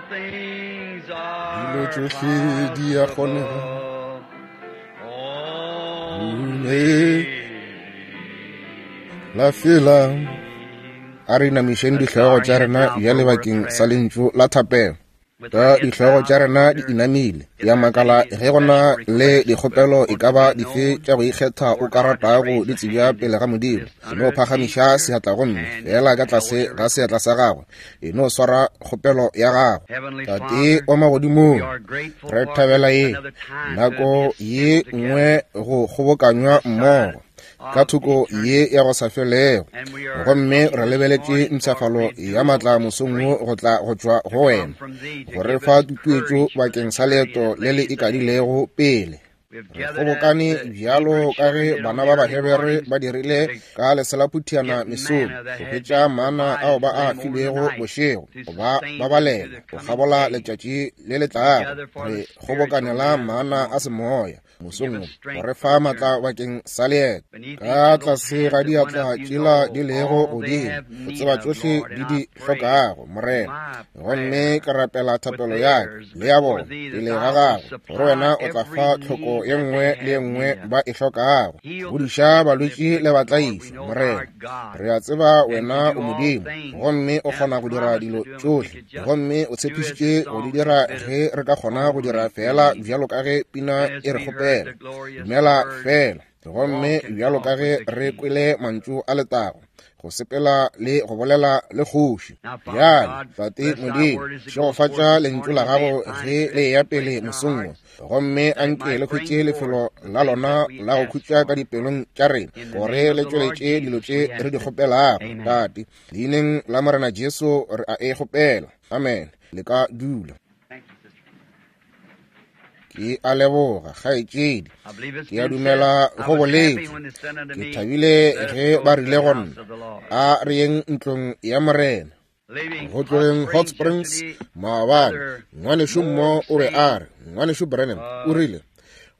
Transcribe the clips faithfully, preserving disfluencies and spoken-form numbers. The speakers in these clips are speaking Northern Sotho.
things are Dilo tšohle di a kgonega. possible. Mme la fela a re inamišeng dihlogo tša rena bjale bakeng sa lentšu la thapelo. Ka dihlogo tša rena di inamile, ya makala ge go na le dikgopelo e ka ba dife tša go ikgetha o ka ratago di tsebja pele ga Modimo. E no phagamiša seatla gomme fela ka tlase ga seatla sa gagwe e no swara kgopelo ya gago. Heavenly Tate Father, wa magodimong, we are grateful re for thabela ye another time to nako be ye assembled nngwe together go kgobokanywa mmogo ka thoko ye ya go sa felego, and we are gomme looking re this lebeletše morning for mpshafalo renewal ya maatla of mosong wo strength go tla go tšwa to go come wena from thee to go re give fa us tutuetšo courage for the bakeng sa journey leeto that le le lays ahead. ikadilego pele. We have Re gathered as kgobokane the bjalo Hebrew ka children ge did on bana the ba early Bahebere mornings ba dirile to ka leselaphutiana get mesong manna that go had hwetša been mana ao provided ba for a them over the filwego night bošego to go ba sustain them through babalela the go coming kgabola day. letšatši le le We tlago. gather for Re the spiritual kgobokanela manna this mana a morning semoya to give mosong us wo go strength re for fa the maatla journey. bakeng sa leeto. Beneath Ka each of those tlase hands ga that went diatla up, you tšela know di lego all they godimo have o need tseba of, tšohle Lord, di and di I pray hlokago, Morena. my Gomme prayer ke rapela with thapelo ya ka theirs le ya before bona thee that pele ga thou gago, wilt gore wena supply o tla every fa tlhoko need ye that nngwe they le ye have nngwe need of. ba e hlokago. Heal the Fodiša sick and the balwetši le afflicted, Lord. We batlaišwa, know thou Morena. art God Re a tseba and wena can o do all Modimo, things gomme o and kgona have go dira promised to dilo do them if we tšohle, could just gomme o do as the tshepišitše go di song dira has bid us, ge re ka kgona go dira only fela believe. bjalo ka ge pina And as e re we heard kgopela. the glorious Dumela words, fela, gomme walk and bjalo ka talk ge with the re King. kwele mantšu a letago, go sepela le go bolela le kgoši. Now, Father Bjale, God, Tate bless thy Modimo, word as it goes forth šegofatša this lentšu la morning, and may gago it find ge its le eya resting place pele in our mosong wo, hearts, gomme that it anke might le bring hwetše lefelo forth the la things lona that we la go ask khutša ka for. dipelong tša rena, In the gore name of le the Lord tšweletše dilo Jesus, tše we re ask di it. kgopelago. Amen. Tate, leineng la Morena Jesu re a e kgopela. Amen. Le ka dula. Thank you, sister. Ke a leboga, kgaetšedi. I believe it's Ke a been said, dumela I go was happy boletše. when they said unto Ke me, thabile Let us ge go ba to rile the go house nna, of the Lord. a re yeng ntlong ya Morena. Leaving Go Hot tlogeng Hot Springs Springs yesterday, maabane, Brother ngwanešu Moore mmo was o be saying, a re, ngwanešu Branham o uh, rile, Brother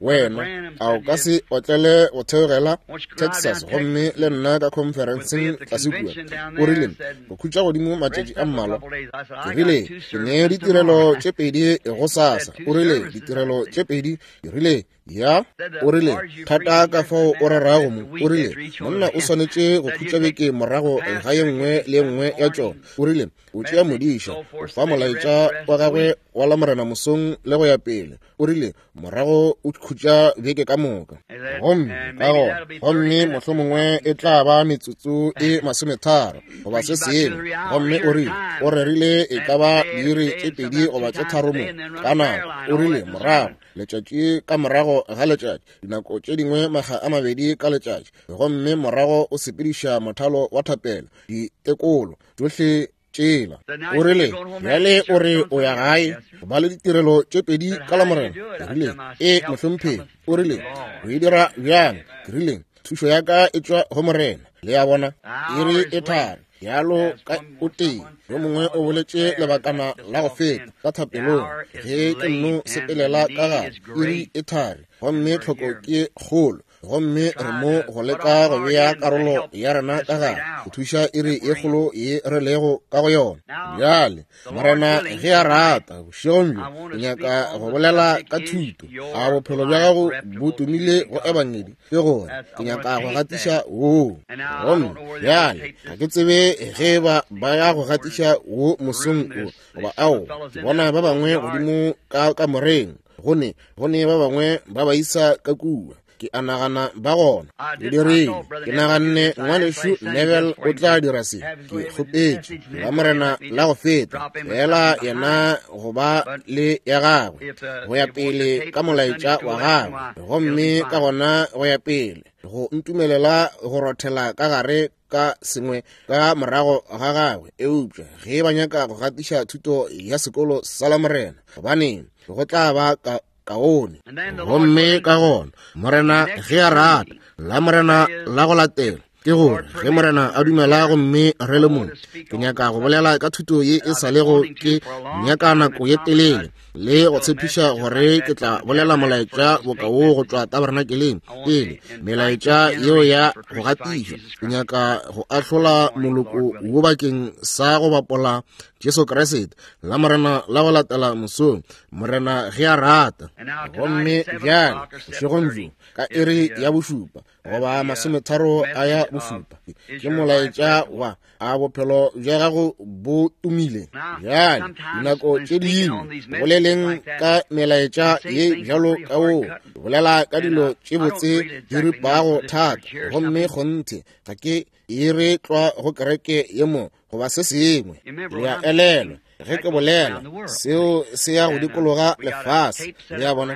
wena Branham a o said, ka yes, se otlele go theogela won't you drive down Texas gomme Texas le and nna ka with be conferenceng at the tlase kua? convention down O there rile and said, go khutša godimo matšatši rest a up a mmalwa. couple days. I said, Ke I got rile two ke ne services ditirelo tomorrow. tše pedi go He said, sasa. two O rile services? I ditirelo said, tše pedi. Ke rile ya. said, O the rile as you thata preaching ka yesterday, fao o man, I rerago missed mo. a O week rile after each one monna of o them. swanetše go Said khutša you take beke the morago ga ye pastor, nngwe give le ye his nngwe Sunday ya tšona. morning O rile o tšea message and modiša so o forth, fa so that you rest molaetša the rest wa of the gagwe week. wa Lamorena mosong le go ya pele. O rile morago o khutša beke ka moka. He said, Gomme and ka maybe gona that'll be thirty gomme minutes or mohlomongwe something. e He tla said, ba metsotso e masometharo goba se preach about two or sengwe. three hours Gomme here o at a rile time, o rerile e ka and ba day after diiri day, tše and pedi sometimes goba two tše times tharo a mo day, and then run ka a prayer nako. line, O all rile that in the morago sermon. letšatši ka morago ga letšatši, dinako tše dingwe makga a mabedi ka letšatši, gomme morago o sepediša mothalo wa thapelo, ditekolo tšohle tšela. Said, now O you say rile you're going home after bjale the o service re on o ya Sunday? I said, gae yes, sir. go ba le ditirelo tše pedi Said, ka how do you Lamorena. do it? Ke I rile said, my e help mohlomphegi. cometh O from the rile Lord. o e dira bjang? Ke rile thušo ya ka e tšwa go Morena. Le a bona, The hour iri is e late, thari bjalo as ka one o tee. someone Yo said a mongwe while o ago in boletše prayer that lebakana just la go feta offhand. ka The thapelong, hour is ge ke nno late and the sepelela ka need gare is iri great, e thari, and gomme we're tlhoko here ke kgolo. Gomme re trying mo to go put leka our go part bea in to karolo help ya rena this ka great gare go hour thuša iri that ye we're in. kgolo ye re lego ka go yona. Now, Bjale the Lord Morena willing, ge a tonight rata bošegong bjo I want ke to speak nyaka on go the bolela subject ka is thuto. A your bophelo bja life gago bo reputable to tumile the go gospel. ebangedi? Ke gore That's ke I want nyaka to go tape gatiša that. woo. And now I Gomme don't know where they're going to bjale tape ga this ke tsebe ge morning. ba I see ba ya go this morning gatiša wo mosong room. wo There's goba there's some ao. fellows Ke in bona there ba full bangwe yard. godimo ka kamoreng, gone gone ba bangwe ba ba isa ka kua. Ke a nagana ba gona. I Ke did. I dirile. thought Brother Ke Neville would do naganne this. I asked ngwanešu last Sunday Neville just for o him tla to dira se. have his Ke way with his kgopetše message and la then go ahead and Morena let me la go just feta drop him with fela something behind. yena go ba But le ya gagwe if uh, go ya they want the pele tape ka for Sunday molaetša school wa lesson, gagwe, why, it'll be gomme ka fine. gona go ya pele go ntumelela go rothela ka gare ka sengwe ka morago ga gagwe. Eupša ge ba nyaka go gatiša thuto ya sekolo sa Lamorena, gobaneng go tla ba ka kaone. And then the Lord Gomme willing, ka gona Morena next ge a rata Sunday, Lamorena that is la go latela, ke Ke gore ge Morena a dumela gomme re le mo, ke nyaka go bolela ka thuto ye e sa lego ke nyaka nako ye telele, le go tshepiša gore ke tla bolela molaetša boka wo go tšwa tabernakeleng pele melaetša yeo ya go gatišwa. Ke nyaka go ahlola moloko wo bakeng sa go bapola Jesu Kriste la Morena la go latela mosong, Morena ge a rata. Gomme bjale bošegong bjo ka iri ya bošupa goba masometharo a ya bošupa ke molaetša wa a bophelo bja gago bo tumile. Bjale dinako tše dingwe boleleng ka melaetša ye bjalo ka wo, bolela ka dilo tše botse di ripago thata, gomme kgonthe ga ke e re tlwa go kereke ye mo goba se sengwe. Le a elelwa ge ke bolela seo se ya go dikologa lefase, le a bona,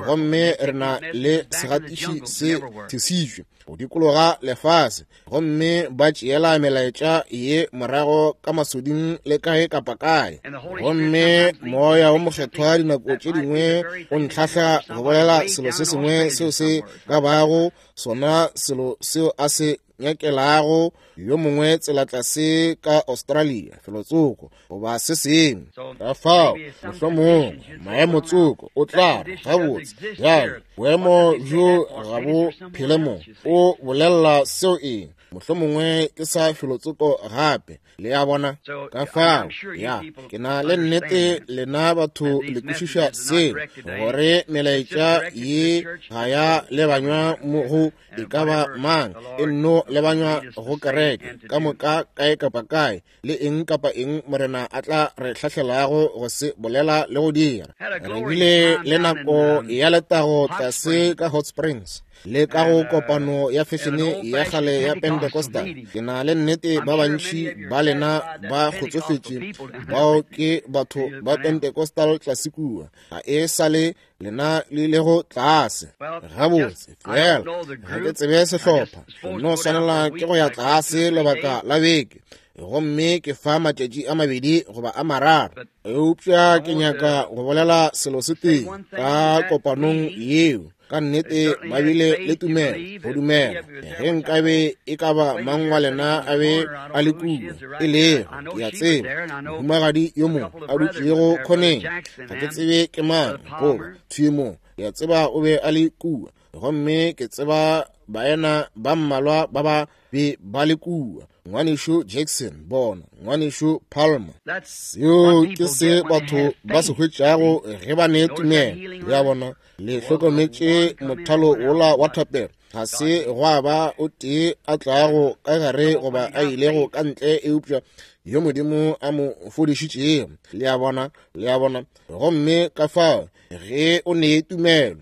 gomme re na le segatiši se thesitšwe go dikologa lefase, gomme ba tšeela melaetša ye morago ka masoding le kae kapa kae. Gomme Moya wo Mokgethwa dinako tše dingwe o ntlhahla go bolela selo se sengwe seo se ka bago sona selo seo a se nyakelago yo mongwe tsela tlase ka Australia felotsoko goba se sengwe. Ka fao mohlomongwe maemo tsoko o tla re gabotse bjale boemo bjo ga bo phele mo, o bolela seo eng, mohlomongwe ke sa felotsoko gape, le a bona. Ka fao ya ke na le nnete lena batho le kwešiša seo, gore melaetša ye ga ya lebanywa mo go e ka ba mang, e nno lebanywa go kereke ka moka kae kapa kae, le eng kapa eng Morena a tla re hlahlelago go se bolela le go dira. Re bile le nako ya letago tlase ka Hot Springs le ka go kopano ya fešene ya kgale ya Pentecostal. Ke na le nnete ba bantši ba lena ba kgotsofetše bao ke batho ba Pentecostal tlase kua, ga e sa le lena le ilego tlase. Gabotse fela ga ke tsebe sehlopha, no swanela ke go ya tlase lebaka la beke, gomme ke fa matšatši a mabedi goba a mararo. Eupša ke nyaka go bolela selo se tee ka kopanong yeo. Ka nnete ba bile le tumelo go dumela ge nkabe e ka ba mang wa lena a be a le kua, e lego ke a tseba mohumagadi yo mongwe a dutšego khoneng, ga ke tsebe ke mang goba thwi mo, ke a tseba o be a le kua, gomme ke tseba baena ba mmalwa ba ba be ba le kua, ngwanešu Jackson bona, ngwanešu Palmer. Seo ke se batho ba se hwetšago ge ba ne tumelo, le a bona. Le hlokometše mothalo wola wa thapelo, ga se gwa ba o tee a tlago ka gare goba a ilego ka ntle eupša yo Modimo a mo fodišitšego, le a bona, le a bona. Gomme ka fao ge o ne tumelo,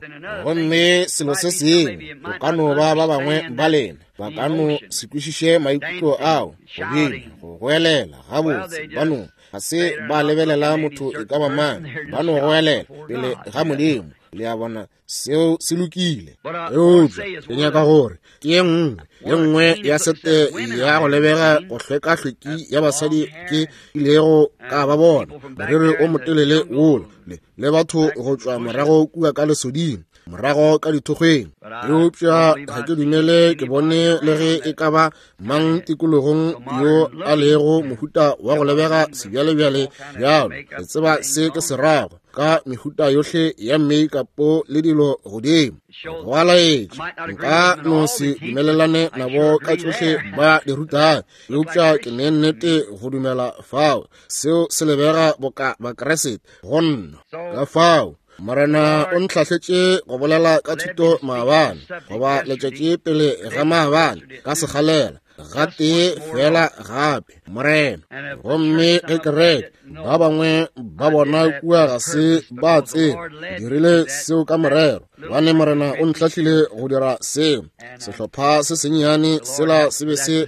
gomme selo se sengwe o ka no ba ba bangwe ba lena ba ka no se kwešiše maikutlo ao, go bina, go goelela gabotse, ba no ga se ba lebelela motho e ka ba mang, ba no goelela pele ga Modimo, le a bona. Seo se lokile. Eupša ke nyaka gore ke ye nngwe ye nngwe ya sete ya go lebega go hlwekahlweki ya basadi ke ilego ka ba bona, moriri o motelele wola le, le batho go tšwa morago kua ka lesoding, morago ka dithokgweng. Eupša ga ke dumele ke bone le ge e ka ba mang tikologong yo a lego mohuta wa go lebega sebjalebjale bjalo. Le tseba se ke se rago ka mehuta yohle ya make-upo le dilo godimo. Go a laetša nka no se dumelelane nabo ka tšohle ba di rutang, eupša ke ne nnete go dumela fao seo se lebega boka Bakriste go nna. Ka fao Morena o ntlhahletše go bolela ka thuto maabane goba letšatši pele ga maabane ka segalela gatee fela gape Morena. Gomme ge kereke ba bangwe ba bona kua ga se ba tseba, dirile seo ka morero, gobane Morena o ntlhahlile go dira seo. Sehlopha se sennyane sela se be se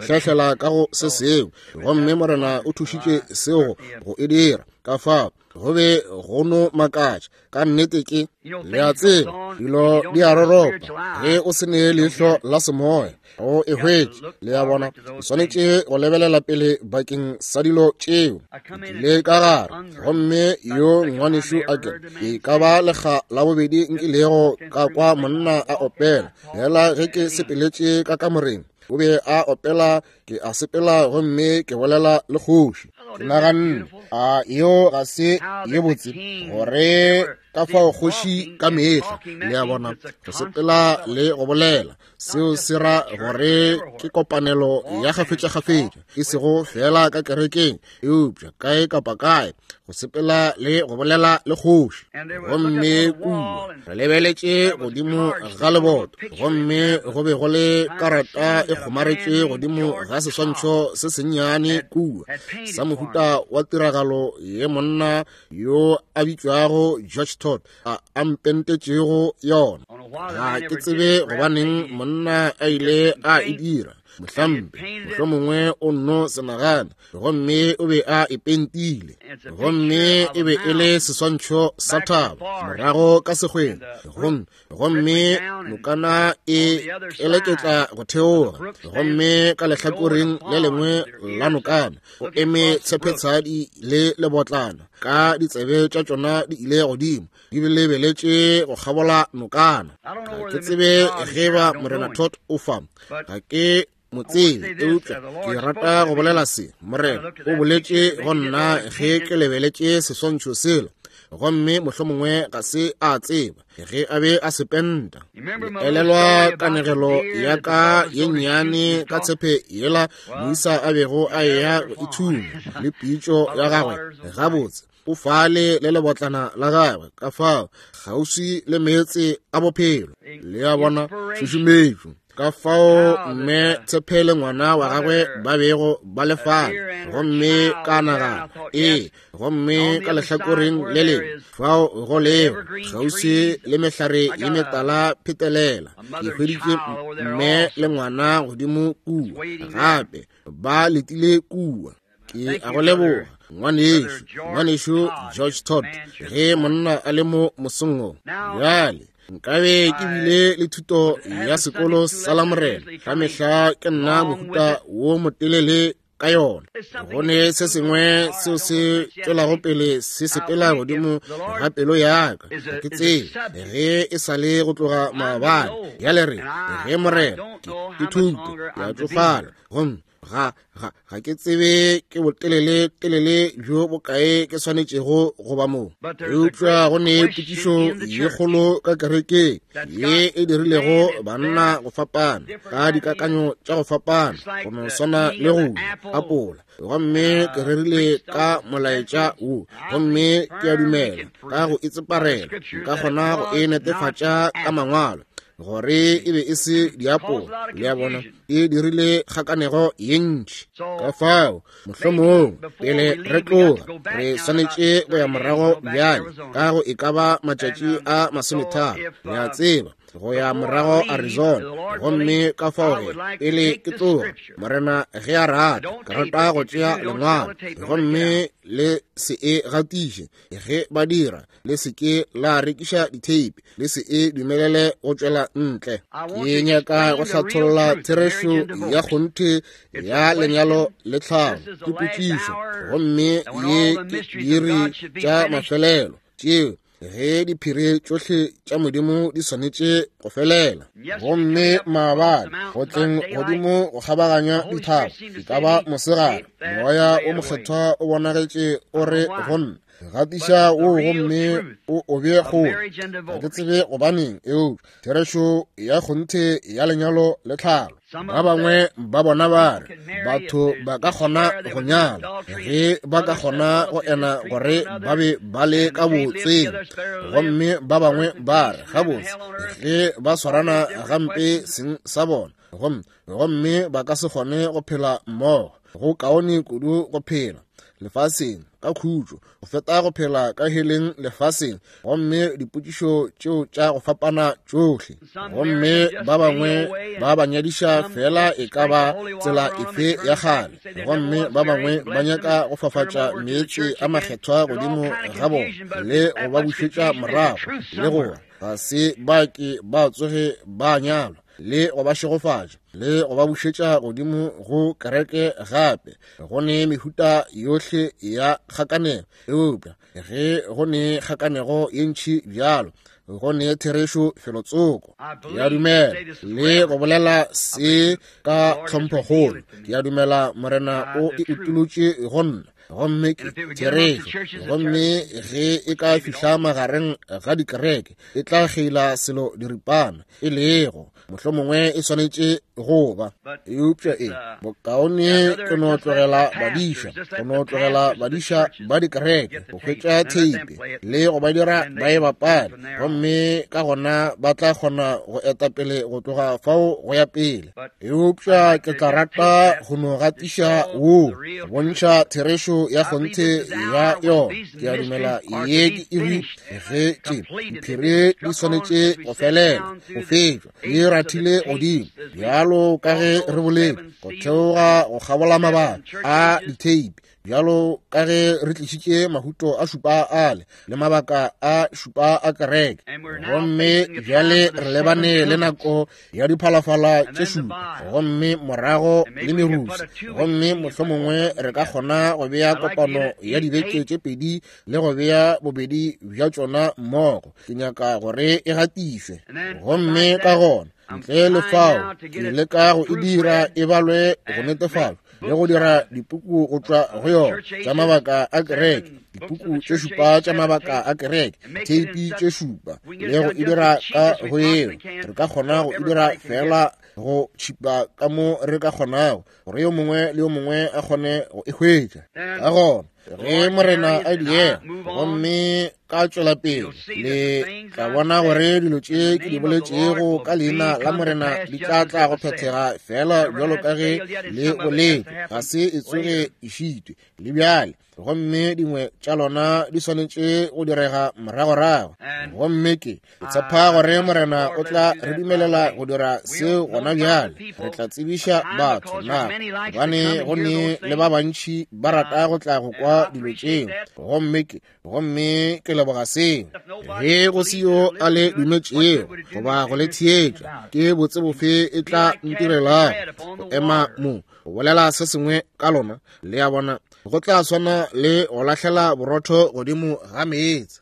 hlahlela ka go se sengwe, gomme Morena o thušitše seo go e dira. Ka fao go be go no makatša ka nnete ke le a tseba dilo di a roropa ge o se ne leihlo la semoya. Go e hwetše, le a bona, o swanetše go lebelela pele bakeng sa dilo tšeo. Ke tlile ka gare, gomme yo ngwanešu a ke e ka ba lekga la bobedi nkilego ka kwa monna a opela. Fela ge ke sepeletše ka kamoreng, o be a opela, ke a sepela gomme ke bolela le kgoši. Ke naganne, a yeo ga se ye botse, gore ka fao kgoši ka mehla, le a bona, go sepela le go bolela. Seo se ra gore ke kopanelo ya kgafetšakgafetša, e sego fela ka kerekeng, eupša kae kapa kae, go sepela le go bolela le kgoši. Gomme kua re lebeletše godimo ga leboto, gomme go be go le karata e kgomaretše godimo ga seswantšho se sennyane kua, sa mohuta wa tiragalo ye monna yo a bitšwago George Todd a a mpentetšego yona. Ga ke tsebe gobaneng monna a ile a e dira, mohlampe mohlomongwe o nno se nagana, gomme o be a e pentile. Gomme e be e le seswantšho sa thaba morago ka sekgweng, gomme gomme nokana e keleketla go theoga, gomme ka lehlakoreng le lengwe la nokana go eme tshepetshadi le lebotlana, ka ditsebe tša tšona di ile godimo, di lebeletše go kgabola nokana. Ga ke tsebe ge ba Morena Todd o fa, ga ke mo tsebe, eupša ke rata go bolela se. Morena o boletše go nna ge ke lebeletše seswantšho sela, gomme mohlomongwe ga se a tseba ge a be a se penta. Elelwa kanegelo ya ka ye nnyane ka tshepe yela moisa a bego a eya go ithunya le pitšo ya gagwe. Gabotse, o fale le lebotlana la gagwe ka fao kgauswi le meetse a bophelo. Le a bona, tšhušumetšo. Ka fao mme tshepe le ngwana wa gagwe ba bego ba le fale, gomme ka nagana, ee, gomme ka lehlakoreng le lengwe fao go lego kgauswi le mehlare ye metala phetelela, ke hweditše mme le ngwana godimo kua, gape ba letile kua. Ke a go leboga, ngwanešu, ngwanešu George Todd, ge monna a le mo mosong wo. Bjale nkabe ke bile le thuto ya sekolo sa Lamorena, ka mehla ke nna mohuta wo motelele ka yona. Go ne se sengwe seo se tšwelago pele se sepela godimo ga pelo ya ka, ga ke tsebe ge e sa le go tloga maabane. Bjale re ge Morena, ke thuto ya tšofala, gomme ga ga ga ke tsebe ke botelele telele bjo bokae ke swanetšego go ba mo. Eupša go ne potšišo ye kgolo ka kerekeng ye e dirilego banna go fapana ka dikakanyo tša go fapana, go no swana le go apola. Gomme ke rerile ka molaetša wo, gomme ke a dumela ka go itseparela nka kgona go e netefatša ka mangwalo gore e be e se diapola. Le a bona, e dirile kgakanego ye ntši. Ka fao mohlomong pele re tloga re swanetše go ya morago bjale ka go e ka ba matšatši a masometharo, le a tseba, go ya morago Arizona. Gomme ka fao ge pele ke tloga, Morena ge a rata, ke rata go tšea lengwalo, gomme le se e gatiše. Ge ba dira, le se ke la rekiša ditheipi, le se e dumelele go tšwela ntle. Ke nyaka go hlatholla therešo ya kgonthe ya lenyalo le tlhalo. Ke potšišo, gomme ye ke diiri tša mafelelo tšeo ge diphiri tšohle tša Modimo di swanetše go felela. Gomme maabane go tleng godimo go kgabaganya dithaba, e ka ba mosegare, moya o mokgethwa o bonagetše o re go nna, gatiša wo gomme o o bee kgole. Ga ke tsebe gobaneng, eupša therešo ya kgonthe ya lenyalo le tlhalo. Ba bangwe ba bona ba re batho ba ka kgona go nyala ge ba ka kgona go ena gore ba be ba le ka botseng, gomme ba bangwe ba re gabotse ge ba swarana gampe seng sa bona, gomme gomme ba ka se kgone go phela mmogo. Go kaone kudu go phela lefaseng ka khutšo go feta go phela ka heleng lefaseng. Gomme dipotšišo tšeo tša go fapana tšohle, gomme ba bangwe ba ba nyadiša fela e ka ba tsela efe ya kgale, gomme ba bangwe ba nyaka go fafatša meetse a makgethwa godimo ga bona le go ba bušetša morago, le gore ga se ba ke ba tsoge ba nyalwa. le go ba šegofatša le go ba bušetša godimo go kereke gape. Go ne mehuta yohle ya kgakanego, eupša ge go ne kgakanego ye ntši bjalo, go ne therešo felotsoko. Ke a dumela le go bolela se ka tlhomphokgolo. Ke a dumela Morena o e utolotše go nna, gomme ke therešo. Gomme ge e ka fihla magareng ga dikereke, e tla kgeila selo diripana, e lego mohlomongwe e swanetše go ba. Eupša e bokaone ke no tlogela badiša, go no tlogela badiša ba dikereke go hwetša theipe le go ba dira ba e bapale, gomme ka gona ba tla kgona go eta pele go tloga fao go ya pele. Eupša ke tla rata go no gatiša wo, go bontšha therešo ya kgonthe ya yona. Ke a dumela ye ke iri ge tše diphiri di swanetše go felela, go fetšwa, di rathile godimo bjalo ka ge re boletše, go theoga go kgabola mabaka a ditheipi, bjalo ka ge re tlišitše mahuto a šupa ale le mabaka a šupa a kereke. Gomme bjale re lebane le nako ya diphalafala tše šupa, gomme morago le merusi, gomme mohlomongwe re ka kgona go bea kopano ya dibeke tše pedi le go bea bobedi bja tšona mmogo. Ke nyaka gore e gatišwe, gomme ka gona ntle le fao ke leka go e dira e balwe go netefatšwa le go dira dipuku go tšwa go yona tša mabaka a kereke, dipuku tše šupa tša mabaka a kereke, theipi tše šupa, le go e dira ka go eo. Re ka kgona go e dira fela go tšhipa ka mo re ka kgonago, gore yo mongwe le yo mongwe a kgone go e hwetša. Ka gona ge Morena a diega gomme ka tšwela pele, le tla bona gore dilo tše ke di boletšego ka leina la Morena di tla tla go phethega fela bjalo ka ge le boletše. Ga se e tsoge e šitwe le bjale, gomme dingwe tša lona di swanetše go direga moragorago. Gomme ke tshepa gore Morena o tla re dumelela go dira seo gona bjale. Re tla tsebiša batho nako, gobane go ne le ba bantši ba rata go tla go kwa dilo tšeo. Gomme ke gomme ke leboga seo. Ge go se yo a le dumetšego goba go le theetša, ke botse bofe e tla ntirelago go ema mo go bolela se sengwe ka lona? Le a bona, go tla swana le go lahlela borotho godimo ga meetse.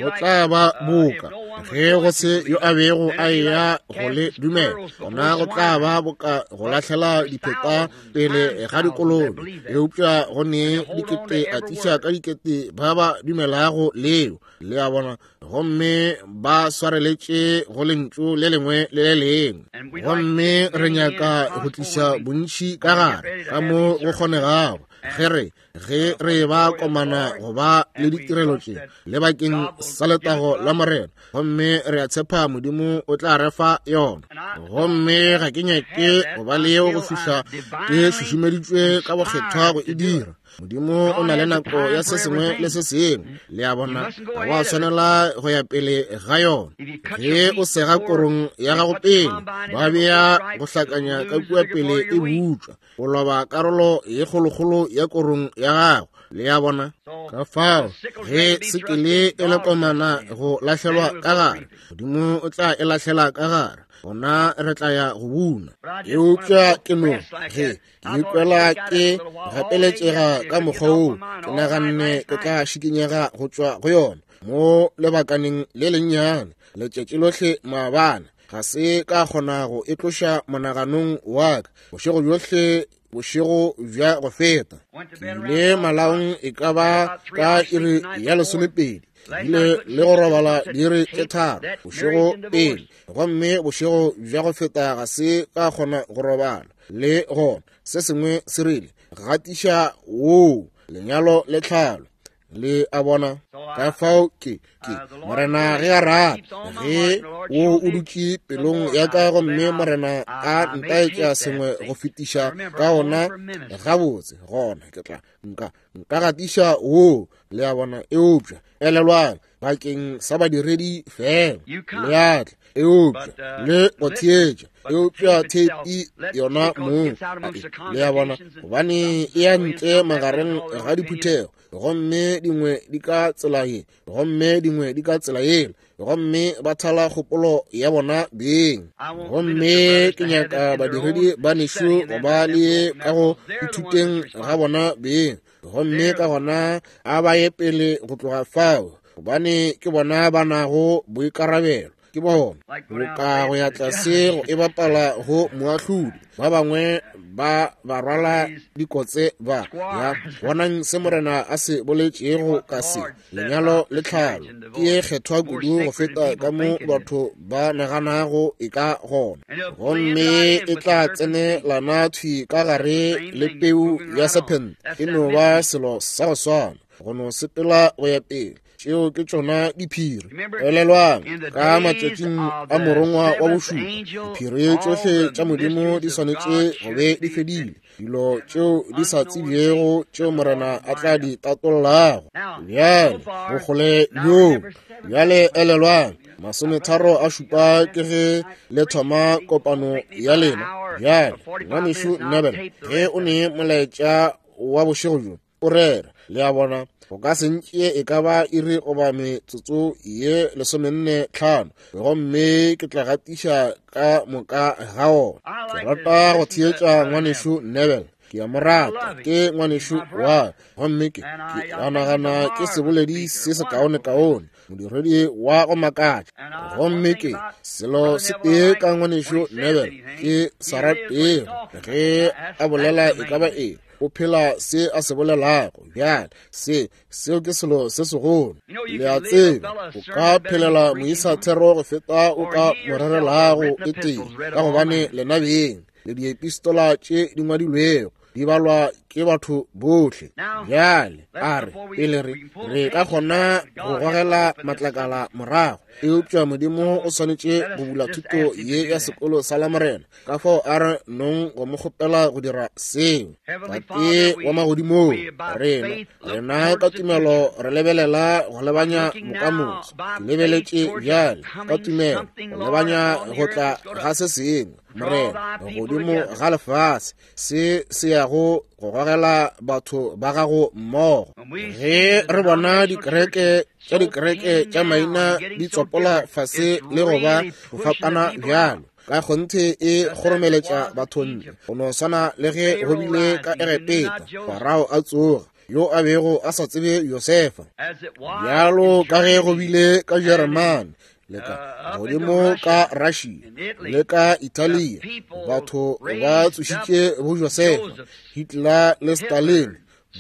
Go tla ba boka ge go se yo a bego a eya go le dumela, gona go tla ba boka go lahlela dipheta pele ga dikolobe. Eupša go ne dikete atiša ka dikete ba ba dumelago leo, le a bona, gomme ba swareletše go lentšu le lengwe le le lengwe. Gomme re nyaka go tliša bontši ka gare ka mo go kgonegago ge re ge re ba komana go ba le ditirelo tše le bakeng sa letago la Morena, gomme re a tshepa Modimo o tla re fa yona. Gomme ga ke nyake go ba leo go fihla ke šušumeditšwe ka bokgethwa go e dira. Modimo o na le nako ya se sengwe le se sengwe, le a bona, ga wa tshwanela go ya pele ga yona. Ge o sega korong ya gago pele, ba bea go hlakanya ka kua pele e butšwa, o loba karolo ye kgolokgolo ya korong ya gago, le a bona. Ka fao ge sekele e le komana go lahlelwa ka gare, Modimo o tla e lahlela ka gare, gona re tla ya go buna. Eupša ke no ge ke ikwela ke gapeletšega ka mokgwa woo, ke naganne ke tla šikinyega go tšwa go yona mo lebakaneng le lennyane. Letšatši lohle maabane ga se ka kgona go e tloša monaganong wa ka, bošego bjohle bošego bja go feta. Ke ile malaong e ka ba ka iri ya lesomepedi, ke ile le go robala diiri tše tharo bošego pele, gomme bošego bja go feta ga se ka kgona go robala le gona. Se sengwe se rile, gatiša woo, lenyalo le tlhalo, le a bona. Ka fao ke ke Morena ge a rata, ge wo o dutše pelong ya ka, gomme Morena a ntaetša sengwe go fetiša ka ona gabotse, gona ke tla nka nka gatiša woo, le a bona. Eupša elelwang, bakeng sa badiredi fela. Le a tla, eupša le go theetša, eupša theipi yona mong, le a bona, gobane e ya ntle magareng ga diphuthego, gomme dingwe di ka tsela ye, gomme dingwe di ka tsela yela, gomme ba thala kgopolo ya bona beng. Gomme ke nyaka badiredi ba nešo go ba le ka go ithuteng ga bona beng, gomme ka gona a ba ye pele go tloga fao, gobane ke bona ba nago boikarabelo. Ke bona boka go ya tlase go e bapala go moahlodi, ba bangwe ba ba rwala dikotse ba ya bonang se Morena a se boletšego ka se lenyalo le tlhalo ke ye kgethwa kudu go feta ka mo batho ba naganago e ka gona, gomme e tla tsenelana thwi ka gare le peu ya sephente. E no ba selo sa go swana, go no sepela go ya pele. Tšeo ke tšona diphiri. Elelwang, ka matšatšing a morongwa wa bošupa, diphiri tšohle tša Modimo di swanetše go be di fedile, dilo tšeo di sa tsebjego tšeo Morena a tla di tatollago. Bjale bokgole bjoo, bjale elelwang, masometharo a šupa ke ge le thoma kopano ya lena. Bjale ngwanešu Nebel, ge o ne molaetša wa bošego bjo o rera, le a bona, go ka se ntšee e ka ba iri goba metsotso ye lesomenne tlhano, gomme ke tla gatiša ka moka ga ona. Ke rata go theetša ngwanešu Nebel, ke a mo rata, ke ngwanešu wa, gomme ke ke a nagana ke seboledi se sekaonekaone, modiredi wa go makatša. Gomme ke selo se tee ka ngwanešu Nebel ke sa ratego ge a bolela e ka ba eng, o phela se a se bolelago. Bjale se seo ke selo se segolo. Le a tseba, o ka phelela moisa thero go feta o ka mo rerelago e tee, ka gobane lena beng le diepistola tše di ngwadilwego di balwa ke batho bohle. Bjale a re pele re re ka kgona go gogela matlakala morago, eupša Modimo o swanetše go bula thuto ye ya sekolo sa Lamorena, ka fao a re nong go mo kgopela go dira seo. Tate wa magodimong, rena rena ka tumelo re lebelela go lebanya bokamoso. Ke lebeletše bjale ka tumelo go lebanya go tla ga se sengwe, Morena, godimo ga lefase se se yago go gogela batho ba gago mmogo. Ge re bona dikereke tša dikereke tša maina di tsopola fase le go ba go fapana bjalo, ka kgonthe e kgoromeletša batho ntle, go no swana le ge go bile ka Egepeta, Farao a tsoga, yo a bego a sa tsebe Josefa, bjalo ka ge go bile ka Jeremane, le ka godimo ka Russia, le ka Italia, batho ba tsošitše bo Josefa, Hitler le Stalin,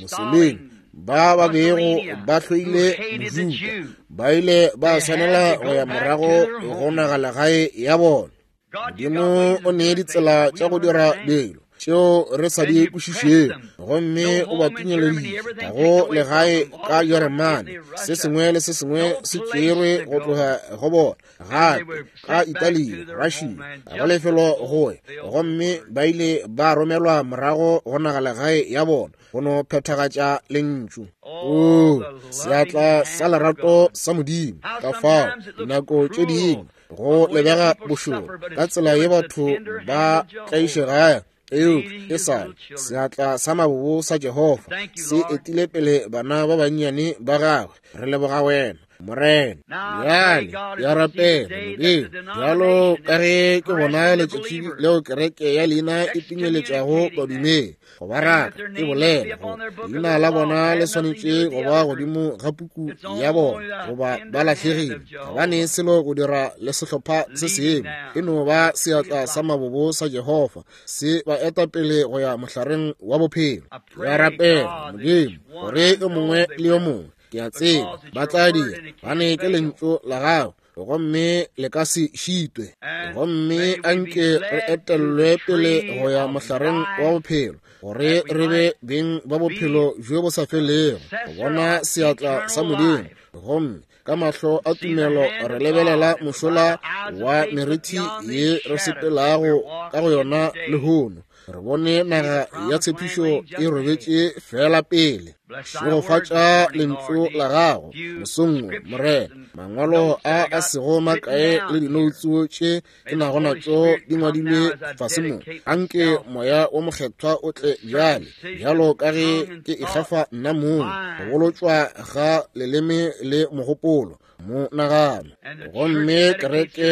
Mussolini, ba ba bego ba hloile Mojuda, ba ile ba swanela go ya morago go nagalegae ya bona. Modimo o nee ditsela tša go dira dilo tšeo re sa di kwešišego, gomme o ba pinyeleditše ga go legae ka Jeremane, se sengwe le se sengwe se tšerwe go tloga go bona, gape ka Italia, Russia, ga go lefelo go ya, gomme ba ile ba romelwa morago go nagalegae ya bona go no phethagatša lentšu. O seatla sa lerato sa Modimo! Ka fao dinako tše dingwe go lebega bošoro ka tsela ye batho ba tlaišegago, eupša e sa seatla sa mabobo sa Jehofa se etile pele bana ba bannyane ba gagwe. Re leboga wena, Morena. Bjale ya rapela Modimo, bjalo ka ge ke bona letšatši leo kereke ya leina e pinyeletšago badumedi go ba raka, e bolela gore leina la bona le swanetše go ba godimo ga puku ya bona, goba ba lahlegile. Ga ba ne selo go dira le sehlopha se sengwe, e no ba seatla sa mabobo sa Jehofa se ba eta pele go ya mohlareng wa bophelo. Ya rapela Modimo gore yo mongwe le yo mongwe, ke a tseba ba tla dira, bane ke lentšu la gago, gomme le ka se šitwe. Gomme anke re etellwe pele go ya mohlareng wa bophelo, gore re be beng ba bophelo bjo bo sa felego, go bona seatla sa Modimo, gomme ka mahlo a tumelo re lebelela mošola wa meriti ye re sepelago ka go yona lehono. Re bone naga ya tshepišo e robetše fela pele. Šegofatša lentšu la gago mosong wo, Morena. Mangwalo a a sego makae le dinoutsu tše ke nago natšo di ngwadilwe fase mo. Anke Moya wo Mokgethwa o tle bjale, bjalo ka ge ke ikgafa nna mong, go bolotšwa ga leleme le mogopolo, monagano. Gomme kereke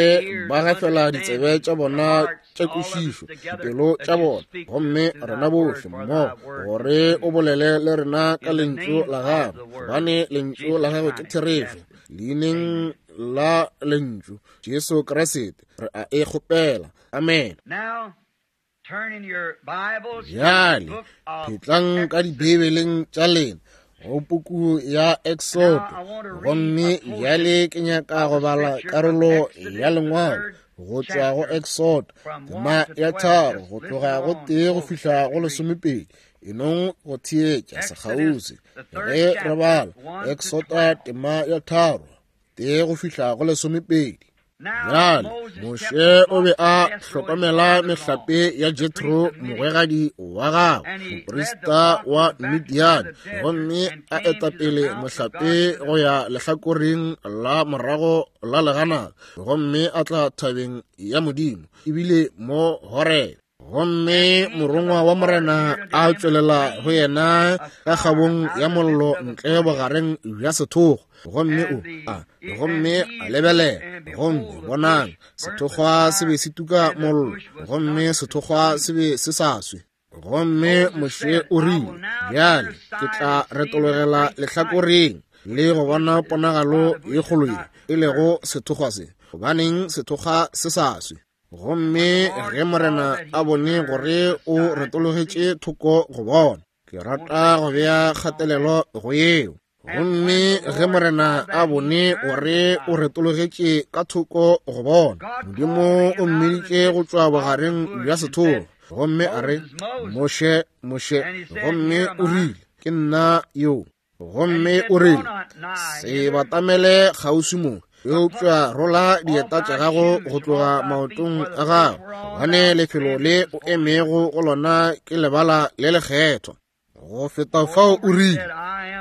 ba gafela ditsebe tša bona tša kwešišo, dipelo tša bona, gomme rena bohle mmogo, gore o bolele le rena ka lentšu la gago, gobane lentšu la gago ke therešo. Leineng la lentšu Jesu Kriste re a e kgopela. Amen. Bjale phetlang ka dibibeleng tša lena go puku ya Exodo, gomme bjale ke nyaka go bala karolo ya lengwalo go tšwa go Exodo tema ya tharo go tloga go tee go fihla go lesomepedi. Enong go theetša sekgauswi ge re bala Exodo tema ya tharo tee go fihla go lesomepedi. Bjale Moshe o be a hlokomela mehlape ya Jethro mogwegadi wa gagwe, moprista wa Midiane, gomme a eta pele mohlape go ya lehlakoreng la morago la leganata, gomme a tla thabeng ya Modimo, ebile mo Horebe. Gomme morongwa wa Morena a tšwelela go yena ka kgabong ya mollo ntle bogareng bja sethokgwa, gomme o a gomme a lebelela, gomme bonang, sethokgwa se be se tuka mollo, gomme sethokgwa se be se sa swe. Gomme Moshe o rile, bjale ke tla retologela lehlakoreng le go bona ponagalo ye kgolo ye e lego sethokgwa se, gobaneng sethokgwa se sa swe. Gomme ge Morena a bone gore o retologetše thoko go bona, ke rata go bea kgatelelo go yeo. Gomme ge Morena a bone gore o retologetše ka thoko go bona, Modimo o mmiditše go tšwa bogareng bja sethokgwa, gomme a re, Moshe, Moshe. Gomme o rile, ke nna yo. Gomme o rile, se batamele kgauswi mo, eupša rola dieta tša gago go tloga maotong a gago, gobane lefelo le o emego go lona ke lebala le lekgethwa. Go feta fao o rile,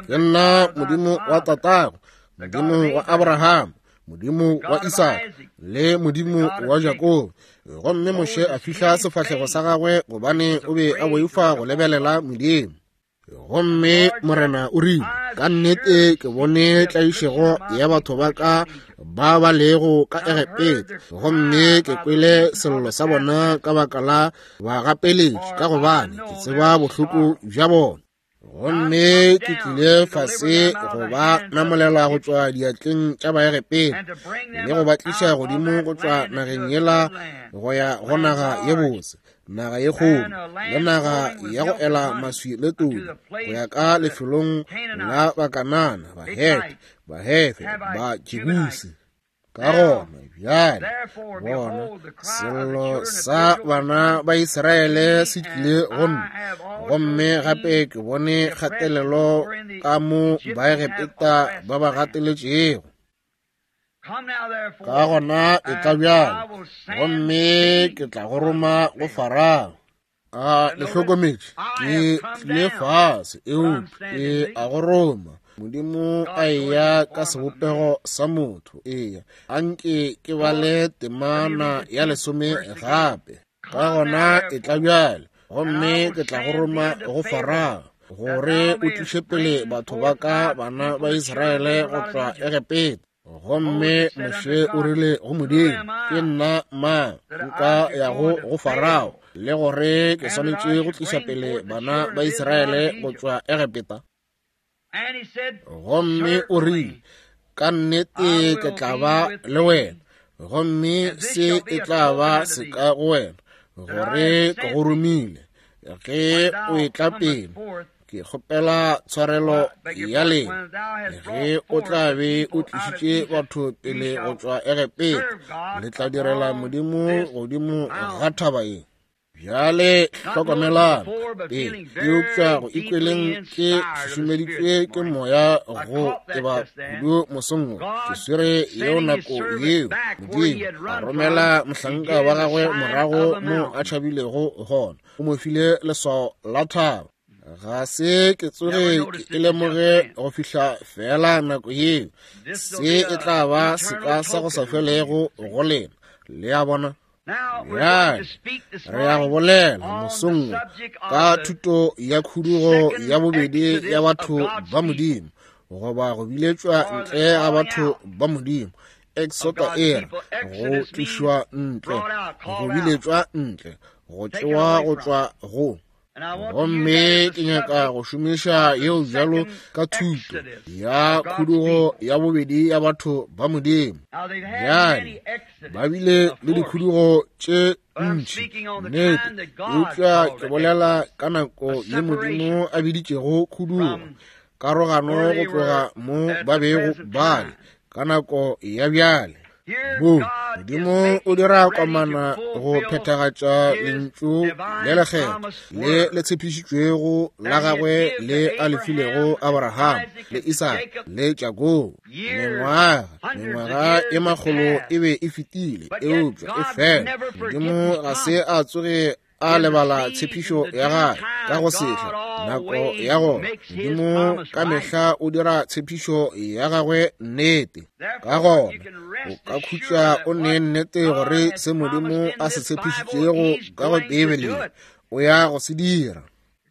ke nna Modimo wa tatago, Modimo wa Abraham, Modimo wa Isaka le Modimo wa Jakobo. Gomme Moshe a fihla sefahlego sa gagwe, gobane o be a boifa go lebelela Modimo. Gomme Morena o rile, ka nnete ke bone tlaišego ya batho ba ka ba ba lego ka Egepeta, gomme ke kwele sello sa bona ka baka la bagapeletši, ka gobane ke tseba bohloko bja bona. Gomme ke tlile fase go ba namolela go tšwa diatleng tša Baegepeta, le go ba tliša godimo go tšwa nageng yela go ya go naga ye botse, naga ye kgolo, le naga ya go ela maswi le todi, go ya ka lefelong la Bakanana, Bahete, Bahefe, Bajebusi. Ka gona bjale bona, sello sa bana ba Israele se tlile go nna, gomme gape ke bone kgatelelo ka mo Baegepeta ba ba gateletšego. Ka gona e tla bjalo, gomme ke tla go roma go Farao. A le hlokometše, ke tlile fase, eupša ke a go roma. Modimo a eya ka sebopego sa motho. Eya, anke ke bale temana ya lesome gape. Ka gona e tla bjale, gomme ke tla go roma go Farao, gore o tliše pele batho ba ka bana ba Israele go tšwa Egepeta. Gomme Moshe o rile go Modimo, ke nna mang nka yago go Farao, le gore ke swanetše go tliša pele bana ba Israele go tšwa Egepeta? Gomme o rile, ka nnete ke tla ba le wena, gomme se e tla ba seka go wena, gore ke go romile. Ge o etla pele, ke kgopela tshwarelo ya lena, ge o tla be o tlišitše batho pele go tšwa Egepeta, le tla direla Modimo godimo ga thaba ye. Bjale hlokomelang pele, eupša go ikweleng ke šušumeditšwe ke moya go teba kudu mosong wo. Ke swere yeo nako yeo Modimo a romela mohlanka wa gagwe morago mo a tšhabilego gona, o mo file leswao la thaba. Ga se ke tsoge ke lemoge go fihla fela nako yeo. Se e tla ba seka sa go sa felego go lena. Le a bona? Bjale re ya go bolela mosong ka thuto ya khudugo ya bobedi ya batho ba Modimo, goba go biletšwa ntle ga batho ba Modimo. Exota era go tlišwa ntle, go biletšwa ntle, go tšewa go tšwa go. Gomme ke nyaka go šomiša yeo bjalo ka thuto ya khudugo ya bobedi ya batho ba Modimo. Bjale ba bile le dikhudugo tše ntši, nnete, eupša ke bolela ka nako ye Modimo a biditšego khudugo, karogano go tloga mo ba bego ba le ka nako ya bjale. Mo Modimo o dira komana go phethagatša lentšu le lekgethwa le le tshepišitšwego la gagwe le a le filego Abraham le Isaka le Jakobo. Mengwaga mengwaga e makgolo e be e fetile, eupša e fela Modimo ga se a tsoge a lebala tshepišo ya gagwe ka go sehla nako ya gona. Modimo ka mehla o dira tshepišo ya gagwe nnete. Ka gona o ka khutša o ne nnete gore se Modimo a se tshepišitšego ka go Beibeleng o ya go se dira.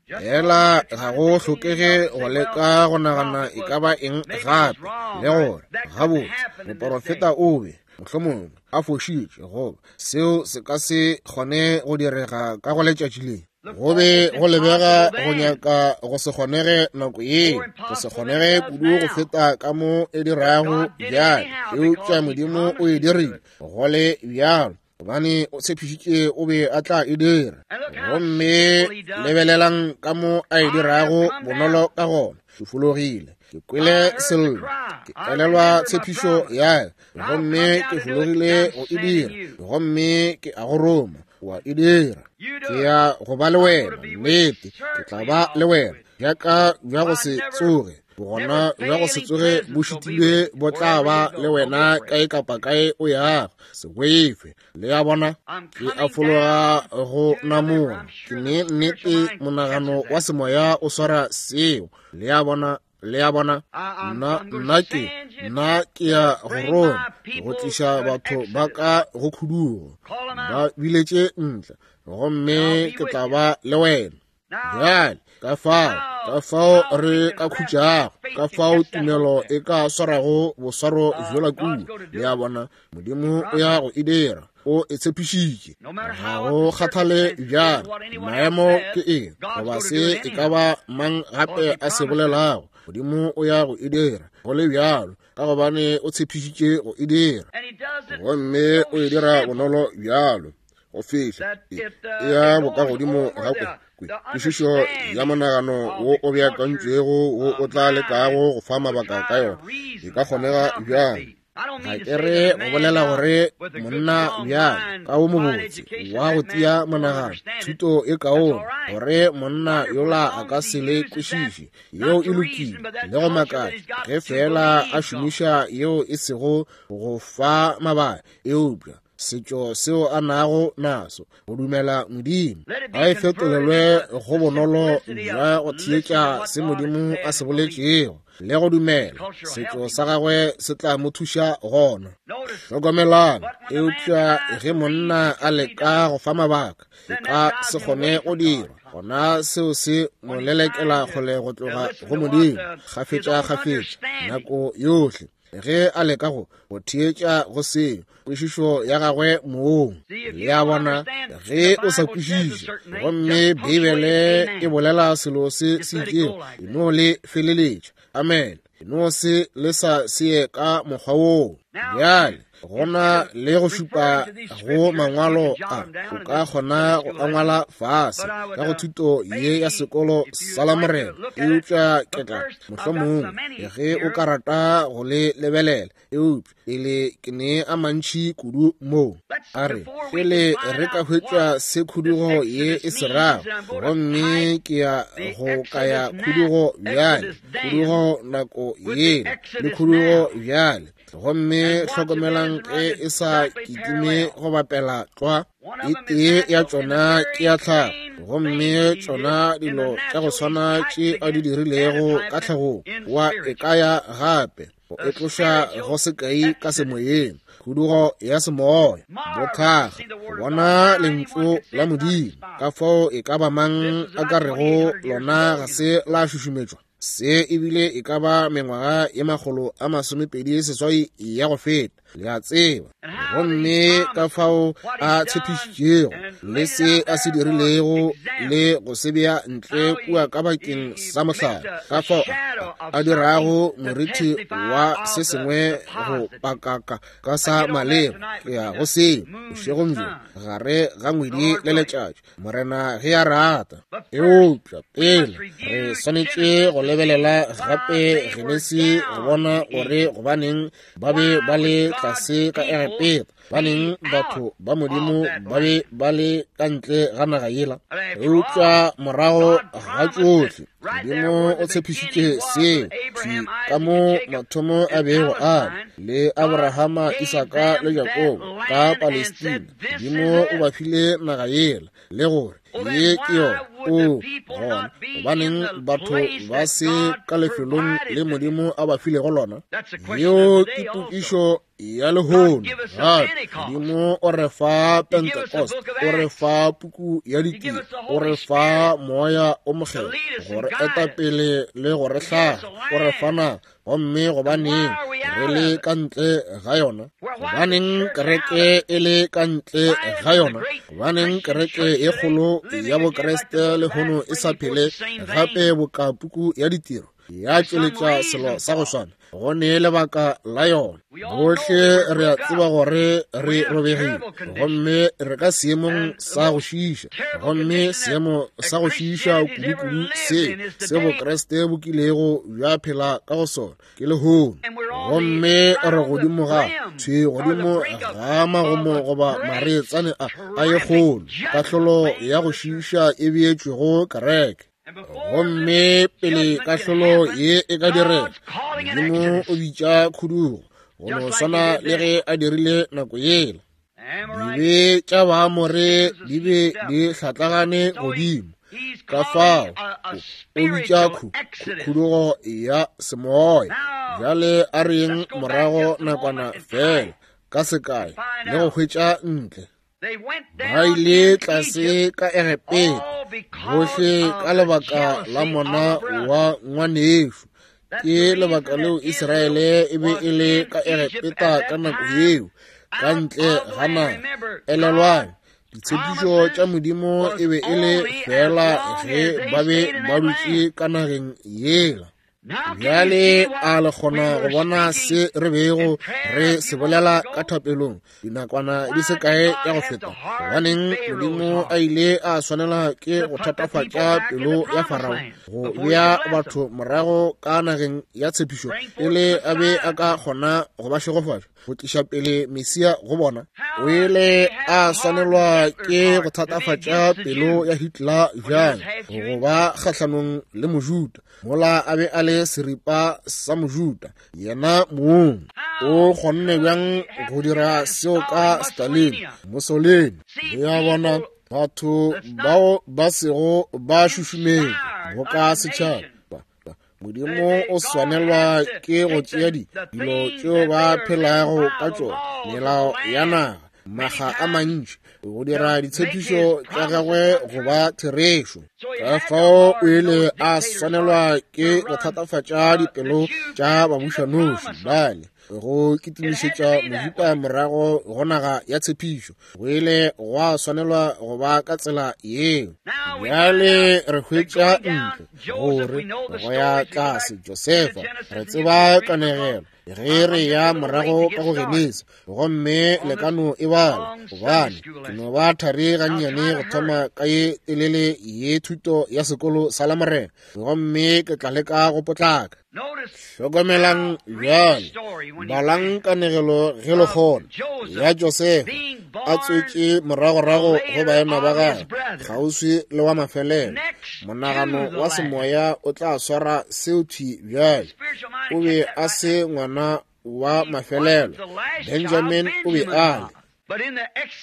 Fela ga go hlokege go leka go nagana e ka ba eng gape, le gore gabotse moporofeta o be mohlomongwe a fošitše, goba seo se ka se kgone go direga ka go letšatši le. Go be go lebega go nyaka go se kgonege nako yeo, go se kgonege kudu go feta ka mo e dirago bjale, eupša Modimo o e dirile go le bjalo, gobane o tshepišitše o be a tla e dira. Gomme lebelelang ka mo a e dirago bonolo ka gona. Ke fologile, ke kwele sello, ke elelwa tshepišo ya ka, gomme ke fologile go e dira, gomme ke a go roma wa e dira. Ke ya go ba le wena, nnete, ke tla ba le wena, bjaka bja go se tsoge, bogona bja go se tsoge bo šitilwe bo tla ba le wena kae kapa kae o yago. Se boife. Le a bona? Ke a fologa go namola. Ke ne nnete monagano wa semoya o swara seo. Le a bona? Le a bona? Nna nna ke nna ke ya go roma go tliša batho ba ka go khudugo, ba biletše ntle, gomme ke tla ba le wena. Bjale ka fao ka fao re ka khutšago, ka fao tumelo e ka swarago boswaro bjola kudu. Le a bona? Modimo o ya go e dira, o e tshepišitše. Ga go kgathale bjalo maemo ke eng, goba se e ka ba mang gape a se bolelago, Modimo o ya go e dira go le bjalo, ka gobane o tshepišitše go e dira. Gomme o e dira bonolo bjalo go fihla e ya bokagodimo ga kwešišo ya monagano wo o beakantšwego wo o tla lekago go fa mabaka ka yona. E ka kgonega bjang? Ga ke re go bolela gore monna bjalo ka wo mobotse wa go tia monagano, thuto e kaone, gore monna yola a ka se le kwešiše. Yeo e lokile le go makatša ge fela a šomiša yeo e sego go fa mabaka, eupša setšo seo a nago naso go dumela Modimo a e fetolelwe go bonolo bja go theetša se Modimo a se boletšego le go dumela setšo sa gagwe se tla mo thuša gona. Hlokomelang, eupša ge monna a leka go fa mabaka, e ka se kgone go dirwa, gona seo se mo lelekela kgole go tloga go Modimo kgafetša-kgafetša nako yohle ge a leka go go theetša go seo kwešišo ya gagwe mong. Le a bona? Ge o sa kwešiše gomme Beibele e bolela selo se se itšego, e no le feleletša. Amen. E no se le sa seye ka mokgwa woo. Bjale Gona le go šupa go mangwalo a, o ka kgona go angwala fase ka go thuto ye ya sekolo sa la Morena. Eupša ke tla mohlomongwe ge o ka rata go le lebelela, eupša pele ke ne a mantši kudu mo. A re pele re ka hwetša se khudugo ye e se rago, gomme ke ya go kaya khudugo bjale, khudugo nako yela le khudugo bjale. Gomme hlokomelang ge e sa kitime go bapela tlwa. E tee ya tšona ke ya tlhago, gomme tšona dilo tša go swana tše a di dirilego ka tlhagong wa e kaya gape go e tloša go sekai ka semoyeng, khudugo ya semoya, bothakga, go bona lentšu la Modimo. Ka fao e ka ba mang a ka rego lona ga se la šušumetšwa? Se ebile e ka ba mengwaga ye makgolo a masomepedi seswai ya go feta, le a tseba. Gomme ka fao a tshepišitšego le se a se dirilego le go se bea ntle kua ka bakeng sa mohlala, ka fao a dirago moriti wa se sengwe go pakaka ka sa maleba. Ke ya go seo bošegong bjo gare ga ngwedi le letšatši, Morena ge a rata. Eupša pele re swanetše go lebelela gape Genesi go bona gore gobaneng ba be ba le tlase ka Egepeta, baneng batho ba Modimo ba be ba le ka ntle ga naga yela. Eupša morago ga tšohle, Modimo o tshepišitše seo thwi ka mo mathomo a bego a le Abrahama, Isaka le Jakobo ka Palestina. Modimo o ba file naga yela le gore ye ke yona. O gona gobaneng batho ba se ka lefelong le Modimo a ba filego lona? Yeo ke tokišo ya lehono. Gape Modimo o re fa Pentecost, o re fa puku ya ditiro, o re fa moya o mokgethwa go re eta pele le go re hlaga, o re fa naga. Gomme gobaneng re le ka ntle ga yona? Gobaneng kereke e le ka ntle ga yona? Gobaneng kereke e kgolo ya Bokreste lehono e sa phele gape boka puku ya ditiro ya tšweletša selo sa go swana? Go ne lebaka la yona. Bohle re a tseba gore re robegile, gomme re ka seemong sa go šiiša, gomme seemo sa go šiiša kudu-kudu se se Bokreste bo kilego bja phela ka go sona ke lehono. Gomme re godimo ga thwi godimo ga magomo goba mareetsane a a ye kgolo, kahlolo ya go šiiša e beetšwego kereke. Gomme pele kahlolo ye e ka direga, Modimo o bitša khudugo go no swana le ge a dirile nako yela. Dibe tša Baamore di be di hlatlagane godimo, ka fao o bitša khudugo ya semoya. Bjale a reng morago nakwana fela ka sekai le go hwetša ntle. Ba ile tlase ka Egepeta bohle ka lebaka la mona wa ngwanešo. Ke lebaka leo Israele e be e le ka Egepeta ka nako yeo, ka ntle ga naga. Elelwang, ditshepišo tša Modimo e be e le fela ge ba be ba dutše ka nageng yela. Bjale a le kgona go bona se re bego re se bolela ka thapelong dinakwana di se kae ya go feta? Gobaneng Modimo a ile a swanela ke go thatafatša pelo ya Farao go bea batho morago ka nageng ya tshepišo pele a be a ka kgona go ba šegofatša, go tliša pele Mesia go bona? O ile a swanelwa ke go thatafatša pelo ya Hitler bjang go ba kgahlanong le Mojuda, mola a be a le seripa sa Mojuda yena mong? O kgonne bjang go dira seo ka Stalin, Mussolini? Le a bona, batho bao ba sego ba šušumetšwa boka setšhaba. Modimo o swanelwa ke go tšea dilo tšeo ba phelago ka tšona, melao ya naga, maga a mantši, go dira ditshepišo tša gagwe go ba therešo. Ka fao o ile a swanelwa ke go thatafatša dipelo tša babušanoši bale go kitimišetša Mojuda morago go naga ya tshepišo. Go ile gwa swanelwa go ba ka tsela yeo. Bjale re hwetša ntle gore go ya tlase Josefa, re tseba kanegelo. Ge re ya morago ka go Genesi, gomme le ka no e bala, gobane ke no ba thari gannyane go thoma ka ye telele ye thuto ya sekolo sa Lamorena, gomme ke tla leka go potlaka. Hlokomelang bjale, balang kanegelo ge le kgona, ya Josefa a tswetše moragorago go baena ba gagwe, kgauswi le wa mafelelo. Monagano wa semoya o tla swara seo thwi bjale. O be a se ngwana wa mafelelo, Benjamin o be a le.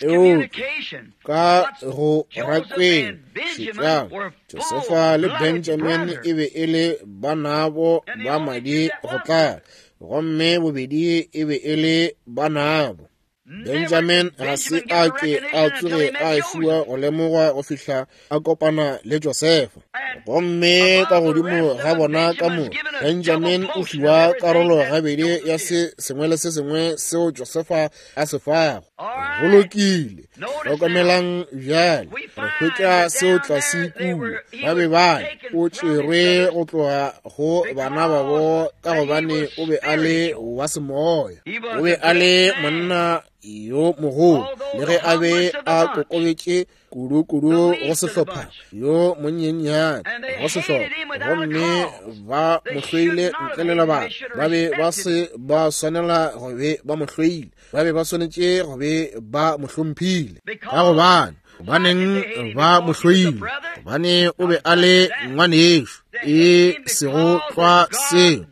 Eupša ka go rakweng šetšang, Josefa le Benjamin e be e le banabo ba madi go tlala, gomme bobedi e be e le banabo. Benjamin ga se a ke a tsoge a fiwa go lemogwa go fihla a kopana le Josefa. Gomme ka godimo ga bona ka mo, Benjamin o fiwa karolo gabedi ya se sengwe le se sengwe seo Josefa a se fago. Go lokile, hlokomelang bjale, re hwetša seo tlase kua. Ba be ba o tšerwe go tloga go bana babo ka gobane o be a le wa semoya. O be a le monna yo mogolo, le ge a be a kokobetše kudu-kudu go sehlopha yo monyenyane go sehlopha, gomme ba mo hloile ntle le lebaka. Ba be ba se ba swanela go be ba mo hloile, ba be ba swanetše go be ba mo hlomphile, ka gobane gobaneng ba mo hloile? Gobane o be a le ngwanešo, e sego tlwa seo.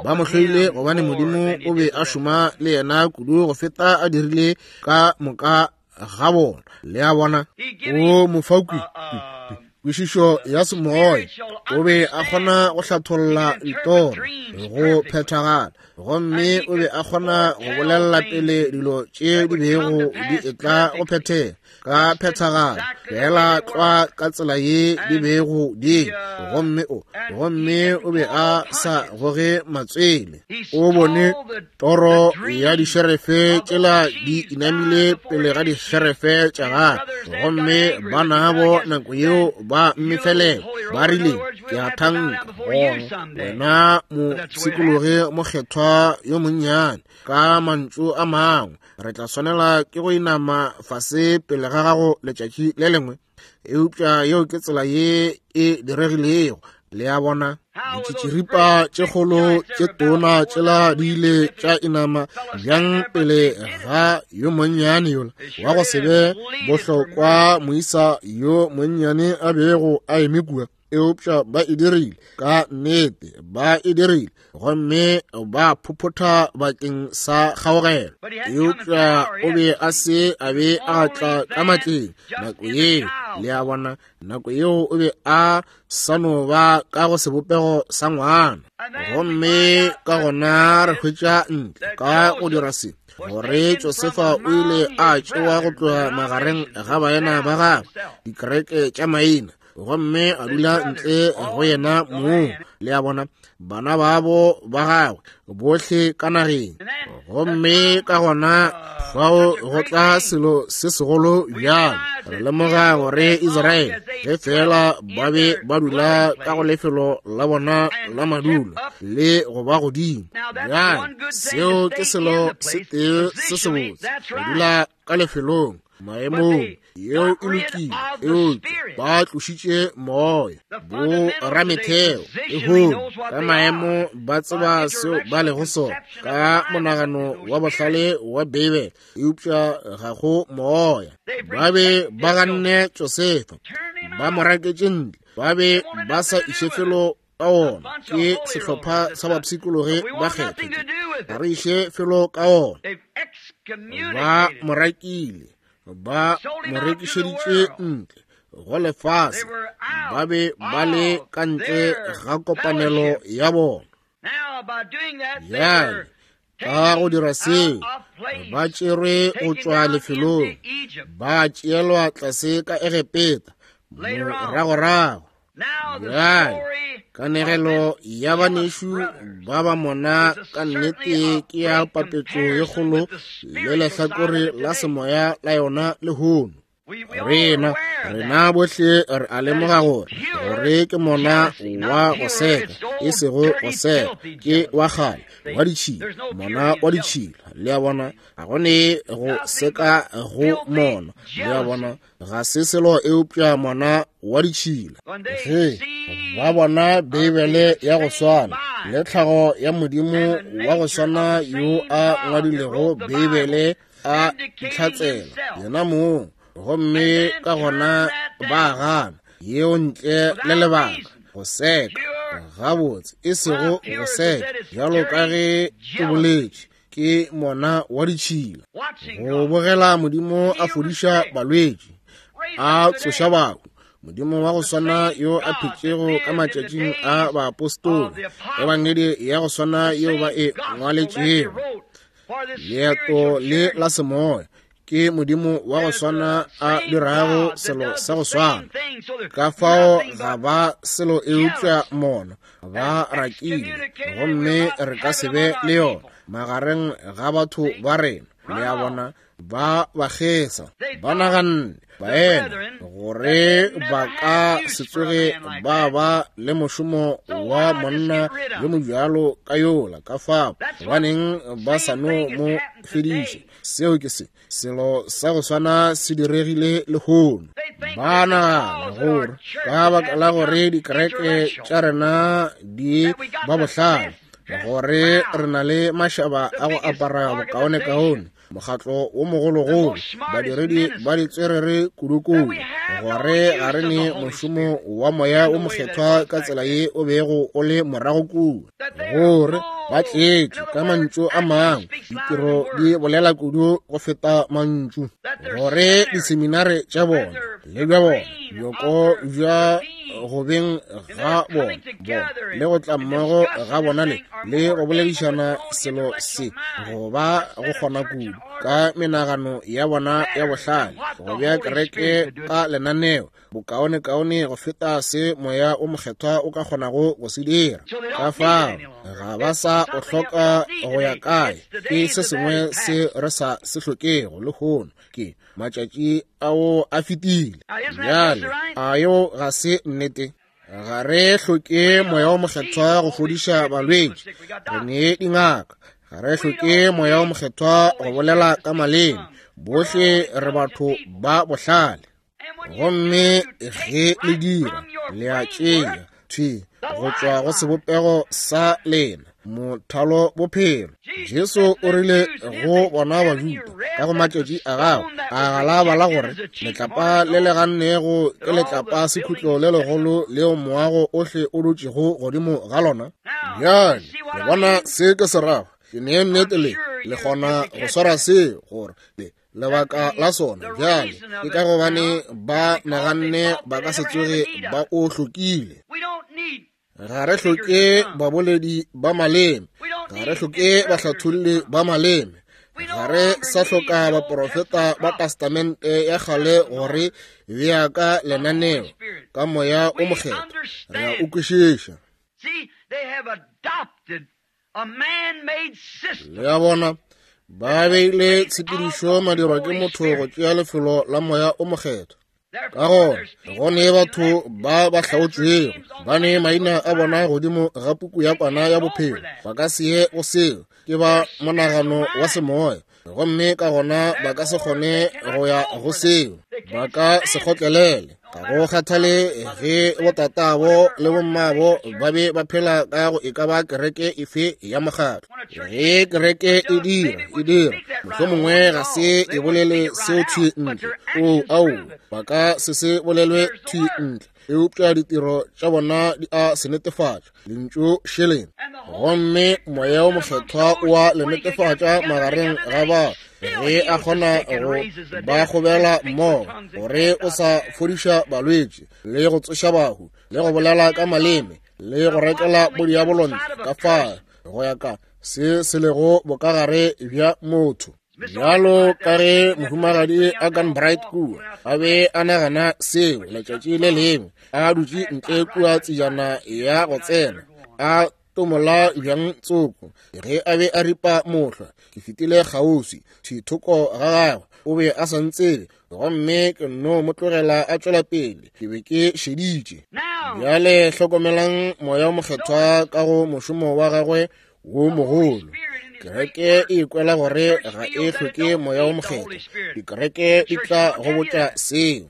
Ba mo hloile gobane Modimo o be a šoma le yena kudu go feta a dirile ka moka ga bona. Le a bona, o mofakwi kwešišo ya semoya, o be a kgona go hlatholla ditoro go phethagala, gomme o be a kgona go bolelela pele dilo tše di bego di etla go phethega ka phethagala, fela tlwa ka tsela ye di bego di. Gomme o gomme o be a sa goge matswele. O bone toro ya dišerefe tšela di inamile pele ga dišerefe tša gagwe, gomme banabo nako yeo ba mmefelela, ba rile, ke a thanka gona wena mopshikologi mokgethwa yo monnyane, ka mantšu a mangwe, re tla swanela ke go inama fase pele ga gago letšatši le lengwe. Eupša yeo ke tsela ye e diregilego. Le a bona, ditšitširipa tše kgolo tše tona tšela di ile tša inama bjang pele ga yo monnyane yola wa go se be bohlokwa moisa yo monnyane a bego a eme kua. Eupša ba e dirile, ka nnete ba e dirile, gomme ba phophotha bakeng sa kgaogelo. Eupša o be a se a be a tla ka matleng nako yeo. Le a bona, nako yeo o be a sa no ba ka go sebopego sa ngwana. Gomme ka gona re hwetša ntle ka go dira se, gore Josefa o ile a tšewa go tloga magareng ga baena ba gagwe, dikereke tša maina, gomme a dula ntle go yena moo. Le a bona, bana babo ba gagwe bohle ka nageng. Gomme ka gona fao go tla selo se segolo bjalo. Re lemoga gore Israele ge fela ba be ba dula ka go lefelo la bona la madulo le go ba godimo. Bjale seo ke selo se tee se sebotse, go dula ka lefelong maemong, yeo e lokile. Eupša ba tlošitše moya, bo rametheo lehono ka maemo ba tseba seo ba lego sona ka monagano wa bohlale wa Beibele, eupša ga go moya. Ba be ba ganne Josefa, ba mo raketše ntle, ba be ba sa iše felo ka ona. Ke sehlopha sa bapshikologi ba kgetho, ga re iše felo ka ona. Ba mo rakile, ba mo rekišeditše ntle go lefase, ba be ba le ka ntle ga kopanelo ya bona. Bjale ka go dira seo, ba tšerwe go tšwa lefelong, ba tšeelwa tlase ka Egepeta moragorago. Bjale kanegelo ya banešu ba ba mona ka nnete ke ya papetšo ye kgolo le lehlakore la semoya la yona lehono. Rena, rena bohle re a lemoga gore gore ke mona wa go seka, e sego go seka, ke wa kgale, wa ditšhila, mona wa ditšhila. Le a bona, ga go ne go seka go mona. Le a bona, ga se selo eupša mona wa ditšhila. Ge ba bona Beibele ya go swana le tlhago ya Modimo wa go swana yo a ngwadilego Beibele a itlhatsela yena mong, gomme ka gona ba gana yeo ntle le lebaka, go seka gabotse, e sego go seka bjalo ka ge ke boletše, ke mona wa ditšhila. Go bogela Modimo a fodiša balwetši, a tsoša bahu, Modimo wa go swana yo a phetšego ka matšatšing a baapostola, ebangedi ya go swana yeo ba e ngwaletšego, leeto le la semoya, ke Modimo wa go swana a dirago selo sa go swana. Ka fao ga ba selo eupša mona, ba rakile, gomme re ka se be le yona magareng ga batho ba rena. Le a bona, ba ba kgesa, ba naganne baena gore ba ka se tsoge ba ba le mošomo wa monna yo mobjalo ka yola. Ka fao gobaneng ba sa no mo fediša? Seo ke se selo sa go swana se diregile lehono. Ba nagana gore ka baka la gore dikereke tša rena di ba bohlale, gore re na le mašaba a go apara bokaonekaone, mokgatlo wo mogologolo, badiredi ba ditswerere kudukudu, gore ga re ne mošomo wa moya wo mokgethwa ka tsela ye o bego o le morago kua, gore ba tletše ka mantšu a mangwe, ditiro di bolela kudu go feta mantšu, gore diseminare tša bona le bja bona, bjoko bja go beng ga bona, bona le go tla mmogo ga bona le le go boledišana selo se go ba go kgona kudu ka menagano ya bona ya bohlale, go bea kereke ka lenaneo bokaonekaone go feta se moya o mokgethwa o ka kgonago go se dira. Ka fao ga ba sa o hloka go ya kae, ke se sengwe se re sa se hlokego lehono, ke matšatši ao a fetile. Bjale a yo ga se nnete? Ga re hloke moya o mokgethwa go fodiša balwetši, re ne dingaka. Ga re hloke moya o mokgethwa go bolela ka maleme, bohle re batho ba bohlale. Gomme ge le dira, le a tšea thwi go tšwa go sebopego sa lena mothalo bophelo. Jesu o rile go bona Bajuda ka go matšatši a gagwe, a ga la bala gore letlapa le le gannego ke letlapa sekhutlo le legolo leo moago ohle o dutšego godimo ga lona. Bjale le bona se ke se rago? Ke ne nnete le le kgona go swara se gore le lebaka la sona. Bjale ke ka gobane ba naganne ba ka se tsoge ba o hlokile. Ga re hloke baboledi ba maleme, ga re hloke bahlatholli ba maleme, ga re sa hloka baprofeta ba testamente ya kgale gore bea ka lenaneo ka moya o mokgethwa. Re a o kwešiša. Le a bona, ba beile tshepedišo madirwa ke motho go tšea lefelo la moya o mokgethwa. Ka gona go ne batho ba ba hlaotšwego, ba ne maina a bona godimo ga puku ya kwana ya bophelo, ba ka se ye go seo, ke ba monagano wa semoya, gomme ka gona ba ka se kgone go ya go seo, ba ka se kgotlelele. Ga go kgathale ge botatabo le bommabo ba be ba phela ka go e ka ba kereke efe ya mokgatlo. Ge kereke e dira, e dira, mohlomongwe ga se e bolele seo thwi ntle, o ao, ba ka se se bolelwe thwi ntle, eupša ditiro tša bona di a se netefatša, lentšu šeleng. Gomme moya o mokgethwa o a le netefatša magareng ga ba, ge a kgona go ba kgobela mmogo, gore o sa fodiša balwetši le go tsoša bahu le go bolela ka maleme le go rekela bodiabolo ntle ka fao go ya ka se se lego bokagare bja motho. Bjalo ka ge mohumagadi a Gunbright kua a be a nagana seo letšatši le lengwe, a dutše ntle kua tsejana ya go tsena, a tomola bjang tsoko ge a be a ripa mohlwa. Ke fetile kgauswi thithoko ga gagwe, o be a sa ntsebe, gomme ke nno mo tlogela a tšwela pele. Ke be ke šeditše. Bjale hlokomelang Moya o Mokgethwa ka go mošomo wa gagwe wo mogolo. Kereke e ikwela gore ga e hloke Moya o Mokgethwa. Dikereke di tla go botša seo.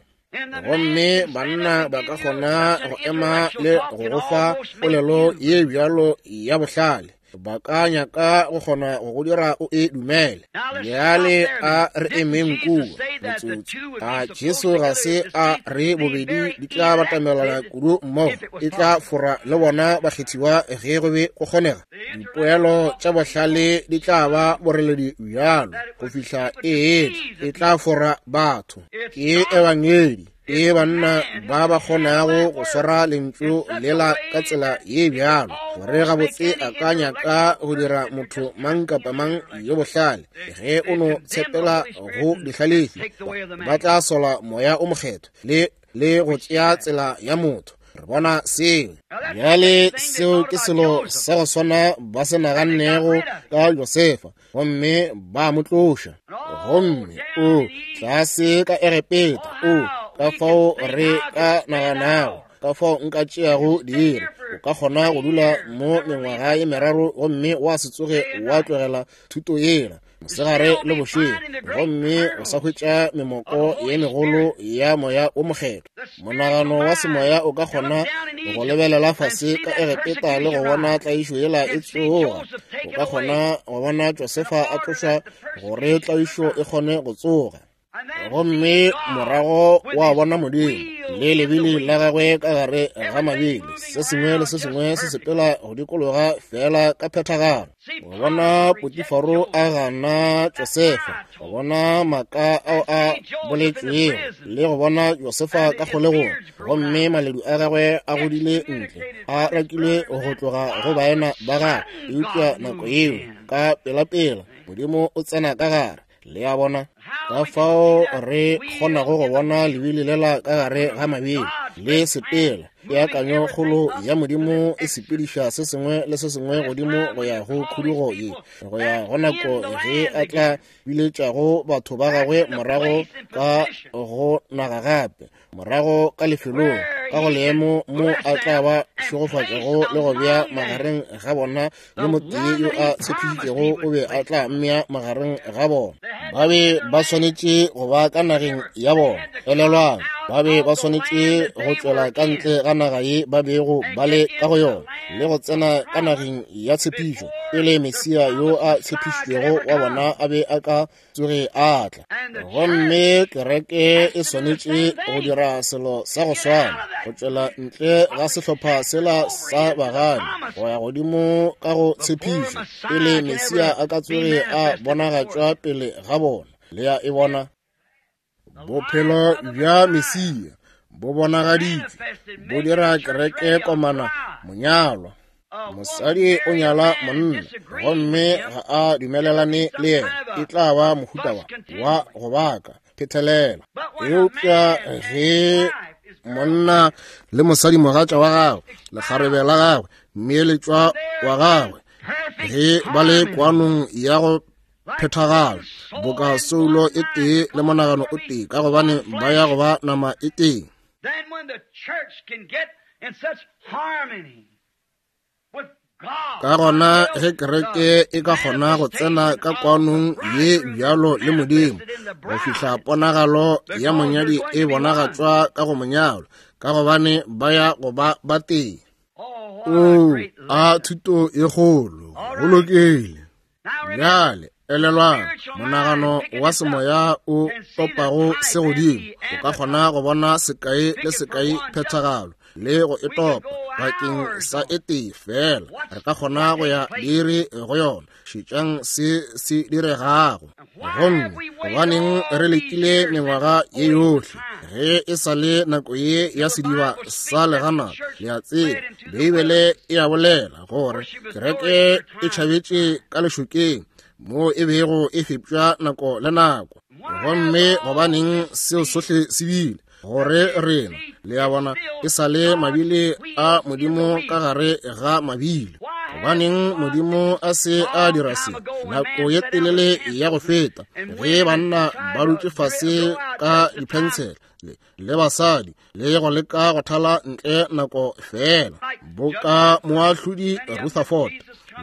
Gomme banna ba ka kgona go ema le go go fa polelo ye bjalo ya bohlale. Ba ka nyaka go kgona go go dira o e dumele. Bjale a re emeng kua motsotso. A Jesu ga se a re bobedi di tla batamelana kudu mmogo, e tla fora le bona bakgethiwa ge go be go kgonega. Dipoelo tša bohlale di tla ba boreledi bjalo go fihla e etla, e tla fora batho. Ke ebangedi, ke banna ba ba kgonago go swara lentšu lela ka tsela ye bjalo gore gabotse a ka nyaka go dira motho mang kapa mang yo bohlale. Ge o no tshepela go dihlalefi, ba tla sola Moya o Mokgethwa le le go tšea tsela ya motho. Re bona seo. Bjale seo ke selo sa go swana ba se nagannego ka Josefa, gomme ba mo tloša. Gomme o tlase ka Egepeta, o ka fao re ka naganago, ka fao nka tšeago diiri. O ka kgona go dula mo mengwaga ye meraro gomme wa se tsoge wa tlogela thuto yela mosegare le bošego, gomme o sa hwetša memoko ye megolo ya Moya o Mokgethwa. Monagano wa semoya o ka kgona go lebelela fase ka Egepeta le go bona tlaišo yela e tsoga. O ka kgona go bona Josefa a tlošwa gore tlaišo e kgone go tsoga. Gomme morago wa bona Modimo le lebili la gagwe ka gare ga mabili, se sengwe le se sengwe se sepela go dikologa fela ka phethagalo. Go bona Potifaro a gana Josefa, go bona maaka ao a boletšwego, le go bona Josefa ka kgolegong, gomme maledu a gagwe a godile ntle, a rakilwe go tloga go baena ba gagwe. Eupša nako yeo ka pelapela Modimo o tsena ka gare. Le a bona ka fao re kgonago go bona lebili lela ka gare ga mabili le sepela. Peakanyo kgolo ya Modimo e sepediša se sengwe le se sengwe godimo go ya go khudugo ye, go ya go nako ge a tla biletšago batho ba gagwe morago ka go naga gape, morago ka lefelong, ka go leemo mo a tla ba šegofatšago le go bea magareng ga bona yo motee yo a tshepišitšego o be a tla mmea magareng ga bona. Ba be ba swanetše go ba ka nageng ya bona. Elelwang, ba be ba swanetše go tšwela ka ntle ga naga ye ba bego ba le ka go yona le go tsena ka nageng ya tshepišo pele Mesia yo a tshepišitšwego wa bona a be a ka tsoge a tla. Gomme kereke e swanetše go dira selo sa go swana, go tšwela ntle ga sehlopha sela sa bagani go ya godimo ka go tshepišo pele Mesia a ka tsoge a bonagatšwa pele ga bona. Le ya e bona? Bophelo bja Mesia bo bonagaditšwe, bo dira kereke komana monyalwa. Mosadi o nyala monna gomme ga a dumelelane le yena, e tla ba mohuta wa wa go baka phetelela. Eupša ge monna le mosadi mogatša wa gagwe, lekgarebe la gagwe, mmeeletšwa wa gagwe, ge ba le kwanong ya go phethagala boka soulo e tee le monagano o tee, ka gobane ba ya go ba nama e tee. Ka gona ge kereke e ka kgona go tsena ka kwanong ye bjalo le Modimo go fihla ponagalo ya monyadi e bonagatšwa ka go monyalwa, ka gobane ba ya go ba ba tee. O a thuto e kgolo, go lokile. Bjale elelwang, monagano wa semoya o topago se godimo o ka kgona go bona sekai le sekai phethagalo le go e topa bakeng sa e tee fela. Re ka kgona go ya diiri go yona. Šetšang se se diregago. Gomme gobaneng re letile mengwaga ye yohle ge e sa le nako ye ya sediba sa legana? Le a tseba, Beibele e a bolela gore kereke e tšhabetše ka lešokeng mo e bego e fepša nako le nako. Gomme gobaneng seo sohle se bile? Gore rena, le a bona, e sa le mabili a Modimo ka gare ga mabili. Gobaneng Modimo a se a dira se nako ye telele ya go feta, ge banna ba dutše fase ka diphensele le, le basadi le go leka go thala ntle nako fela, boka moahlodi Rutherford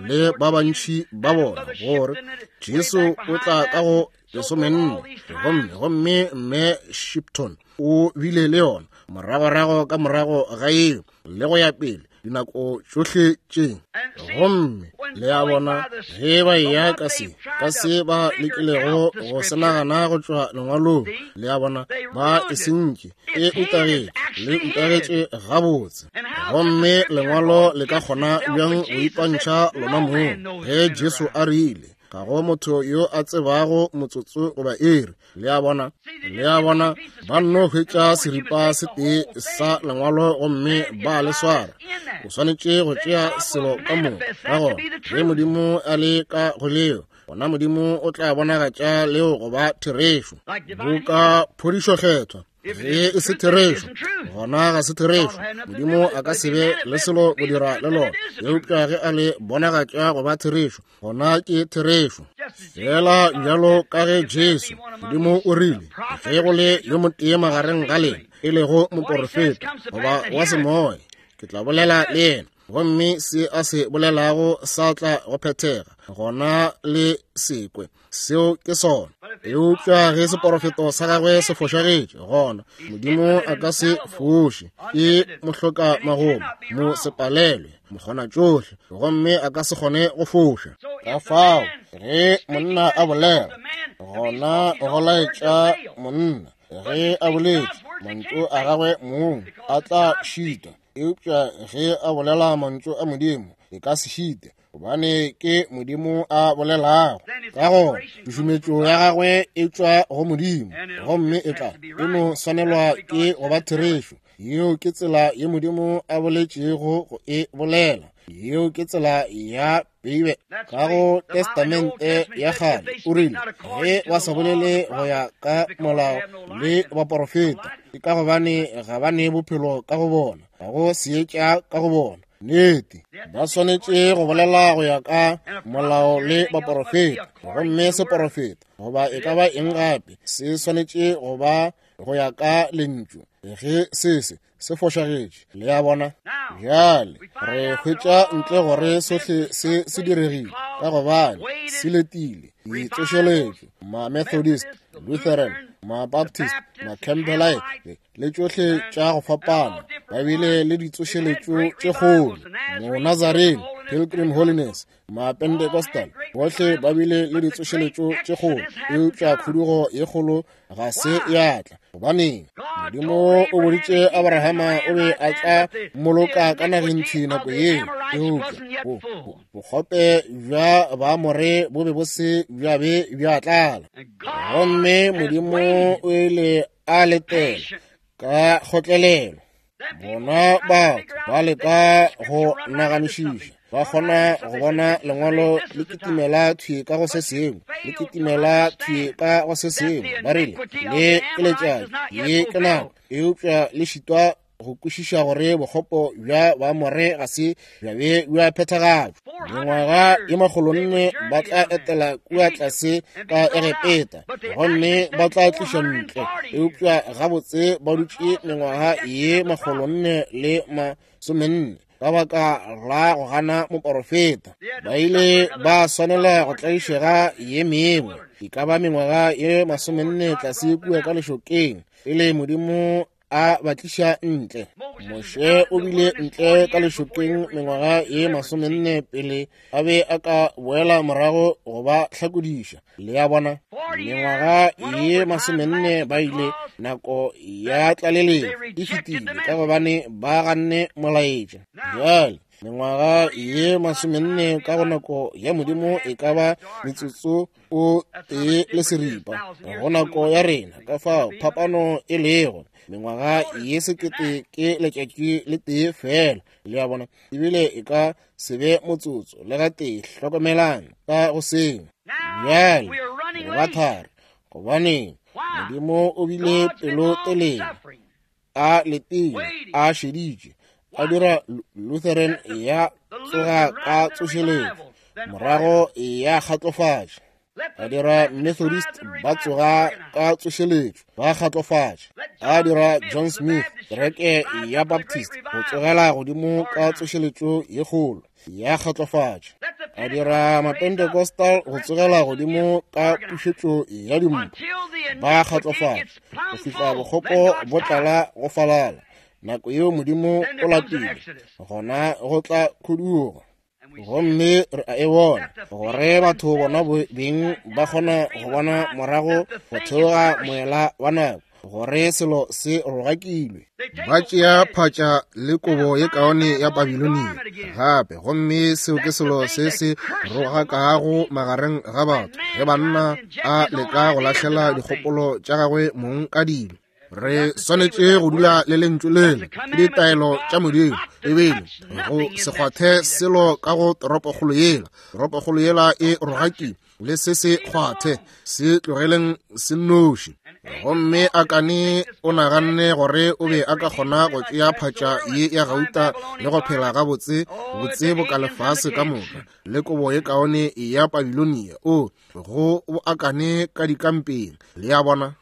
le ba bantši ba bona, gore Jesu o tla ka go lesomenne, gomme gomme mme Shipton o bile le yona moragorago ka morago ga eo, le go ya pele dinako tšohle tše. Gomme le a bona ge ba eya ka se ka se ba lekilego go se nagana go tšwa lengwalong, le a bona ba e sentše, e utagetše, le utagetše gabotse. Gomme lengwalo le ka kgona bjang go ipantšha lona mong ge Jesu a rile ga go motho yo a tsebago motsotso goba iri? Le a bona, le a bona, ba nno hwetša seripa se tee sa lengwalo gomme ba le swara. O swanetše go tšea selo ka moka. Ka gona ge Modimo a le ka go leo, gona Modimo o tla bonagatša leo go ba therešo. Boka phodišo kgethwa, ge e se therešo, gona ga se therešo. Modimo a ka se be le selo go dira le lona, eupša ge a le bonagatša go ba therešo, gona ke therešo. Fela bjalo ka ge Jesu, Modimo o rile, ge go le yo motee magareng ga lena, e lego moporofeta goba wa semoya, ke tla bolela le yena, gomme se a se bolelago sa tla go phethega, gona le sekwe. Seo ke sona. Eupša ge seporofeto sa gagwe se fošagetše, gona Modimo a ka se foše, ke mohloka magomo, mo sepalelwe, mokgona tšohle, gomme a ka se kgone go foša. Ka fao ge monna a bolela, gona go laetša monna. Ge a boletše, mantšu a gagwe mong a tla šita, eupša ge a bolela mantšu a Modimo, e ka se šite, gobane ke Modimo a bolelago. Ka gona tšušumetšo ya gagwe e tšwa go Modimo, gomme e tla e no swanelwa ke go ba therešo. Yeo ke tsela ye Modimo a boletšego go e bolela. Yeo ke tsela ya Beibe. Ka go Testamente ya kgale o rile, ge ba sa bolele go ya ka molao le baporofeta, ke ka gobane ga ba ne bophelo ka go bona, ga go seetša ka go bona. Nnete, ba swanetše go bolela go ya ka molao le baporofeta, gomme seporofeta goba e ka ba eng gape se swanetše go ba go ya ka lentšu. Ge se se se fošagetše, le a bona. Bjale re hwetša ntle gore sohle se se diregile ka gobane se letile ditsošeletšo, ma-Methodist, Lutheran, ma-Baptist, ma-Campbellite le tšohle tša go fapana, ba bile le ditsošeletšo tše kgolo, mo-Nazarene, Pilgrim Holiness, ma-Pentecostal, bohle ba bile le ditsošeletšo tše kgolo, eupša khudugo ye kgolo ga se ya tla. Gobaneng? Modimo o boditše Abrahama o be a tla mmoloka ka nageng thwi nako yeo, eupša bokgope bja Baamore bo be bo se bja be bja tlala. Gomme Modimo o ile a letela ka kgotlelelo. Bona batho ba leka go naganišiša, ba kgona go bona lengwalo le kitimela thwi ka go se sengwe, le kitimela thwi ka go se sengwe. Ba rile le ke letšatši, ye ke nako, eupša le šitwa go kwešiša gore bokgopo bja Baamore ga se bja be bja phethagatšwa. Mengwaga ye makgolonne ba tla etela kua tlase ka Egepeta, gomme ba tla tliša ntle, eupša gabotse ba dutše mengwaga ye makgolonne le masomenne ka baka la go gana moporofeta. Ba ile ba swanela go tlaišega ye mengwe, e ka ba mengwaga ye masomenne tlase kua ka lešokeng, pele Modimo a ba tliša ntle. Moshe o bile ntle ka lešokeng mengwaga ye masomenne pele a be a ka boela morago go ba hlakodiša. Le a bona, mengwaga ye masomenne ba ile, nako ya tlaleletšo e fetile ka gobane ba ganne molaetša. Bjale mengwaga ye masomenne ka go nako ya Modimo e ka ba metsotso o tee le seripa go nako ya rena. Ka fao phapano e lego, mengwaga ye sekete ke letšatši le tee fela. Le a bona, ebile e ka se be motsotso le gatee. Hlokomelang ka go sengwe. Bjale re ba thari, gobaneng Modimo o bile pelotelele, a letile, a šeditše, A dira Lutheran ya tsoga ka tsošeletšo, morago ya kgatlofatša. A dira Methodist ba tsoga ka tsošeletšo, ba kgatlofatša. A dira John Smith, kereke ya Baptist, go tsogela godimo ka tsošeletšo ye kgolo, ya kgatlofatša. A dira Mapentecostal go tsogela godimo ka pušetšo ya dimpho, ba kgatlofatša, go fihla bokgopo bo tlala go falala. Nako yeo Modimo o lapile, gona go tla khudugo. Gomme re a e bona gore batho bona beng ba kgona go bona morago go theoga moela wa nako gore selo se rogakilwe. Ba tšea phatša le kobo ye kaone ya Babilonia gape, gomme seo ke selo se se rogakago magareng ga batho ge banna a leka go lahlela dikgopolo tša gagwe mong ka dilo. Re swanetše go dula le lentšu lele ke ditaelo tša Modimo, ebile go se kgwathe selo ka go toropokgolo yela. Toropokgolo yela e rogakile, le se se kgwathe, se tlogeleng se nnoši. Gomme Akane o naganne gore o be a ka kgona go tšea phatša ye ya gauta le go phela gabotse botse bo ka lefase ka moka le kobo ye kaone ya Babilonia. O go bo Akane ka dikampeng, le a bona.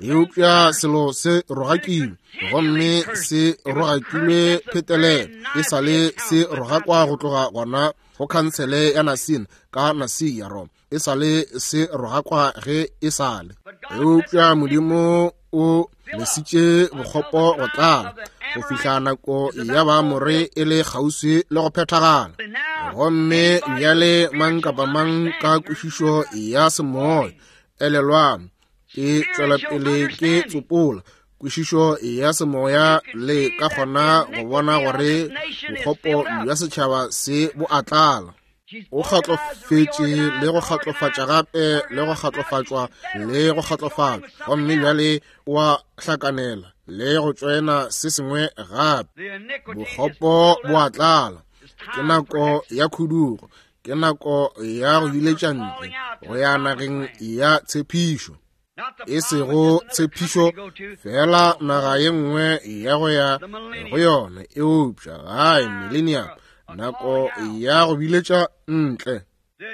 Eupša selo se rogakilwe, gomme se rogakilwe phetelelo, e sa le se rogakwa go tloga gona go khansele ya Nasina ka Nasia Roma, e sa le se rogakwa ge e sa le. Eupša Modimo o lesitše bokgopo go tlala go fihla nako ya Baamore e le kgauswi le go phethagala. Gomme bjale mang kapa mang ka kwešišo ya semoya, elelwang, ke tšwela pele ke tsopola kwešišo ya semoya, le ka kgona go bona gore bokgopo bja setšhaba se bo a tlala. O kgatlofetše le go kgatlofatša gape le go kgatlofatšwa le go kgatlofatšwa, gomme bjale wa hlakanela le go tšoena se sengwe gape. Bokgopo bo a tlala. Ke nako ya khudugo, ke nako ya go biletša ntle go ya nageng ya tshepišo. E sego tshepišo fela naga ye nngwe ya go ya go yona, eupša gae millennium, nako ya go biletša ntle.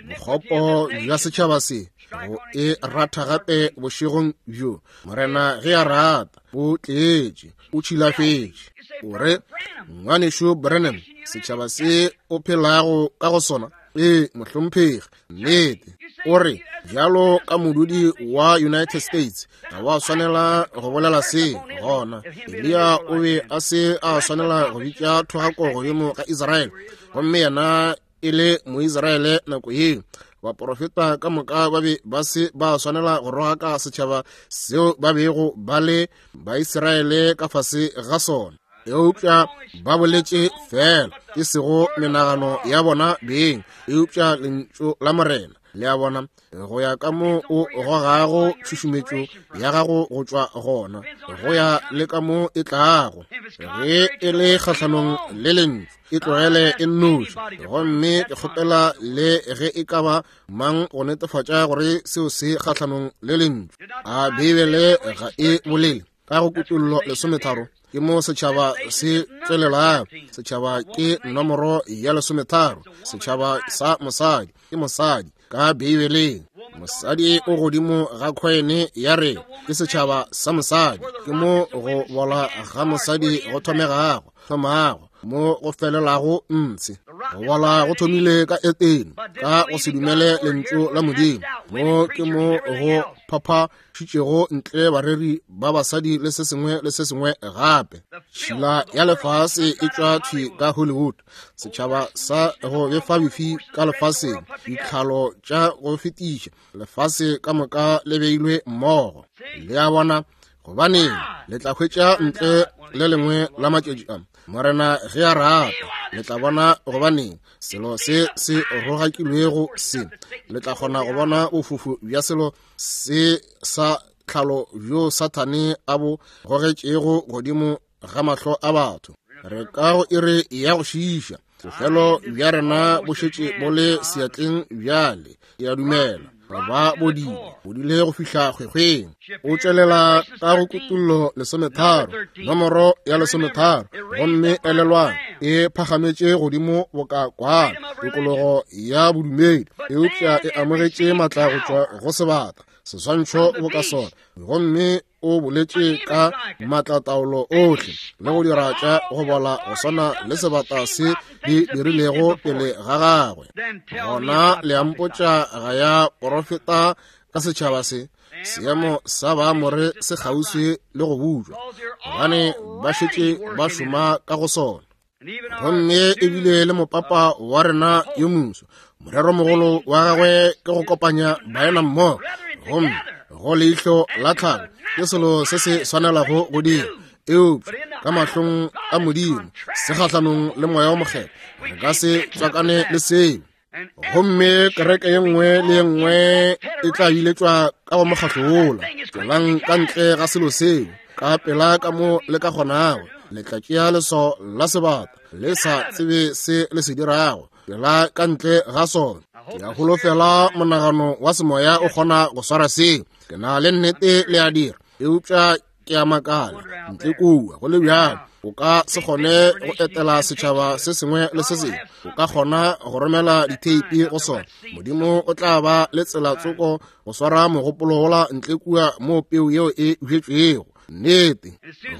Bokgopo bja setšhaba se go e ratha gape bošegong bjo, Morena ge a rata, bo tletše, o tšhilafetše. O re, ngwanešu Branham, setšhaba se o phelago ka go sona? Ee, mohlomphegi, nnete. O re, bjalo ka modudi wa United States, ga wa swanela go bolela se. Gona Eliya o be a se a swanela go bitša thogako godimo ga Israele, gomme yena e le Moisraele nako yeo. Baporofeta ka moka ba be ba se ba swanela go rogaka setšhaba seo ba bego ba le Baisraele ka fase ga sona, eupša ba boletše fela, e sego menagano ya bona beng, eupša lentšu la Morena. Le a bona, go ya ka mo o gogago tšhušumetšo ya gago go tšwa gona, go ya le ka mo e tlago. Ge e le kgahlanong le lentšu, e tlogele e nnoši. Gomme ke kgopela le ge e ka ba mang go netefatša gore seo se kgahlanong le lentšu. A Beibele ga e bolele ka go Kutollo lesometharo? Ke mo setšhaba se tswelelago. Setšhaba ke nomoro ya lesometharo. Setšhaba sa mosadi ke mosadi ka Beibeleng. Mosadi o godimo ga khwene ya re ke setšhaba sa mosadi. Ke mo go bola ga mosadi go thomegago, thomago, mo go felelago ntshe. Go bola go thomile ka Etene, ka go se dumele lentšu la Modimo. Mo ke mo go phaphašitšego ntle bareri ba basadi le se sengwe le se sengwe gape. Tšhila ya lefase e tšwa thwi ka Hollywood, setšhaba sa go befa befi ka lefaseng, ditlhalo tša go fetiša lefase ka moka le beilwe mmogo. Le a bona, gobaneng le tla hwetša ntle le lengwe la matšatši a, Morena ge a rata, le tla bona gobaneng selo se se rogakilwego se. Le tla kgona go bona bofufu bja selo se sa tlhalo bjo Sathane a bo gogetšego godimo ga mahlo a batho. Re ka go iri ya go šiiša. Bofelo bja rena bo šetše bo le seatleng bjale. Ke a dumela Ba bodile, bodile go fihla kgwekgweng. O tšwelela ka go Kutullo lesometharo, nomoro ya lesometharo, gomme elelwang e phagametše godimo boka kwana, tokologo ya bodumedi, eupša e amogetše matla go tšwa go sebata, seswantšho boka sona, gomme o boletše ka matlataolo ohle le go dira tša go bola go swana le sebata se di dirilego pele ga gagwe. Gona le a mpotša ga ya porofeta ka setšhaba se, seemo sa Baamore se kgauswi le go butšwa, gobane ba šetše ba šoma ka go sona. Gomme ebile le mopapa wa rena yo moso, moreromogolo wa gagwe ke go kopanya baena mmogo, gomme go leihlo la tlhago ke selo se se swanelago go dira, eupša ka mahlong a Modimo se kgahlanong le moya o mokgethwa, re ka se tswakane le seo. Gomme kereke ye nngwe le ye nngwe e tla biletšwa ka go mokgahlo wola. Tšwelang ka ntle ga selo seo ka pela ka mo le ka kgonago. Le tla tšea leswao la sebata le sa tsebe se le se dirago. Tšwela ka ntle ga sona. Ke a holofela monagano wa semoya o kgona go swara seo. Ke na le nnete le a dira, eupša ke a makala ntle kua go le bjalo. O ka se kgone go etela setšhaba se sengwe le se sengwe, o ka kgona go romela ditheipi go sona. Modimo o tla ba le tsela tsoko go swara mogopolo wola ntle kua mo peu yeo e bjetšwego. Nnete.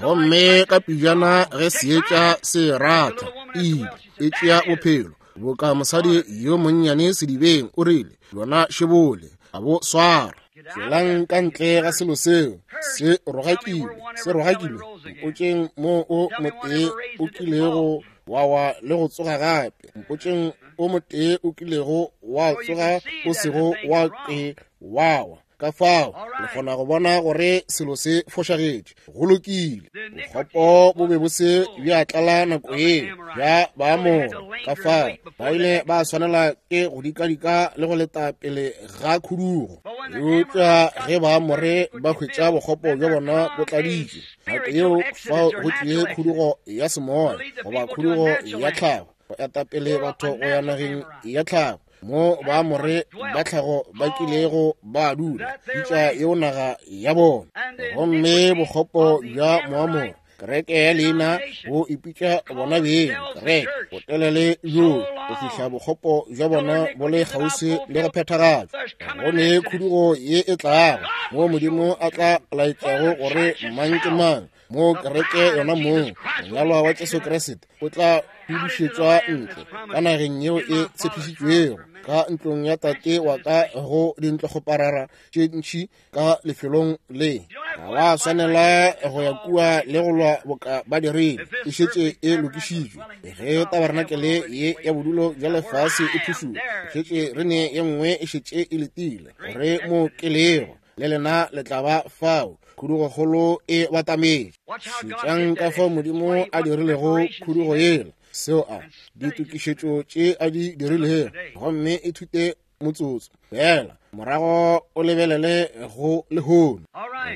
Gomme ka pejana ge seetša se ratha, ile e tšea bophelo boka mosadi yo monnyane sedibeng o rile, yona šebole a bo swara. Tšwelang ka ntle ga selo seo, se rogakilwe, se rogakilwe. Mpotšeng mo o motee o kilego wa wa le go tsoga gape. Mpotšeng o motee o kilego wa tsoga o sego wa ke wa wa. Ka fao le kgona go bona gore selo se fošagetše. Go lokile. Bokgopo bo be bo se bja tlala nako yeo bja Baamore. Ka fao ba ile ba swanela ke go dikadika le go leta pele ga khudugo. Eupša ge Baamore ba hwetša bokgopo bja bona bo tladitšwe, nako yeo fao go tlie khudugo ya semoya goba khudugo ya tlhago go eta pele batho go ya nageng ya tlhago, mo Baamore ba tlhago ba kilego ba dula, bitša yeo naga ya bona. Gomme bokgopo bja Moamore, kereke ya leina, bo ipitša bona beng kereke botelele bjo go fihla bokgopo bja bona bo le kgauswi le go phethagatšwa. Go ne khudugo ye e tlago mo Modimo a tla laetšago gore mang ke mang, mo kereke yona mong monyalwa wa Jesu Kriste o tla hudušetšwa ntle ka nageng yeo e tshepišitšwego, ka ntlong ya tate wa ka go dintlokgoparara tše ntši ka lefelong le. Ga wa swanela go ya kua le go lwa boka ba dirile, e šetše e lokišitšwe. Ge tabernakelé ye ya bodulo bja lefase e phušuga, šetše re ne ye nngwe e šetše e letile gore mo ke lego le lena le tla ba fao. Khudugokgolo e batametše. Šetšang ka fao Modimo a dirilego khudugo yela, seo a ditokišetšo tše a di dirilego, gomme ithute motsotso fela, morago o lebelele go lehono.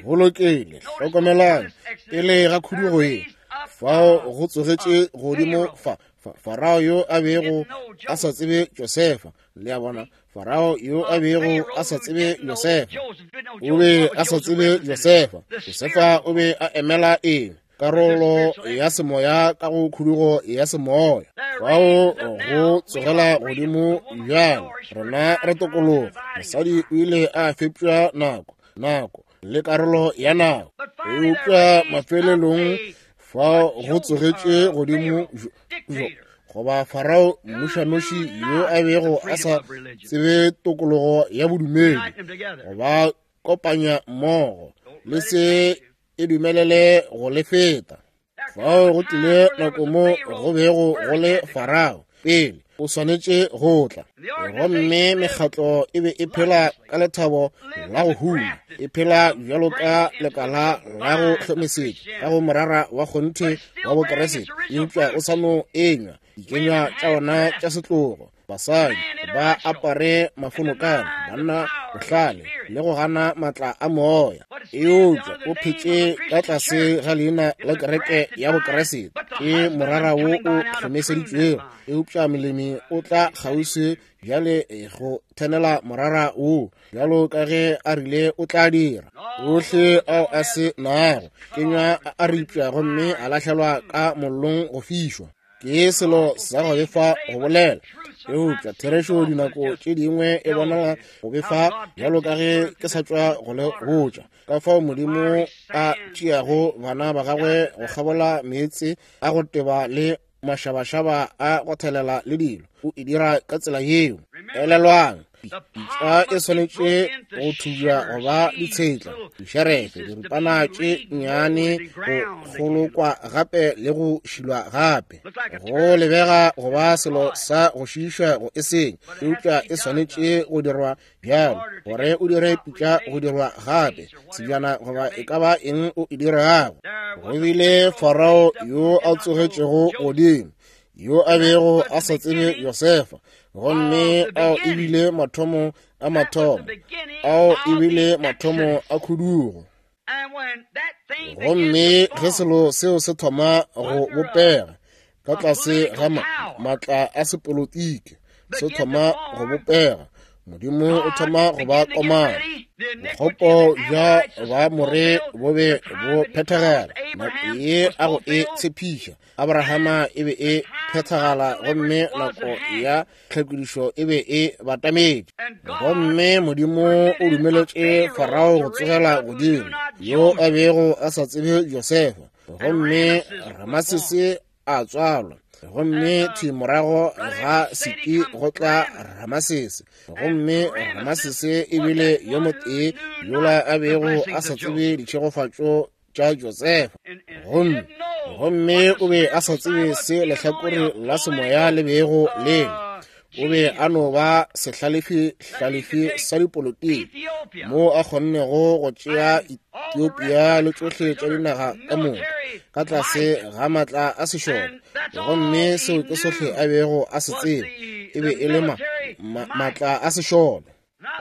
Go lokile. Hlokomelang pele ga khudugo ye, fao go tsogetše godimo fa Farao yo a bego a sa tsebe Josefa. Le a bona, Farao yo a bego a sa tsebe Josefa, o be a sa tsebe Josefa. Josefa o be a emela eng? Karolo ya semoya ka go khudugo ya semoya. Fao go tsogela godimo bjalo, rena re tokologo. Mosadi o ile a fepša nako, nako le karolo ya nako. Eupša mafelelong fao go tsogetše godimo goba Farao mmušanoši yo a bego a sa tsebe tokologo ya bodumedi, goba kopanya mmogo le se e dumelele go le feta. Fao go tlile nako mo go bego go le Farao pele o swanetše go tla, gomme mekgatlo e be e phela ka lethabo la go huma, e phela bjalo ka lekala la go hlomesetša ka go morara wa kgonthe wa Bokeresete, eupša o sa no enywa dikenywa tša ona tša setlogo. Basadi ba apare mafonokana, banna bohlale le go gana matla a moya. Eupša o phetše ka tlase ga leina la kereke ya Bokriste, ke morara wo o hlomeseditšwego. Eupša molemi o tla kgauswi bjale go thenela morara wo, bjalo ka ge a rile o tla dira. Ohle ao a se nago kenywa a ripša gomme a lahlelwa ka mollong go fišwa. Ke selo sa go befa go bolela, eupša therešo dinako tše dingwe e bonala go befa, bjalo ka ge ke sa tšwa go le botša ka fao Modimo a tšeago bana ba gagwe go kgabola meetse a go teba le mašabašaba a go thelela le dilo. O e dira ka tsela yeo. Elelwang, pitša e swanetše go thubja go ba ditshetla, dišerefe, diripana tše nnyane, go kgolokwa gape le go šilwa gape. Go lebega go ba selo sa go šiiša go e seng, eupša e swanetše go dirwa bjalo gore o dire pitša go dirwa gape, sebjana goba e ka ba eng o e dirago. Go bile Farao yo a tsogetšego godimo, yo a bego a sa tsebe Josefa, gomme ao e bile mathomo a mathomo, ao e bile mathomo a khudugo. Gomme ge selo seo se thoma go bopega ka tlase ga maatla a sepolotiki, se thoma go bopega, Modimo o thoma go ba komana. Bokgopo bja ba more bo be bo phethagala. Nako ye a go e tshepiša Abrahama e be e phethagala, gomme nako ya tlhakodišo e be e batametše. Gomme Modimo o dumeletše Farao go tsogela godimo, yo a bego a sa tsebe Josefa, gomme Ramasese a tswalwa. Gomme thwi morago ga Seti go tla Ramasese, gomme Ramasese e bile yo motee yola a bego a sa tsebe ditšhegofatšo tša Josefa. Gomme gomme o be a sa tsebe se lehlakore la semoya le bego le. O be a no ba sehlalefi-hlalefi sa dipolotiki, mo a kgonnego go tšea Ethiopia le tšohle tša dinaga ka moka ka tlase ga maatla a sešole. Gomme seo ke sohle a bego a se tseba, e be e le ma, ma, maatla a sešole.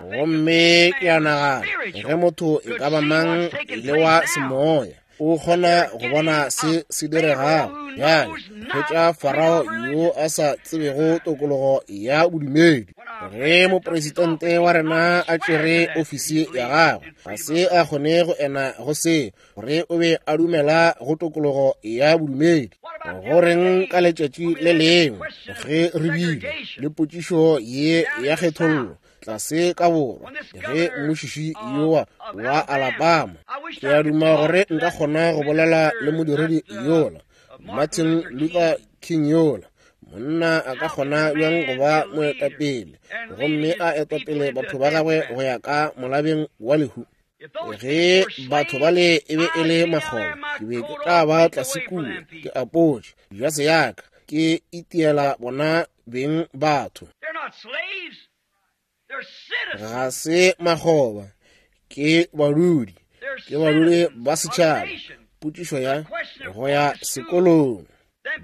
Gomme ke a nagana ge motho e ka ba mang le wa semoya o kgona go bona se se diregago bjale, hwetša Farao yo a sa tsebego tokologo ya bodumedi. Ge mopresidente wa rena a tšere ofisi ya gagwe, ga se a kgone go ena go se gore o be a dumela go tokologo ya bodumedi. Go reng ka letšatši le lengwe ge re bile le potšišo ye ya kgethollo tlase ka borwa, ge mmušiši yowa wa Alabama, ke a duma gore nka kgona go bolela le modiredi yola Martin Luther King yola. Monna a ka kgona bjang go ba moetapele gomme a etapele batho ba gagwe go ya ka molabeng wa lehu? Ge batho bale e be e le makgoba, ke be ke tla ba tlase kua ke apotše jase ya ka, ke itiela bona beng batho. Ga se makgoba, ke badudi, ke badudi ba setšhaba. Potšišo ya go ya sekolong.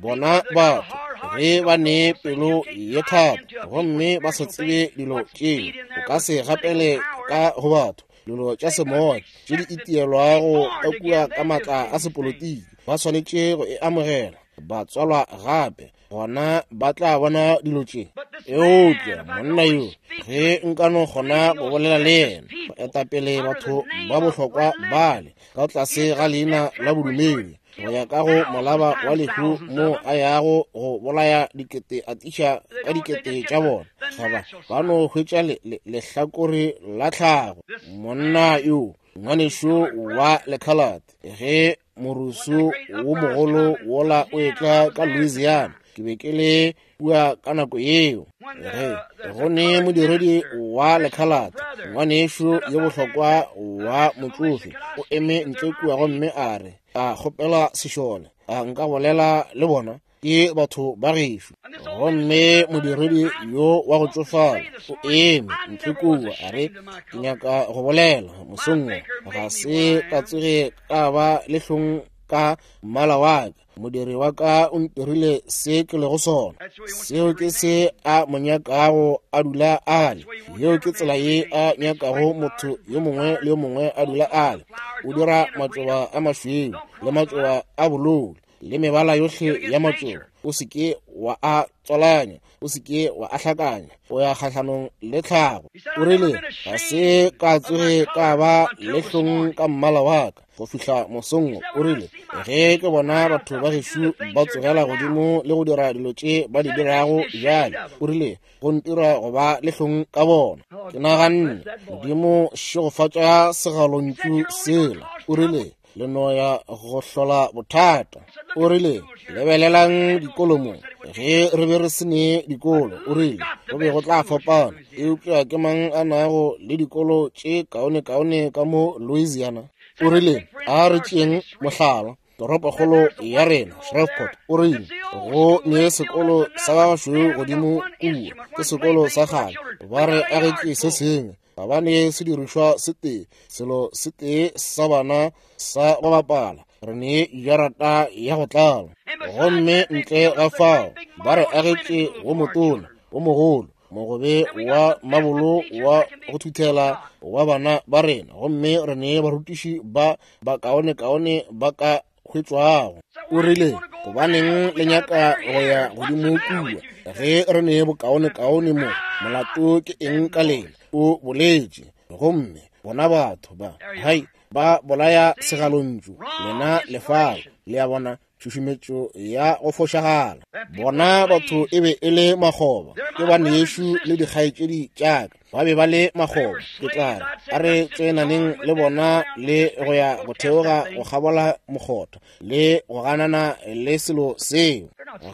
Bona batho ge ba ne pelo ye thata gomme ba sa tsebe dilo tšeo, o ka se gapele ka go batho dilo tša semoya tše di itielwago ka kua ka maatla a sepolotiki. Ba swanetše go e amogela, ba tswalwa gape, gona ba tla bona dilo tše. Eupša monna yo, ge nka no kgona go bolela le yena, go etapele batho ba bohlokwa bale ka tlase ga leina la bodumedi go ya ka go molaba wa lehu mo a yago go bolaya dikete a tiša ka dikete tša bona, ga ba ba no hwetša lehlakore la tlhago. Monna yo, ngwanešo wa lekhalate, ge morusu wo mogolo wola o etla ka Louisiana, ke be ke le kua ka nako yeo. Ge go ne modiredi wa lekhalate, ngwanešo yo bohlokwa wa motsofe, o eme ntle kua gomme a re a kgopela sešole, a nka bolela le bona, ke batho ba gešo. Gomme modiredi yo wa go tšofala o eme ntle kua a re, ke nyaka go bolela mosong wo, ga se ka tsoge ka ba le hlong ka mmala wa ka. Modiri wa ka o ntirile se ke lego sona. Seo ke se a mo nyakago a dula a le. Yeo ke tsela ye a nyakago motho yo mongwe le yo mongwe a dula a le. O dira matšoba a mašweu le matšoba a bolou le mebala yohle ya matšoba. O se ke wa a tswalanya, o se ke wa a hlakanya, o ya kgahlanong le tlhago. O rile, ga se ka tsoge ka ba le hlong ka mmala wa ka go fihla mosong. O rile, ge ke bona batho ba gešo ba tsogela godimo le go dira dilo tše ba di dirago bjale, o rile, go ntira go ba le hlong ka bona. Ke naganne, Modimo šegofatša segalontšu sela. O rile, le no ya go hlola bothata. O rile, lebelelang dikolo mo. Ge re be re se ne dikolo, o rile, go be go tla fapana. Eupša ke mang a nago le dikolo tše kaonekaone ka mo Louisiana? O rile, a re tšeeng mohlala, toropokgolo ya rena, Shreveport. O rile, go ne sekolo sa ba bašweu godimo kua, ke sekolo sa kgale, ba re agetše se sengwe. Ga ba ne sedirišwa se tee, selo se tee sa bana sa go bapala. Re ne jarata ya go tlala. Gomme ntle ga fao ba re agetše wo motona, wo mogolo, mogobe wa mabolo wa go thuthela wa bana ba rena. Gomme re ne barutiši ba bakaonekaone ba ka hwetšwago. O rile, gobaneng le nyaka go ya godimo kua ge re ne bokaonekaone mo? Molato ke eng ka lena? O boletše. Gomme bona batho ba, hai, ba bolaya segalontšu lena lefao. Le a bona, tšhušumetšo ya go fošagala. Bona batho e be e le makgoba, ke banešu le dikgaetšedi tša ka, ba be ba le makgoba. Ke tla re, a re tsenaneng le bona le go ya go theoga go kgabola mokgotha le go ganana le selo seo.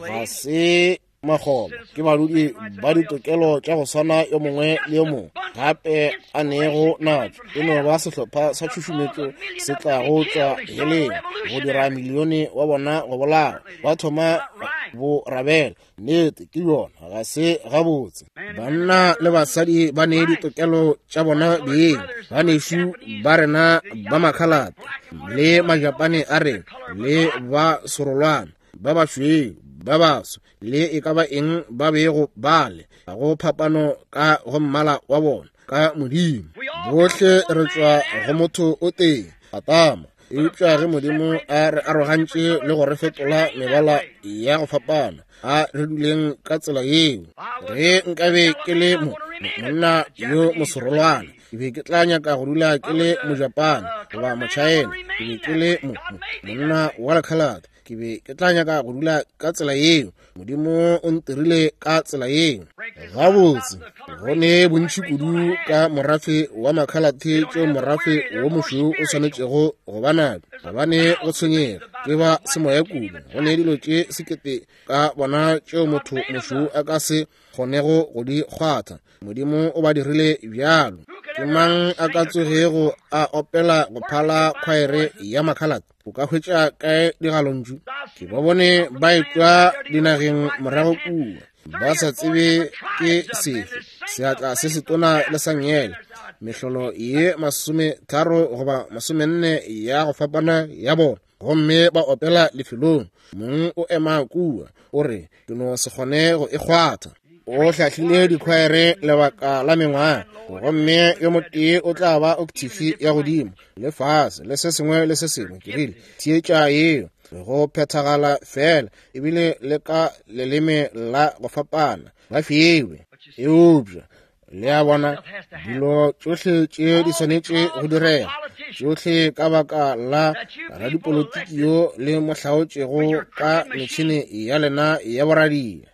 Ga se makgoba, ke badudi ba ditokelo tša go swana yo mongwe le yo mongwe gape a nego natšo. E no ba sehlopha sa tšhušumetšo se tlago tšwa heleng go dira milione wa bona go bolawa. Ba thoma bo rabela. Nnete ke yona, ga se gabotse. Banna le basadi ba ne ditokelo tša bona beng. Banešu ba rena ba makhalate le majapane a rena le ba sorolwana ba bašweu ba baso le e ka ba eng ba bego bale, ga go phapano ka go mmala wa bona ka Modimo. Bohle re tšwa go motho o tee, Adama. Eupša ge Modimo a re arogantše le go re fetola mebala ya go fapana, a re duleng ka tsela yeo. Ge nkabe ke le mo monna yo mosorolwana, ke be ke tla nyaka go dula ke le Mojapane goba Mochina. Ke be ke le mo monna wa lekhalate, ke be ke tla nyaka go dula ka tsela yeo. Modimo o ntirile ka tsela yeo. Gabotse, go ne bontši kudu ka morafe wa makhalate tšeo morafe wo mošweu o swanetšego go ba nabjo. Ga ba ne go tshwenyega, ke ba semoya kudu. Go ne dilo tše sekete ka bona tšeo motho mošweu a ka se kgonego go di kgwatha. Modimo o ba dirile bjalo. Ke mang a ka tsogego a opela go phala khwaere ya makhalate? O ka hwetša kae digalontšu? Ke ba bone ba etšwa dinageng morago kua, ba sa tsebe ke sefe, seatla se setona le sa nngele, mehlolo ye masometharo goba masomenne ya go fapana ya bona, gomme ba opela lefelong. Mong o ema kua, o re, ke no se kgone go e kgwatha. O hlahlile dikhwaere lebaka la mengwaga, gomme yo motee o tla ba octave ya godimo le fase le se sengwe le se sengwe. Ke rile, theetša yeo go phethagala fela, ebile le ka leleme la go fapana ba fiwe. Eupša le a bona, dilo tšohle tše di swanetše go direga, tšohle ka baka la radipolotiki yo le mo hlaotšego ka metšhene ya lena ya boradia.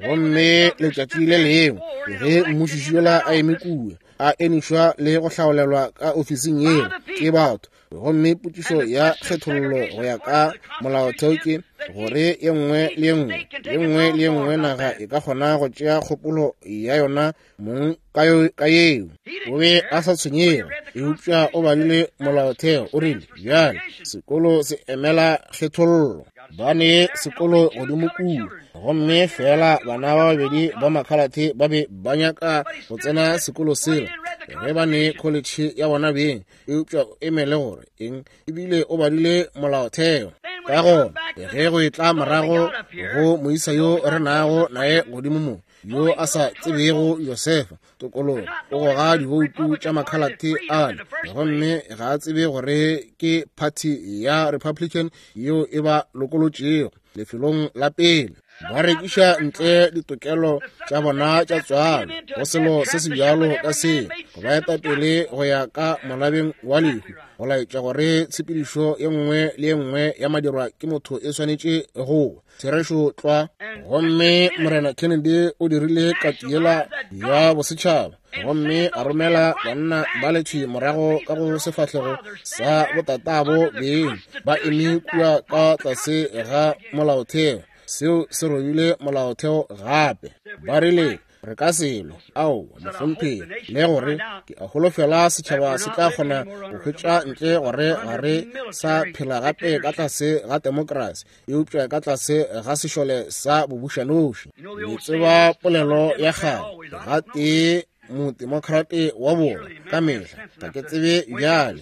Gomme letšatši le lengwe ge mmušiši yola a eme kua, a enišwa le go hlaolelwa ka ofising yeo ke batho, gomme potšišo ya kgethollo go ya ka molaotheo ke gore ye nngwe le ye nngwe ye nngwe le ye nngwe naga e ka kgona go tšea kgopolo ya yona mong ka yeo. O be a sa tshwenyege, eupša o badile molaotheo. O rile, bjale sekolo se emela kgethollo. Ba ne sekolo godimo kua, gomme fela bana ba babedi ba makhalate ba be ba nyaka go tsena sekolo sela. Ge ba ne kholetšhe ya bona beng, eupša o emele gore eng, ebile o badile molaotheo. Ka gona ge go etla morago go moisa yo re nago naye godimo mo, yo a sa tsebego Josefa tokologo, o goga diboutu tša makhalate ale, gomme ga a tsebe gore ke party ya Republican yeo e ba lokolotšego lefelong la pele. Ba rekiša ntle ditokelo tša bona tša tswalo go selo se se bjalo ka seo, go ba eta pele go ya ka molabeng wa lehu, go laetša gore tshepedišo ye nngwe le ye nngwe ya madirwa ke motho e swanetše go therešo tlwa. Gomme Morena Kennedy o dirile katiela ya bosetšhaba, gomme a romela banna ba lethwi morago ka go sefahlego sa botatabo beng ba eme kua ka tlase ga molaotheo. Seo se robile molaotheo gape. Ba rile re ka selo, ao mohlomphegi, le gore ke a holofela setšhaba se tla kgona go hwetša ntle gore ga re sa phela gape ka tlase ga demokrasi, eupša ka tlase ga sešole sa bobušanoši. Le tseba polelo ya kgale, ga tee modemokrate wa borwa ka mehla, ga ke tsebe bjale.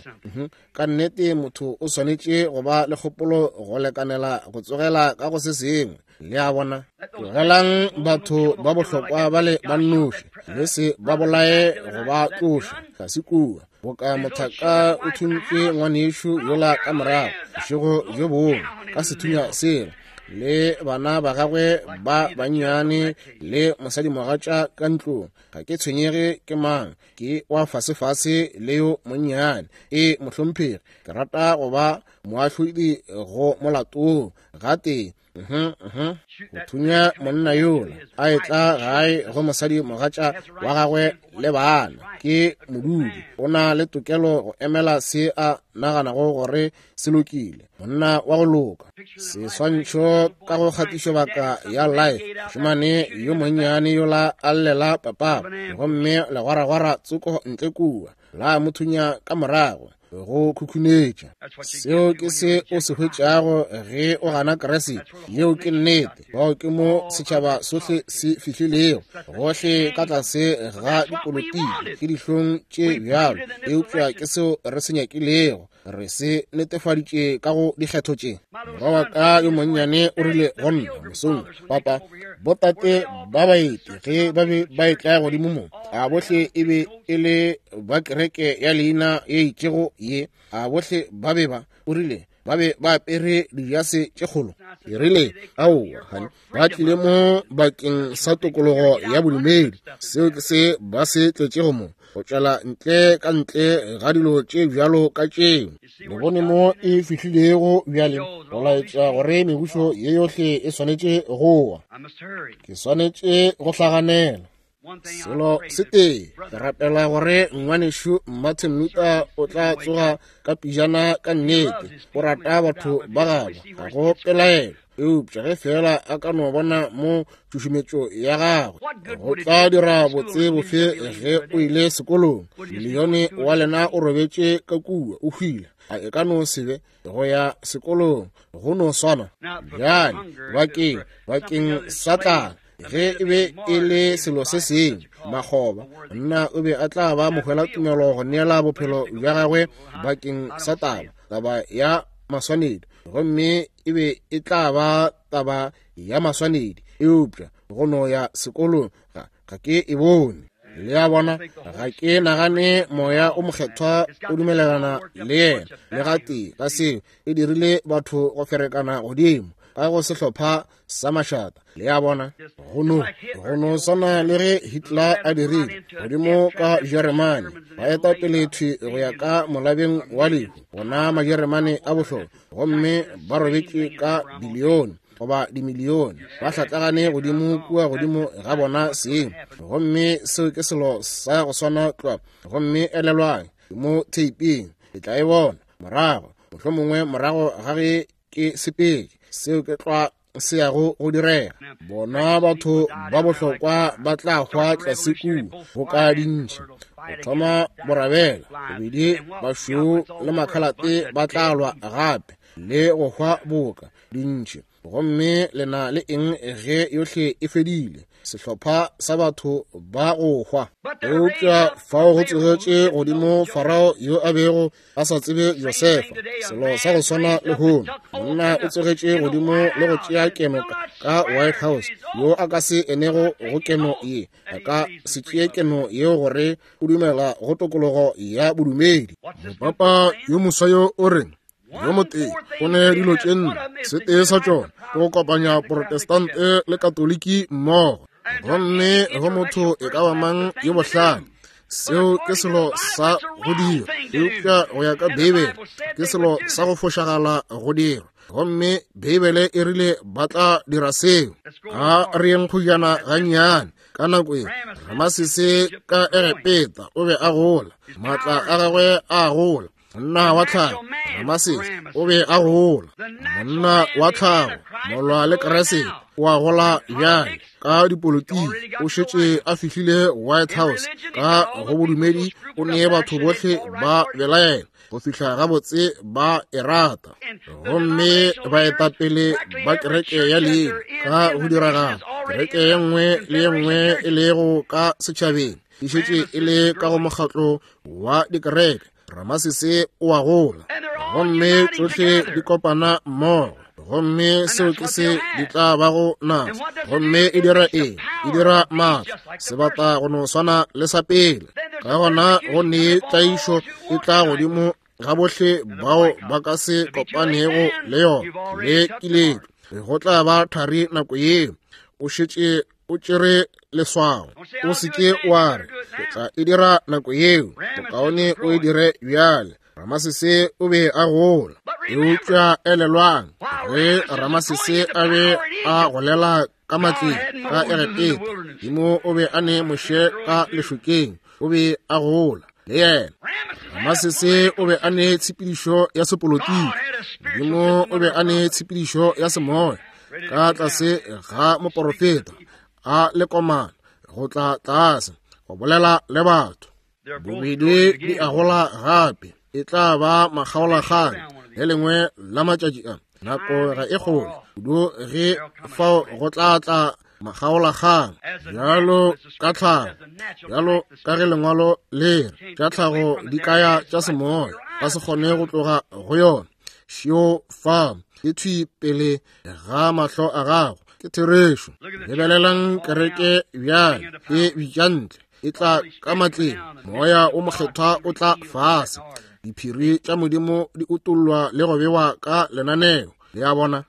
Ka nnete motho o swanetše go ba le kgopolo go lekanela go tsogela ka go se sengwe. Le a bona, tlogelang batho ba bohlokwa ba le ba nnoši, le se ba bolaye go ba tloša tlase kua. Boka mothaka o thuntše ngwanešu yola ka morago bošego bjo bongwe ka sethunya sela, le bana ba gagwe ba bannyane le mosadimogatša ka ntlong. Ga ke tshwenyege ke mang, ke wa fasefase le yo monnyane. E mohlomphegi, ke rata go ba moahlodi go molatong gatee. Mhm, mhm. Go thunya monna yola a etla gae go mosadimogatša wa gagwe le bana, ke modudi, o na le tokelo go emela se a naganago gore se lokile, monna wa go loka. Seswantšho ka go kgatišobaka ya Life, mošemane yo monnyane yola a llela papa, gomme legwaragwara tsoko ntle kua la mo thunya ka morago go khukhunetša. Seo ke se o se hwetšago ge o gana Kriste. Yeo ke nnete. Bao ke mo setšhaba sohle se fihlilego, gohle ka tlase ga dipolotiki ke dihlong tše bjalo, eupša ke seo re se nyakilego. Re se netefaditše ka go dikgetho tše. Morwa wa ka yo monnyane o rile go nna mosong, papa, botate ba baeti ge ba be ba etla godimo mo, a bohle e be e le ba kereke ya leina ye itšego ye, a bohle ba be ba, o rile, ba be ba apere dijase tše kgolo. Ke rile, aowa, honey, ba tlile mo bakeng sa tokologo ya bodumedi. Seo ke se ba se tletšego mo, go tšwela ntle ka ntle ga dilo tše bjalo ka tšeo. Le bone mo e fihlilego bjale, go laetša gore mebušo ye yohle e swanetše go wa. Ke swanetše go hlaganela. Selo se tee, ke rapela gore ngwanešu Martin Luther o tla tsoga ka pijana ka nnete. O rata batho ba gabo, ga go pelaelo, eupša ge fela a ka no bona mo tšhušumetšo ya gagwe, go tla dira botse bofe ge o ile sekolong. Milione wa lena o robetše ka kua o hwile, a e ka no se be go ya sekolong, go no swana. Bjale bakeng bakeng sa tlala, ge e be e le selo se sengwe, makgoba, monna o be a tla ba mohwela tumelo go neela bophelo bja gagwe bakeng sa taba, taba ya maswanedi, gomme e be e tla ba taba ya maswanedi. Eupša go no ya sekolong ga ga ke e bone. Le a bona, ga ke nagane moya o mokgethwa o dumelelana le yena le gatee ka seo. E dirile batho go ferekana godimo ka go sehlopha sa mašata. Le a bona, go no go no swana le ge Hitler a dirile godimo ka Jeremane, ba eta pele thwi go ya ka molabeng wa lehu, bona Majeremane a bohlokwa, gomme ba robetše ka bilione goba dimilione, ba hlatlagane godimo kua godimo ga bona seng. Gomme seo ke selo sa go swana tlwa. Gomme elelwang mo theiping, le tla e bona morago, mohlomongwe morago ga ge ke sepedi, seo ke tlwa se yago go direga. Bona batho ba bohlokwa ba tla hwa tlase kua boka dintšhi, go thoma borabela, bobedi bašweu le makhalate ba tla lwa gape le go hwa boka dintšhi. Gomme le na le eng ge yohle e fedile? Sehlopha sa batho ba go hwa. Eupša fao go tsogetše godimo Farao yo a bego a sa tsebe Josefa. Selo sa go swana lehono, monna o tsogetše godimo le go tšea keno ka White House, yo a ka se enego go keno ye, a ka se tšee keno yeo gore o dumela go tokologo ya bodumedi. Mopapa yo moswa yo o reng? Yo motee o ne dilo tše nne, se tee sa tšona ke go kopanya Protestante le Katoliki mmogo. Gomme go motho e ka ba mang yo bohlale, seo ke selo sa go dira, eupša go ya ka Beibele ke selo sa go fošagala go dira. Gomme Beibele e rile ba tla dira seo. A re yeng kgojana gannyane. Ka nako e Ramasese ka Egepeta o be a gola, maatla a gagwe a gola. Monna wa tlhago Ramasese o be a gola, monna wa tlhago molwa le Keresete o a gola bjale ka dipolotiki. O šetše a fihlile White House. Ka go bodumedi o nee batho bohle ba belaela go fihla gabotse ba e rata. Gomme baetapele ba kereke ya leina ka go diragala, kereke ye nngwe le ye nngwe e lego ka setšhabeng e šetše e le ka go mokgatlo wa dikereke. Ramasese o a gola, gomme tšohle di kopana mmogo. Gomme seo ke se di tla bago naso. Gomme e dira eng? E dira maatla, sebata go no swana le sa pele. Ka gona go nee tlaišo e tla godimo ga bohle bao ba ka se kopanego le yona le kiletšo. Go tla ba thari nako yeo. O šetše o tšere leswao. O se ke wa re ke tla e dira nako yeo, bokaone o e dire bjale. Ramasese o be a gola. Eupša elelwang, ge Ramasese a be a golela ka matleng ka Egepeta, Modimo o be a ne Moshe ka lešokeng, o be a gola le yena. Ramasese o be a ne tshepedišo ya sepolotiki, Modimo o be a ne tshepedišo ya semoya ka tlase ga moporofeta a le komana go tla tlase go bolela le batho. Bobedi di a gola gape, e tla ba makgaolakgang le lengwe la matšatši a. Nako ga e kgole kudu ge fao go tla tla makgaolakgang, bjalo ka tlhago, bjalo ka ge lengwalo le re tša tlhago di kaya tša semoya, ba se kgone go tloga go yona. Šio fa e thwi pele ga mahlo a gago, ke therešo. Lebelelang kereke bjale e bitša ntle, e tla ka matleng, moya o mokgethwa o tla fase, diphiri tša Modimo di utollwa le go bewa ka lenaneo. Le a bona?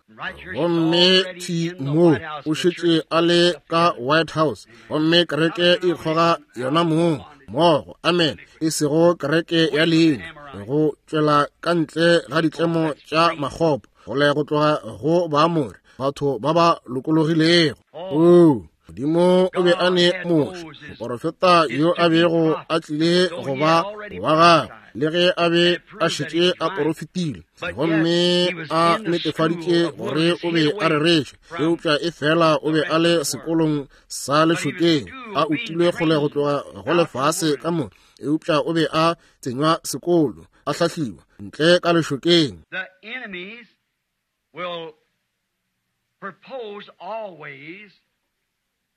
Gomme thwi mo o šetše a le ka White House, gomme kereke e ikgoga yona mong mmogo. Amen. E sego kereke ya leina, go tšwela ka ntle ga ditlemo tša makgopo, go le go tloga go Baamore, batho ba ba lokologilego. Oo, Modimo o be a ne Moshe, moporofeta yo a bego a tlile go ba wa gagwe, le ge a be a šetše a porofetile gomme a netefaditše gore o be a rereša, eupša e fela o be a le sekolong sa lešokeng, a utilwe kgole go tloga go lefase ka moka, eupša o be a tsenywa sekolo, a hlahliwa ntle ka lešokeng. The enemies will propose always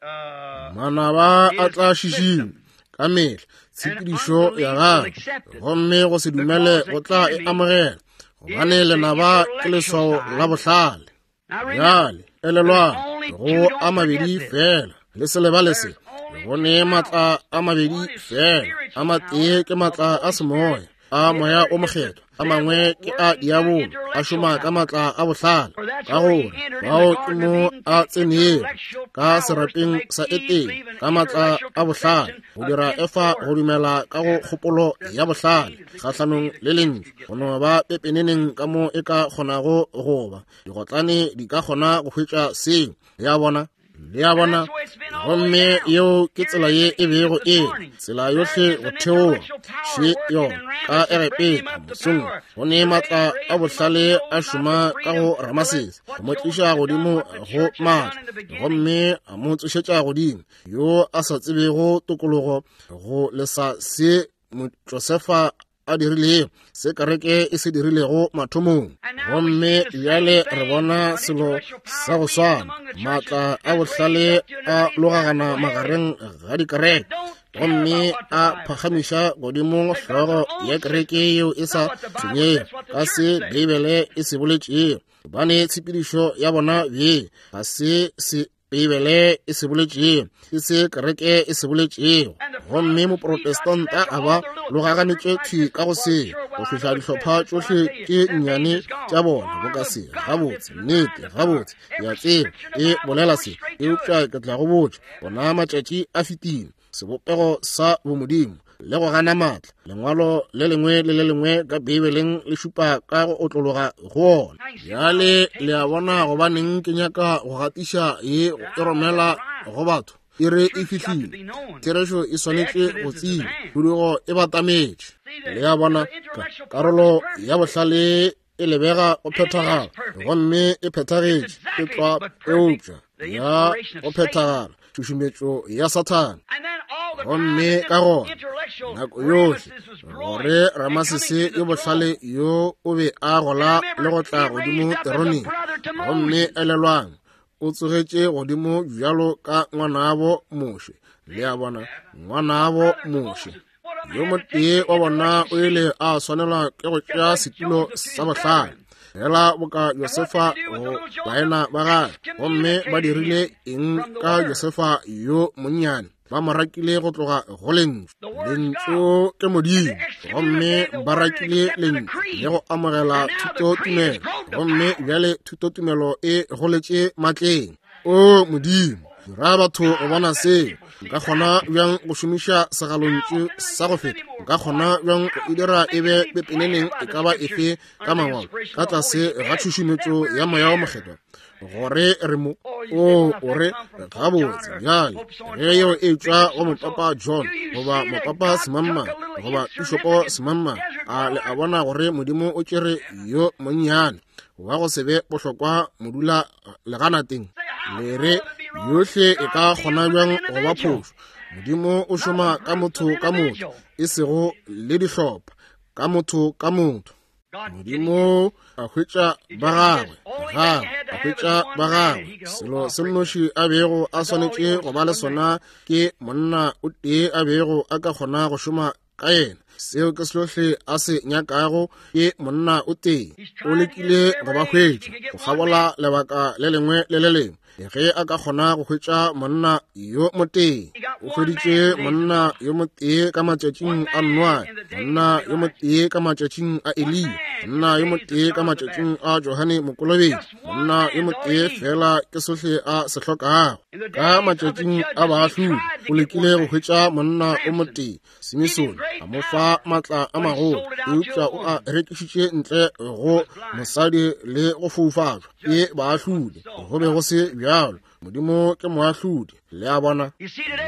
uh, Manaba a tla šišinya ka mehla tshepedišo ya gagwe, gomme go se dumele go tla e amogela, gobane lenaba ke leswao la bohlale. Bjale elelwang, go a mabedi fela, le se lebale se. Go ne maatla a mabedi fela, a matee ke maatla a semoya, a moya o mokgethwa, a mangwe ke a diabolo, a šoma ka maatla a bohlale. Ka gore bao ke mo a tsenego ka serapeng sa Etene ka maatla a bohlale, go dira Efa go dumela ka go kgopolo ya bohlale kgahlanong le lentšu, go no ba pepeneneng ka mo e ka kgonago go ba. Digotlane di ka kgona go hwetša seo. Le a bona? Le a bona? Gomme yeo ke tsela ye e bego e tsela yohle go theoga še yona ka Egepeta mosong. Go ne maatla a bohlale a šoma ka go Ramasese, go mo tliša godimo go maatla, gomme a mo tsošetša godimo, yo a sa tsebego tokologo, go lesa se Josefa a dirilego, se kereke e se dirilego mathomong. Gomme bjale re bona selo sa go swana, maatla a bohlale a logagana magareng ga dikereke, gomme a phagamiša godimo hlogo ya kereke yeo e sa tshwenyego ka se Beibele e se boletšego, gobane tshepedišo ya bona bjeng ga se se Beibele e se boletšego, ke se kereke e se boletšego. Gomme moprotestanta a ba logaganetše thwi ka go se, go fihla dihlopha tšohle tše nnyane tša bona boka se. Gabotse, nnete, gabotse, ke a tseba e bolela se, eupša ke tla go botša, bona matšatši a fetile. Sebopego sa bomodimo le go gana maatla, lengwalo le lengwe le le lengwe ka Beibeleng le šupa ka go otlologa go ona. Bjale le a bona gobaneng ke nyaka go gatiša ye e romela go batho. E re e fihlile, therešo e swanetše go tseba, khudugo e batametše. Le a bona, karolo ya bohlale e lebega go phethagala, gomme e phethagetše ke tlwa, eupša ya go phethagala tšhušumetšo ya Sathane. Gomme ka gona nako yohle gore Ramasese yo bohlale yo o be a gola le go tla godimo teroneng, gomme elelwang, o tsogetše godimo bjalo ka ngwanabo Moshe. Le a bona, ngwanabo Moshe yo motee wa bona o ile a swanelwa ke go tšea setulo sa bohlale, fela boka Josefa go baena ba gagwe. Gomme ba dirile eng ka Josefa yo monnyane? Ba mo rakile go tloga go lentšu. Lentšu ke Modimo, gomme ba rakile lentšu le go amogela thutotumelo, gomme bjale thutotumelo e goletše matleng. O Modimo, dira batho go bona seo. Nka kgona bjang go šomiša segalontšu sa go feta? Nka kgona bjang go e dira e be pepeneneng e ka ba efe ka mangwalo ka tlase ga tšhušumetšo ya Moya wo Mokgethwa gore re mo o o re gabotse bjale ge yeo e tšwa go mopapa John goba mopapa semangmang goba pišopo semangmang, a le a bona gore Modimo o tšere yo monnyane wa go se be bohlokwa modula leganateng? Le re yohle e ka kgona bjang go ba phošo? Modimo o šoma ka motho ka motho, e sego le dihlopha, ka motho ka motho. Modimo a hwetša ba gagwe, gagwe a hwetša ba gagwe. Selo se nnoši a bego a swanetše go ba le sona ke monna o tee a bego a ka kgona go šoma ka yena. Seo ke sohle a se nyakago ke monna o tee. O lekile go ba hwetša go kgabola lebaka le lengwe le le lengwe ge a ka kgona go hwetša monna yo motee. O hweditše monna yo motee ka matšatšing a Noa, monna yo motee ka matšatšing a Eliya, monna yo motee ka matšatšing a Johane Mokolobetši, monna yo motee fela ke sohle a se hlokago. Ka matšatšing a baahlodi o lekile go hwetša monna o motee, Simisone, a mo fa maatla a magolo, eupša o a rekišitše ntle go mosadi le go foufatšwa ke baahlodi. Go be go se bjalo. Modimo ke moahlodi. Le a bona,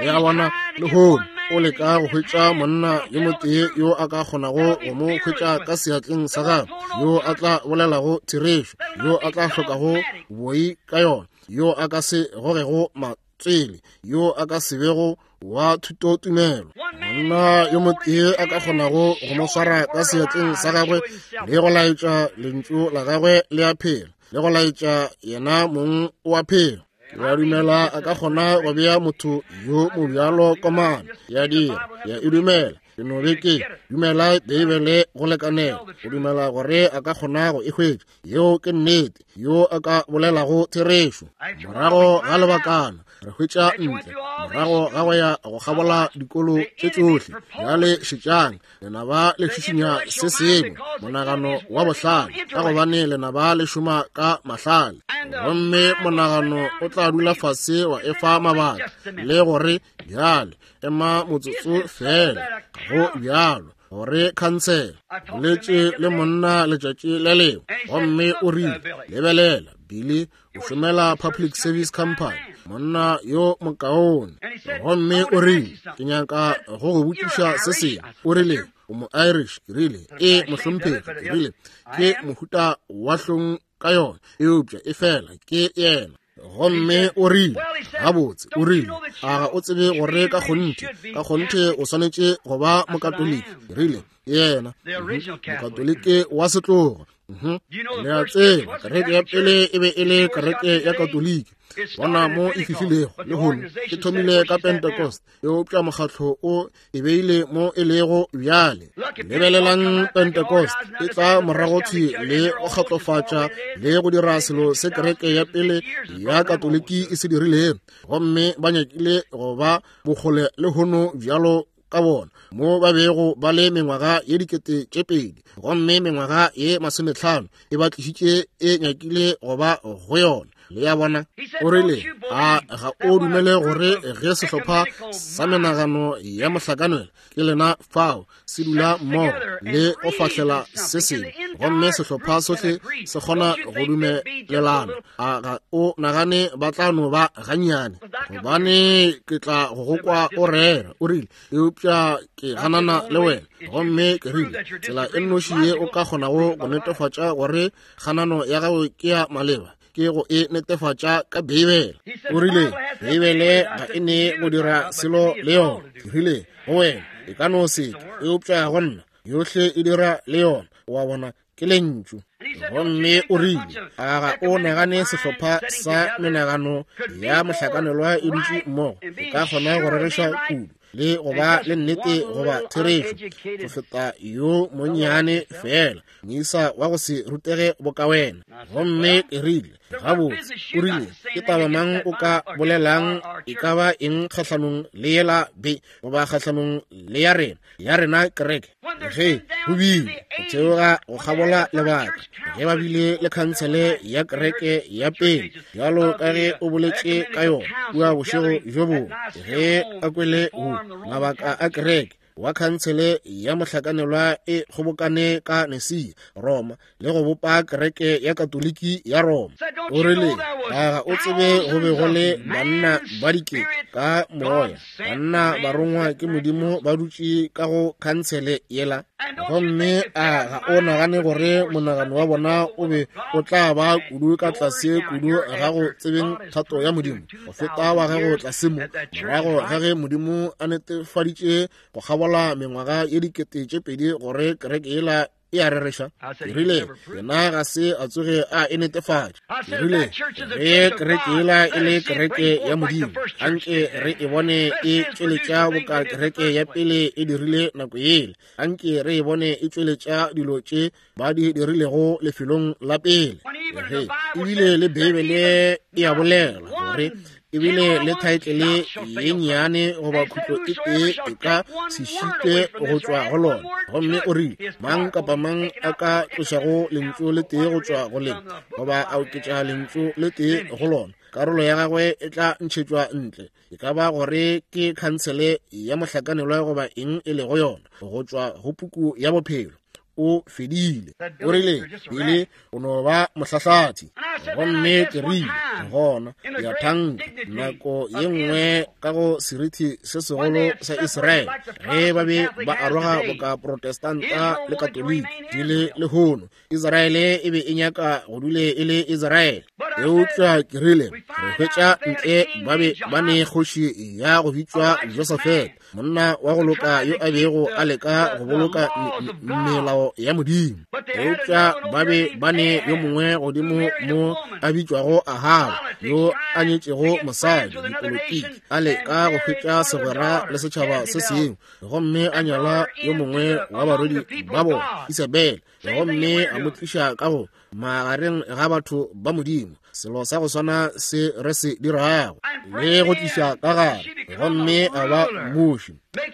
le a bona lehono o leka go hwetša monna yo motee yo a ka kgonago go mo hwetša ka seatleng sa gagwe, yo a tla bolelago therešo, yo a tla hlokago boi ka yona, yo a ka se gogego matswele, yo a ka se bego wa thutotumelo. Monna yo motee a ka kgonago go mo swara ka seatleng sa gagwe le go laetša lentšu la gagwe le a phela, le go laetša yena mong o a phela. Ke a dumela a ka kgona go bea motho yo mobjalo komana. Ya dira, ya e dumela. Ke no be ke dumela Beibele go lekanela go dumela gore a ka kgona go e hwetša. Yeo ke nnete, yo a ka bolelago therešo. Morago ga lebakana re hwetša ntle, morago ga go ya go kgabola dikolo tše tšohle. Bjale šetšang, lenaba le šišinya se sengwe, monagano wa bohlale, ka gobane lenaba le šoma ka mahlale. Gomme monagano o tla dula fase wa efa mabaka le gore bjale ema motsotso fela, go bjalo gore khansele. Boletše le monna letšatši le lengwe, gomme o rile, lebelela Billy, o šomela Public Service Company, monna yo mokaone. Gomme o rile, ke nyaka go go botšiša se sengwe. O rile, o mo Irish? Ke rile, e mohlomphegi. Ke rile, ke mohuta wa hlong ka yona, eupša e fela ke yena. Gomme o rile, Gabotse, o rile, a ga o tsebe gore ka kgonthe, ka kgonthe o swanetše go ba Mokatoliki? Ke rile, yena, Mokatoliki wa setlogo. Le a tseba, kereke ya pele e be e le kereke ya Katoliki. Bona mo e fihlilego lehono, e thomile ka Pentecost, eupša mokgatlo o e beile mo e lego bjale. Lebelelang Pentecost e tla morago thwi le go kgatlofatša le go dira selo se kereke ya pele ya Katoliki e se dirilego, gomme ba nyakile go ba bokgole lehono bjalo ka bona mo ba bego ba le mengwaga ye dikete tše pedi, gomme mengwaga ye masometlhano e ba tlišitše e nyakile go ba go yona. Le ya bona? O rile, a ga o dumele gore ge sehlopha sa menagano ya mohlakanelo ke lena fao se dula mmogo le go fahlela se sengwe, gomme sehlopha sohle se kgona go dumelelana, a ga o nagane ba tla no ba gannyane? Gobane ke tla go go kwa o rera. O rile, eupša ke ganana le wena. Gomme ke rile, tsela e nnoši ye o ka kgonago go netefatša gore kganano ya gago ke ya maleba ke go e netefatša ka Beibele. O rile, Beibele ga e ne go dira selo le yona. Ke rile, go wena e ka no se ke, eupša go nna yohle e dira le yona. Wa bona, ke lentšu. Gomme o rile, a ga o nagane sehlopha sa menagano ya mohlakanelwa e dutše mmogo e ka kgona go rereša kudu le go ba le nnete goba therešo go feta yo monnyane fela moisa wa go se rutege boka wena? Gomme ke rile, gabotse, o rile, ke taba mang o ka bolelang e ka ba eng kgahlanong le yela be goba kgahlanong le ya rena, ya rena kereke? Ge go bile go theoga go kgabola lebaka, ge ba bile le khansele ya kereke ya pele, bjalo ka ge o boletše ka yona kua bošego bjo bongwe, ge a kwele go mabaka a kereke wa khansele ya mohlakanelwa e kgobokane ka Nicaea, Roma, le go bopa kereke ya Katoliki ya Roma. O rile, a ga o tsebe go be go le banna ba dikete ka moya, banna barongwa ke Modimo ba dutše ka go khansele yela? Gomme a ga o nagane gore monagano wa bona o be o tla ba kudu ka tlase kudu ga go tsebeng thato ya Modimo go feta wa gago tlase mo, morago ga ge Modimo a netefaditše go kgabola mengwaga ye dikete tše pedi gore kereke yela e a rereša? Ke rile, yena ga se a tsoge a e netefatša. Ke rile, ge kereke yela e le kereke ya Modimo, anke re e bone e tšweletša boka kereke ya pele e dirile nako yela, anke re e bone e tšweletša dilo tše ba di dirilego lefelong la pele. Ge ebile le Beibele e a bolela gore ebile le thaetlele ye nnyane goba khutlo e tee e ka se šitwe go tšwa go lona. Gomme o rile, mang kapa mang a ka tlošago lentšu le tee go tšwa go lena goba a oketša lentšu le tee go lona, karolo ya gagwe e tla ntšhetšwa ntle, e ka ba gore ke khansele ya mohlakanelwa goba eng e lego yona, go tšwa go puku ya bophelo. O fedile. O rile, Bile o no ba mohlahlathi. Gomme ke rile, gona ya thanka nako ye nngwe ka go serithi se segolo sa Israele, ge ba be ba aroga boka Protestanta le Katoliki di le lehono, Israele e be e nyaka go dule e le Israele. Eupša ke rile, re hwetša ntle ba be ba ne kgoši ya go bitšwa Josafat, monna wa go loka yo a bego a leka go boloka melao ya Modimo. Eupša ba be ba ne yo mongwe godimo mo a bitšwago Ahaba, yo a nyetšego mosadi dipolotiki, a leka go hwetša segwera le setšhaba se sengwe, gomme a nyala yo mongwe wa barwedi ba bona, Isabel, gomme a mo tliša ka go magareng ga batho ba Modimo, selo sa go swana se re se dirago, le go tliša ka gare, gomme a ba mmuši,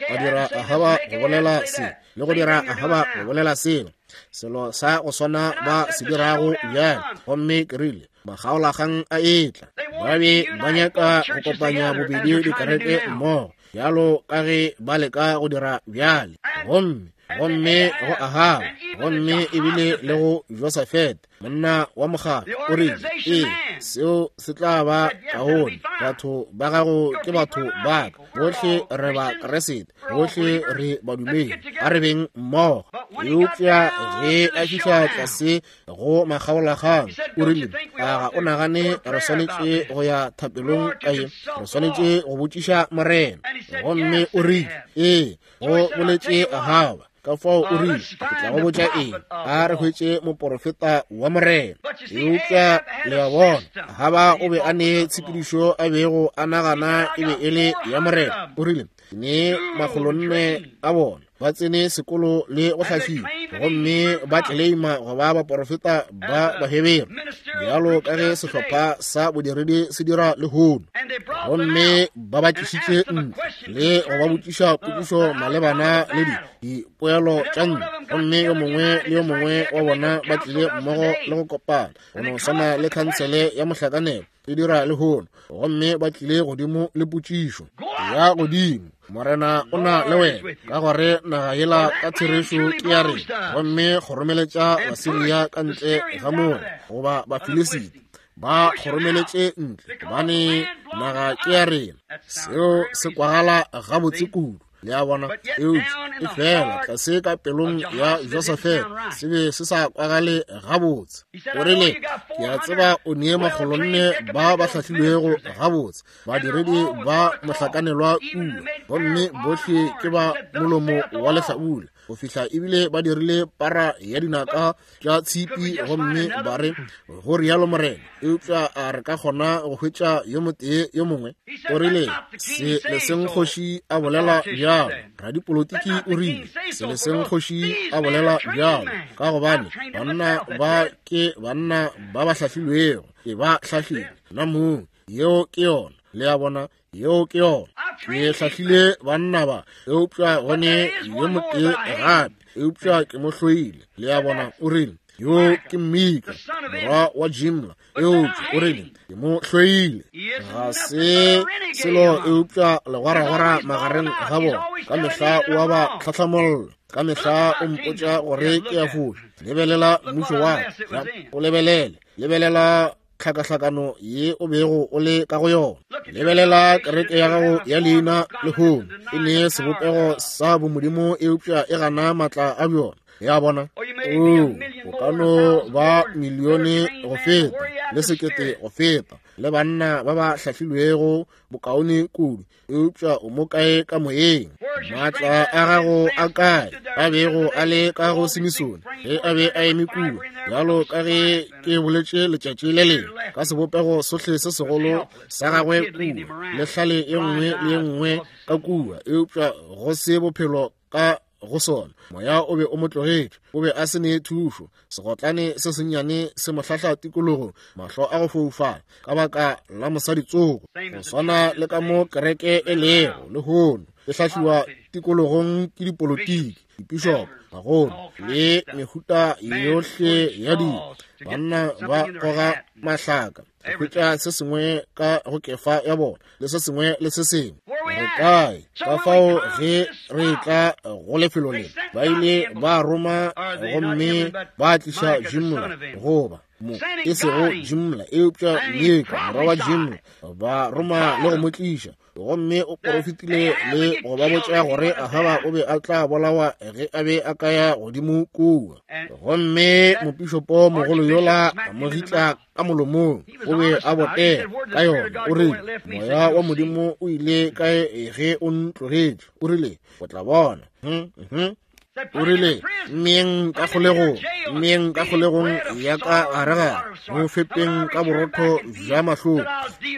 a dira Ahaba go bolela se, le go dira Ahaba go bolela selo, selo sa go swana ba se dirago bjale. Gomme ke rile, makgaolakgang a etla, ba be ba nyaka go kopanya bobedi dikereke mmogo, bjalo ka ge ba leka go dira bjale. Gomme gomme go Ahaba, gomme ebile le go Josafat, monna wa mogala, o rile, ee, Seo se tla ba kaone. Batho ba gago ke batho ba ka. Bohle re ba Kriste, bohle re badumedi. A re beng mmogo. Eupša ge a fihla tlase go makgaolakgang, o rile, a ga o nagane re swanetše go ya thapelong ka ye? Re swanetše go botšiša Morena. Gomme o rile, ee, go boletše Ahaba. Ka fao o rile, ke tla go botša eng, a re hwetše moporofeta wa Morena. Eupša le a bona, Ahaba o be a ne tshepedišo a bego a nagana e be e le ya Morena. O rile, ke ne makgolonne a bona ba tsene sekolo le go hlahliwa, gomme ba tleleima go ba baporofeta ba Bahebere, bjalo ka ge sehlopha sa bodiredi se dira lehono. Gomme ba ba tlišitše ntle le go ba botšiša potšišo malebana le dipoelo tša ntlo, gomme yo mongwe le yo mongwe wa bona ba tlile mmogo le go kopana, go no swana le khansele ya mohlakanelo e dira lehono. Gomme ba tlile godimo le potšišo ya godimo, Morena o na le wena, ka gore naga yela ka therešo ke ya rena. Gomme kgoromeletša Basiria ka ntle ga moo, goba Bafilisita ba kgoromeletše ntle, gobane naga ke ya rena. Seo se kwagala gabotse kudu, le a bona. Eupša e fela tlase ka pelong ya Josafete se be se sa kwagale gabotse. O rile, ke a tseba o nee makgolonne ba ba hlahlilwego gabotse, badiredi ba mohlakanelwa kua, gomme bohle ke ba molomo wa lehlabula, go fihla ebile ba dirile para ya dinaka tša tshipi, gomme ba re, go rialo Morena. Eupša a re ka kgona go hwetša yo motee yo mongwe? O rile, se leseng kgoši a bolela bjalo. Radipolotiki o rile, se leseng kgoši a bolela bjalo, ka gobane banna ba ke banna ba ba hlahlilwego, ke ba hlahlile nna mong. Yeo ke yona, le a bona, yeo ke yona. Ke hlahlile banna ba, eupša gone yo motee gape, eupša ke mo hloile. Le a bona. O rile, yo ke Mika, morwa wa Jimla, eupša o rile, ke mo hloile. Ga se selo eupša legwaragwara magareng ga bona. Ka mehla o a ba tlhahlamolla, ka mehla o mpotša gore ke a foša. Lebelela mmušo wa ka, o lebelele, lebelela tlhakahlakano ye o bego o le ka go yona. Lebelela kereke ya gago ya leina lehono, e ne sebopego sa bomodimo, eupša e gana maatla a bjona. Ya bona, o o ka no ba milione go feta le sekete go feta le banna ba ba hlahlilwego bokaone kudu, eupša o mo kae ka moyeng? Maatla a gago a kae a bego a le ka go Simisone ge a be a eme kua, bjalo ka ge ke boletše letšatši le lengwe, ka sebopego sohle se segolo sa gagwe kua, le hlale ye nngwe le ye nngwe ka kua, eupša go se bophelo ka go sona. Moya o be o mo tlogetše, o be a se ne thušo. Segotlane se sennyane se mo hlahla tikologong, mahlo a go foufala ka baka la mosadi tsoko. Go swana le ka mo kereke e lego lehono, e hlahliwa tikologong ke dipolotiki, dipišopo, bagolo le mehuta yohle ya dilo. Banna ba goga mahlaka go hwetša se sengwe ka go kefa ya bona, le se sengwe le se sengwe. Re kae? Ka fao ge re tla go lefelo le, ba ile ba roma gomme ba tliša Jimla, goba mo e sego Jimla eupša Mika morwa wa Jimla, ba roma le go mo tliša. Gomme o porofetile le go ba botša gore Ahaba o be a tla bolawa ge a be a ka ya godimo kua. Gomme mopišopo mogolo yola a mo gitla ka molomong, o be a botega ka yona. O rile, moya wa Modimo o ile kae ge o ntlogetše? O rile, o tla bona. Hmm, o rile, mmeng ka kgolegong, mmeng ka kgolegong ya ka gare-gare, mo fepeng ka borotho bja mahloko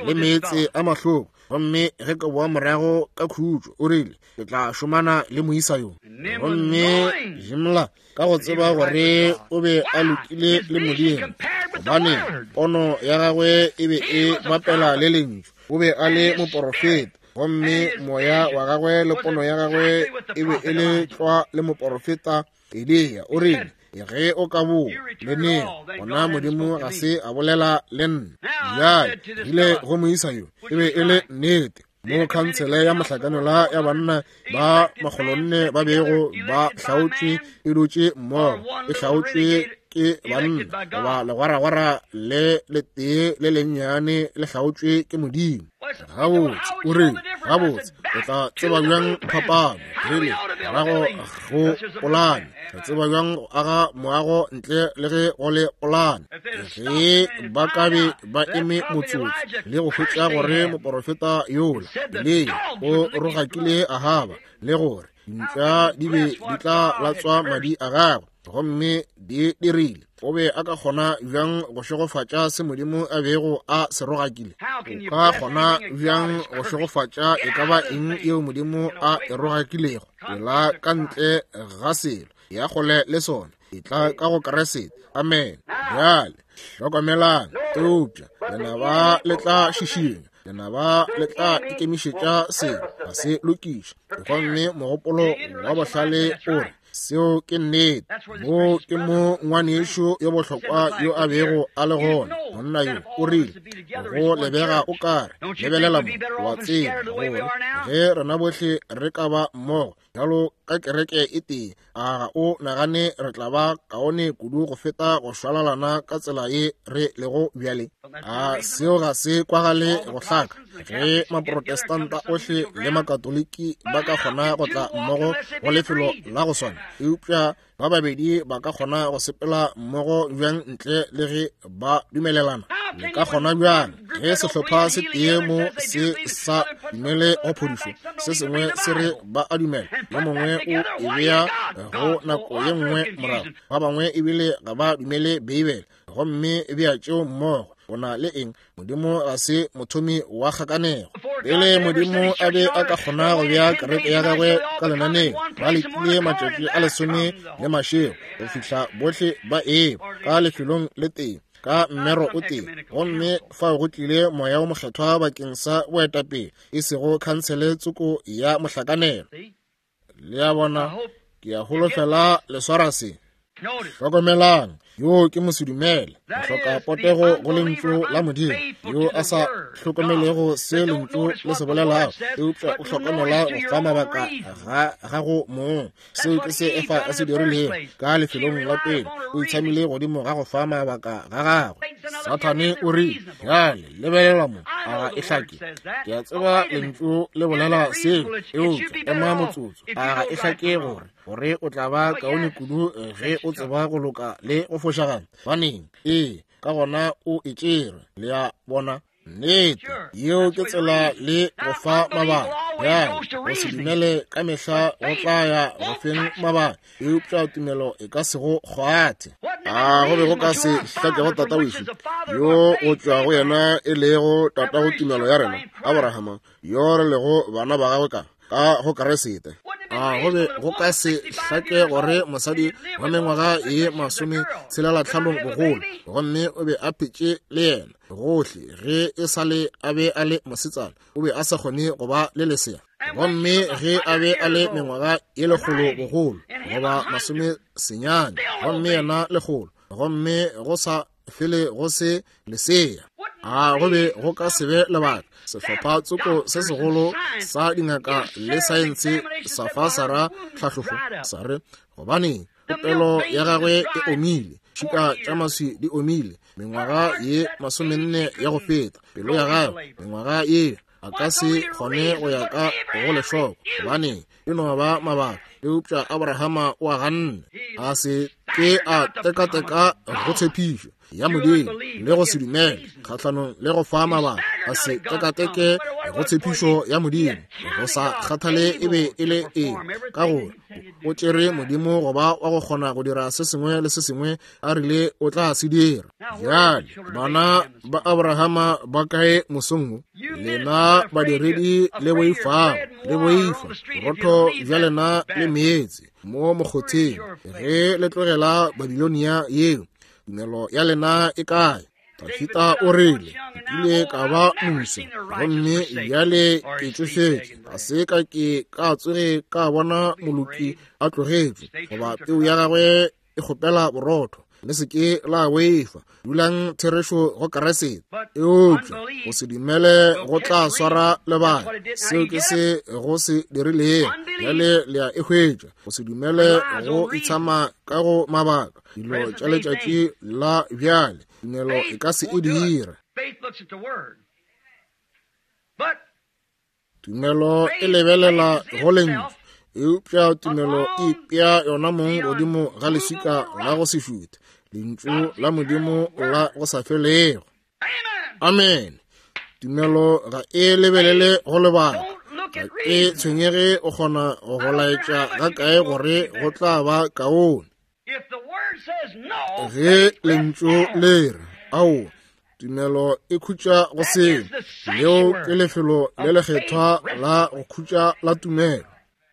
le meetse a mahloko, gomme ge ke boa morago ka khutšo, o rile, ke tla šomana le moisa yo. Gomme Jimla, ka go tseba gore o be a lokile le Modimo, gobane pono ya gagwe e be e bapela le lentšu, o be a le moporofeta, gomme moya wa gagwe le pono ya gagwe e be e le tlwa le moporofeta Eliya. O rile, ge o ka boa le neng, gona Modimo ga se a bolela le nna. Bjale ile go moisa yo, e be e le nnete. Mo khansele ya mohlakanelwa ya banna ba makgolonne ba bego ba hlaotšwe e dutše mmogo, e hlaotšwe ke banna, goba legwaragwara le letee le lennyane le hlaotšwe ke Modimo. Gabotse, o rile, gabotse, o tla tseba bjang phapano? Rile, morago go polane. Re tseba bjang go aga moago ntle le ge go le polane? Ge ba ka be ba eme motsotso le go hwetša gore moporofeta yola Eliya o rogakile Ahaba, le gore dintša di be di tla latswa madi a gagwe, gomme di dirile, o be a ka kgona bjang go šegofatša se Modimo a bego a se rogakile? O ka kgona bjang go šegofatša e ka ba eng yeo Modimo a e rogakilego? Pela ka ntle ga selo, ya kgole le sona, e tla ka go Kriste. Amen. Bjale hlokomelang, eupša lenaba le tla šišinya, lenaba le tla ikemišetša selo, ga se lokiša. Gomme mogopolo wa bohlale o re seo ke nnete. Mo ke mo ngwanešu yo bohlokwa yo a bego a le gona. Monna yo o rile, go lebega o kare, lebelela mo, wa tseba gore ge rena bohle re ka ba mmogo bjalo ka kereke e tee, a ga o nagane re tla ba kaone kudu go feta go šwalalana ka tsela ye re lego bjale? A seo ga se kwagale go hlaka? Ge maprotestanta ohle le makatoliki ba ka kgona go tla mmogo go lefelo la go swana, eupša ba babedi ba ka kgona go sepela mmogo bjang ntle le ge ba dumelelana? Le ka kgona bjang ge sehlopha se tee mo se sa dumele go phodišo, se sengwe se re ba a dumela, yo mongwe o e bea go nako ye nngwe morago, ba bangwe ebile ga ba dumele Beibele, gomme bea tšeo mmogo? O na le eng? Modimo ga se mothomi wa kgakanego. Pele Modimo a be a ka kgona go bea kereke ya gagwe ka lenaneo, ba letile matšatši a lesome le mašego go fihla bohle ba eba ka lefelong le tee, ka mmero o tee, gomme fao go tlile Moya o Mokgethwa bakeng sa boetapele, e sego khansele tsoko ya mohlakanelo. Le a bona, ke a holofela le swara se. Hlokomelang, yo ke mosedumele, hloka potego go lentšu la Modimo, yo a sa hlokomelego se lentšu le se bolelago, eupša o hlokomela go fa mabaka ga gago mong. Seo ke se Efa a se dirilego ka lefelong la pele, o itshamile godimo ga go fa mabaka ga gagwe. Sathane o rile, bjale lebelela mo, a ga e hlake? Ke a tseba lentšu le bolela seo, eupša ema motsotso, a ga e hlake gore gore o tla ba kaone kudu ge o tseba go loka le go fošagala? Baneng, ee, ka gona o e tšere. Le a bona? Nnete, yeo ke tsela le go fa mabaka. Bjale, go se dumele ka mehla go tla ya go feng mabaka, eupša tumelo e ka se go kgwathe. A go be go ka se hlakego tata wešo, yo o tšwago yena e lego tatago tumelo ya rena, Abrahama, yo re lego bana ba gagwe ka ka go Kriste. A go be go ka se hlake gore mosadi wa mengwaga ye masome tshelela tlhanong bogolo, gomme o be a phetše le yena gohle ge e sa le a be a le mosetsana, o be a sa kgone go ba le lesea, gomme ge a be a le mengwaga ye lekgolo bogolo goba masome senyane, gomme yena lekgolo, gomme go sa fele go se lesea? A go be go ka se be lebaka? Sehlopha tsoko se segolo sa dingaka le saense sa fa Sara tlhahlofo, sa re, gobane popelo ya gagwe e omile, tšhika tša maswi di omile, mengwaga ye masomenne ya go feta, pelo ya gagwe mengwaga ye a ka se kgone go ya ka go lehloko, gobane e no ba mabaka. Eupša Abrahama o a ganne, a se ke a tekateka go tshepišo ya Modimo le go se dumele kgahlanong le go fa mabaka, a se tekateke go tshepišo ya Modimo, go sa kgathale e be e le eng, ka gore o tšere Modimo go ba wa go kgona go dira se sengwe le se sengwe a rile o tla se dira. Bjale bana ba Abrahama ba kae mosong wo? Lena badiredi le boifago, le boifa borotho bja lena le meetse mo mokgotheng ge le tlogela Babilonia yeo. Tumelo ya lena e kae? Dafita o rile, ke ile ka ba mmuso, gomme bjale ke tšofetše, ga se ka ke ka tsoge ka bona moloki a tlogetšwe, goba peu ya gagwe e kgopela borotho. Le se ke la boifa, dulang therešo go Kriste. Eupša go se dumele go tla swara lebaka. Seo ke se go se dirilego. Bjale le a e hwetša. Go se dumele go itshama ka go mabaka. Dilo tša letšatši la bjale, tumelo e ka se e dire. Tumelo e lebelela go lentšu, eupša tumelo e ipea yona mong godimo ga leswika la go se šuthe, lentšu la Modimo la go sa felego. Amen. Tumelo ga e lebelele go lebaka. Ga e tshwenyege o kgona go laetša ga kae gore go tla ba kaone. Ge lentšu le re ao, tumelo e khutša go seo. Leo ke lefelo le lekgethwa la go khutša la tumelo.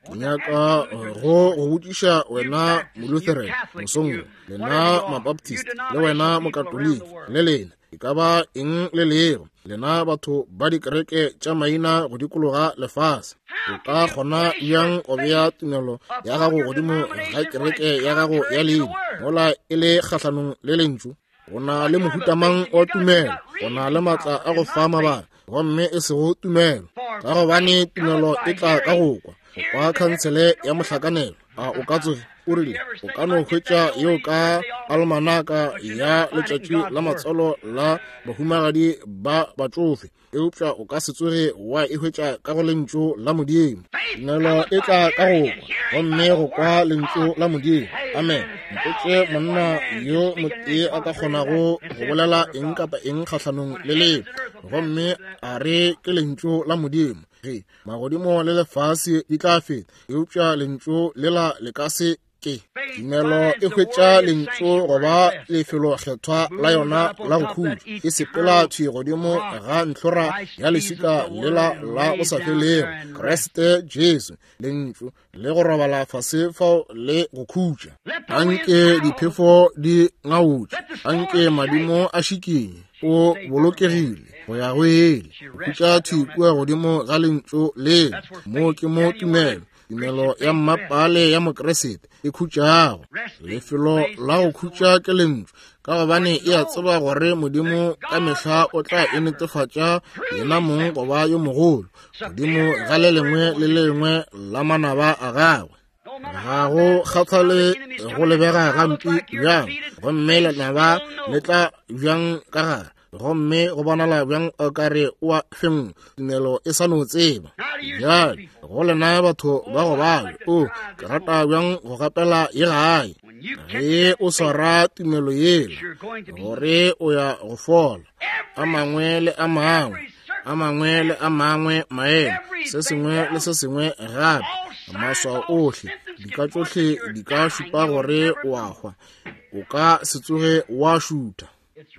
Ke nyaka go go botšiša wena Molutheran mosong wo, lena Mabaptist, le wena Mokatoliki, le lena e ka ba eng le lego, lena batho ba dikereke tša maina go dikologa lefase. O ka kgona bjang go bea tumelo ya gago godimo ga kereke ya gago ya leina mola e le kgahlanong le lentšu? O na le mohuta mang wa tumelo? O na le matla a go fa mabaka, gomme e sego tumelo, ka gobane tumelo e tla ka go kwa. Go kwa khansele ya mohlakanelo. A o ka tsoge o rile o ka no hwetša yeo ka almanaka ya letšatši la matswalo la bahumagadi ba batšofe, eupša o ka se tsoge wa e hwetša ka go lentšu la Modimo. Tumelo e tla ka go kwa, gomme go kwa lentšu la Modimo. Amen. Mpotše monna yo motee a ka kgonago go bolela eng kapa eng kgahlanong le leo, gomme a re ke lentšu la Modimo. Ge magodimo le lefase di tla feta, eupša lentšu lela le ka se ke. Tumelo e hwetša lentšu go ba lefelokgethwa la yona la go khutša. E sepela thwi godimo ga ntlhora ya leswika lela la go sa felego, Kriste Jesu, lentšu le go robala fase fao le go khutša. Anke diphefo di ngaotše, anke madimo a šikinye, o bolokegile go ya go ele. Go khutša thwi kua godimo ga lentšu lela. Mo ke mo tumelo, tumelo ya mmapale ya Mokriste e khutšago. Lefelo la go khutša ke lentšu, ka gobane e a tseba gore Modimo ka mehla o tla e netefatša yena mong go ba yo mogolo godimo ga le lengwe le lengwe la manaba a gagwe. Ga go kgathale go lebega gampe bjang, gomme lenaba le tla bjang ka gare, gomme go bonala bjang o ka re o a fengwa, tumelo e sa no tseba. Bjale go lena batho ba go bala, o ke rata bjang go gapela ye gae. Ge o swara tumelo yela gore o ya go fola, a mangwe le a mangwe, a mangwe le a mangwe maemo, se sengwe le se sengwe gape, maswao ohle, dika tšohle di ka šupa gore o a hwa, o ka se tsoge wa šutha.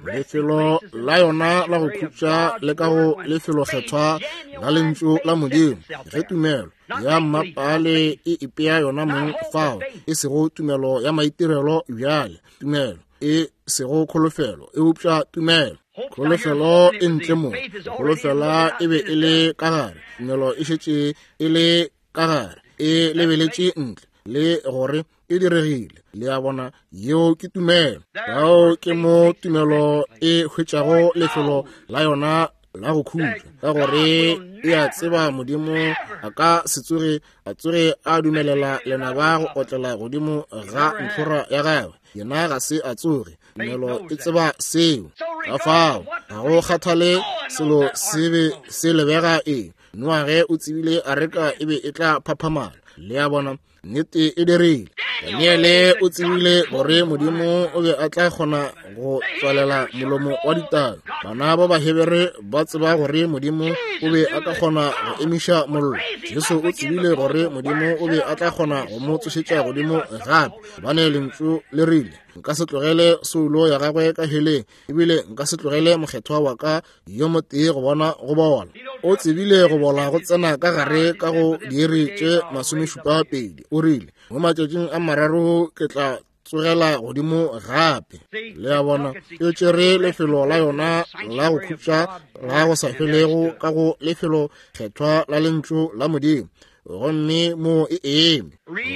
Lefelo la yona la go khutša le ka go lefelokgethwa la lentšu la Modimo. Ge tumelo ya mmapale e ipea yona mong fao, e sego tumelo ya maitirelo bjale, tumelo e sego kholofelo, eupša tumelo. Kholofelo e ntle mo, kholofela e be e le ka gare, tumelo e šetše e le ka gare, e lebeletše ntle le gore e diregile. Le a bona, yeo ke tumelo. Bao ke mo tumelo e hwetšago lefelo la yona la go khutša, ka gore e a tseba Modimo a ka se tsoge a tsoge a dumelela lenaba go otlela godimo ga ntlhora ya gagwe. Yena ga se a tsoge. Tumelo e tseba seo. Ka fao ga go kgathale selo se be se lebega eng, Noage o tsebile areka e be e tla phaphamala. Le a bona, nnete e dirile. Daniele o tsebile gore Modimo o be a tla kgona go tswalela molomo wa ditau. Bana ba Bahebere ba tseba gore Modimo o be a ka kgona go emiša mollo. Jesu o tsebile gore Modimo o be a tla kgona go mo tsošetša godimo gape, gobane lentšu le rile, nka se tlogele soulo ya gagwe ka heleng, ebile nka se tlogele mokgethwa wa ka yo motee go bona go bola. O tsebile go bola go tsena ka gare ka go diiri tše masomešupa pedi. O rile, mo matšatšing a mararo ke tla tsogela godimo gape. Le a bona, e tšere lefelo la yona la go khutša la go sa felego ka go lefelo kgethwa la lentšu la Modimo. gomme mo e eme.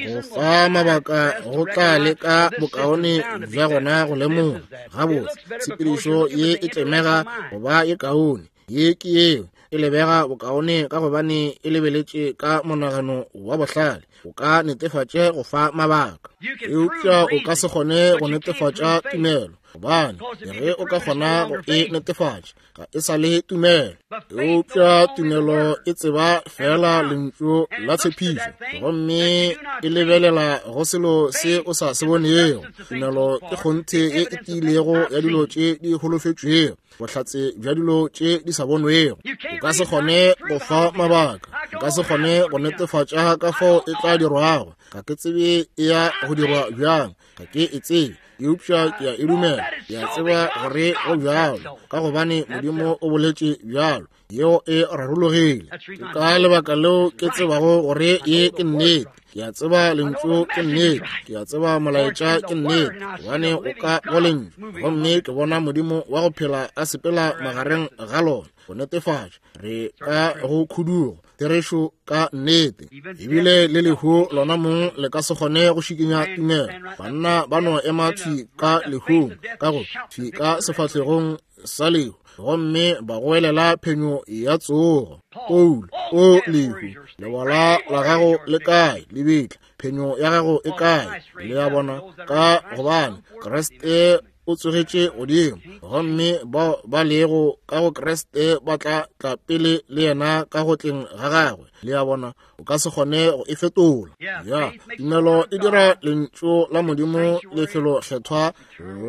Go fa mabaka go tla leka bokaone bja gona go lemoga gabotse tshepedišo ye e tlemega go ba ye kaone. Ye ke yeo e lebega bokaone ka gobane e lebeletše ka monagano wa bohlale. O ka netefatše go fa mabaka, eupša o ka se kgone go netefatša tumelo, gobane ge o ka kgona go e netefatša ga e sa le tumelo. Eupša tumelo e tseba fela lentšu la tshepišo, gomme e lebelela go selo se o sa se bonego. Tumelo ke kgonthe ye e tiilego ya dilo tše di holofetšwego, bohlatse bja dilo tše di sa bonwego. O ka se kgone go fa mabaka, o ka se kgone go netefatša ka fao e tla dirwago. Ga ke tsebe e ya go dirwa bjang, ga ke e tsebe, eupša ke a e dumela. Ke a tseba gore go bjalo, ka gobane Modimo o boletše bjalo. Yeo e rarologile. Ke ka lebaka leo ke tsebago gore ye ke nnete. Ke a tseba lentšu ke nnete, ke a tseba molaetša ke nnete, gobane o ka go lentšu, gomme ke bona Modimo wa go phela a sepela magareng ga lona go netefatša re ka go khudugo therešo ka nnete. Ebile le lehu lona mong le ka se kgone go šikinya tumelo. Banna ba no ema thwi ka lehung, ka go thwi ka sefahlegong sa lehu, gomme ba goelela phenyo ya tsogo. Paulo, o lehu, lebola la gago le kae? Lebitla, phenyo ya gago e kae? Le a bona, ka gobane Kriste o tsogetše godimo, gomme bao ba lego ka go Kriste ba tla tla pele le yena ka go tleng ga gagwe. Le a bona, o ka se kgone go e fetola. Ya tumelo e dira lentšu la Modimo lefelo kgethwa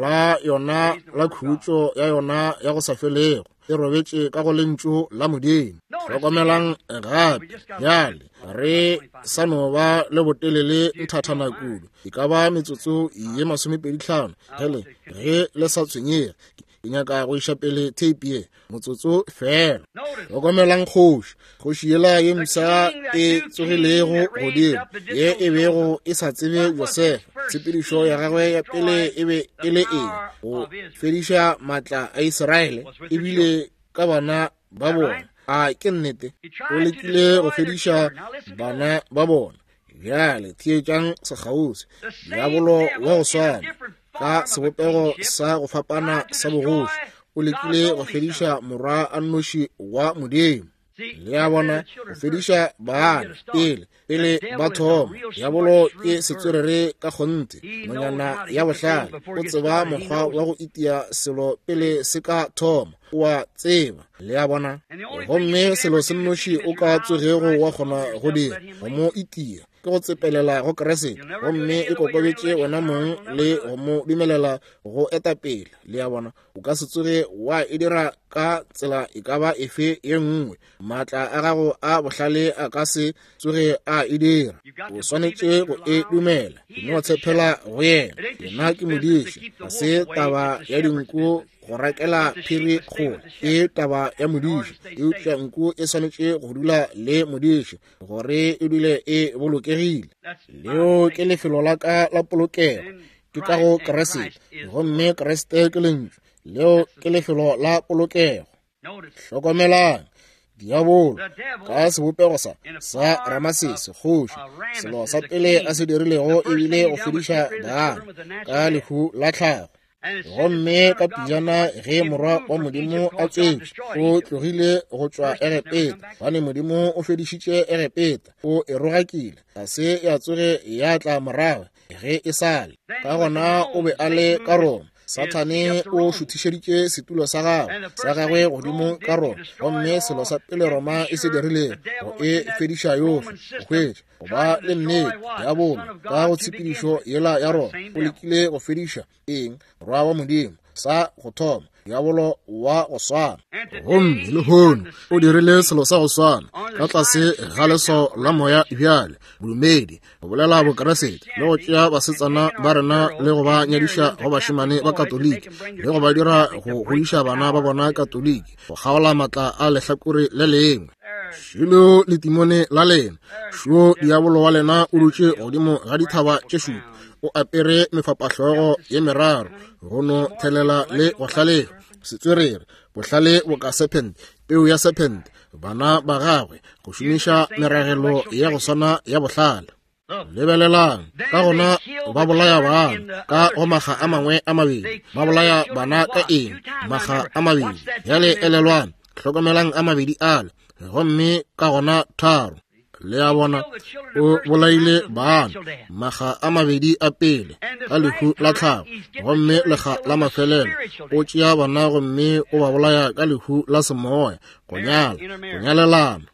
la yona la khutšo ya yona ya go sa felego, e robetše ka go lentšu la Modimo. Hlokomelang gape bjale, re sa no ba le botelele nthathana kudu, e ka ba metsotso ye masomepedi hlano. Ge ge le sa tshwenyege, ke nyaka go iša pele tape ye motsotso fela. Hlokomelang kgoši, kgoši yela ye mpsha e tsogilego godimo, ye e bego e sa tsebe Josefa. Tshepedišo ya gagwe ya pele e be e le eng? Go fediša maatla a Israele, ebile ka bana ba bona. A ke nnete? O lekile go fediša bana ba bona. Bjale theetšang sekgauswi. Diabolo wa go swana ka sebopego sa go fapana sa bogoši o lekile go fediša morwa a nnoši wa Modimo. Le a bona, go fediša bana pele pele ba thoma. Diabolo ke setswerere ka kgonthe, nonyana ya bohlale. O tseba mokgwa wa go itia selo pele se ka thoma, o a tseba. Le a bona, gomme selo se nnoši o ka tsogego wa kgona go dira go mo itia ke go tsepelela go Kriste, gomme e kokobetše wena mong le go mo dumelela go eta pele. Le a bona, o ka se tsoge wa e dira ka tsela e ka ba efe ye nngwe. Maatla a gago a bohlale a ka se tsoge a e dira. O swanetše go e dumela, no tshepela go yena. Yena ke modiši, ga se taba ya dinku go rakela phiri kgole, ke taba ya modiši. Eupša nku e swanetše go dula le modiši gore e dule e bolokegile. Leo ke lefelo la ka la polokego, ke ka go Kriste, gomme Kriste ke lentšu. Leo ke lefelo la polokego. Hlokomelang diabolo ka sebopego sa sa Ramasese kgoši, selo sa pele a se dirilego ebile go fediša bana ka lehu la tlhago. Gomme ka pejana ge morwa wa Modimo a tswetšwe, o tlogile go tšwa Egepeta, gobane Modimo o fedišitše Egepeta, o e rogakile, ga se ya tsoge ya tla morago ge e sale. Ka gona o be a le ka Roma. Sathane o šuthišeditše setulo sa gagwe sa gagwe godimo ka Roma, gomme selo sa pele Roma e se dirilego go e fediša yohle, go hwetša go ba le nnete. Diabolo ka go tshepedišo yela ya Roma o lekile go fediša eng? Morwa wa Modimo sa go thoma, diabolo wa go swana. Gomme lehono o dirile selo sa go swana ka tlase ga leswao la moya bjale, bodumedi, go bolela bokeresete, le go tšea basetsana ba rena le go ba nyadiša go bašemane ba Katoliki, le go ba dira go godiša bana ba bona Katoliki, go kgaola maatla a lehlakore le lengwe. Šilo letimone la lena, šo diabolo wa lena o dutše godimo ga dithaba tše šupa, o apere mefapahlogo ye meraro, go no thelela le go hlalefa, setswerere, bohlale boka serpent, Peu ya sephente, bana ba gagwe, go šomiša meragelo ya go swana ya bohlale. Lebelelang, ka gona ba bolaya bana ka go makga a mangwe a mabedi. Ba bolaya bana ka eng? Makga a mabedi. Bjale elelwang, hlokomelang a mabedi ale, gomme ka gona tharo. Le a bona, o bolaile bana makga a mabedi a pele ka lehu la tlhago, gomme lekga la mafelelo o tšea bana gomme o ba bolaya ka lehu la semoya, go nyala, go nyalelana.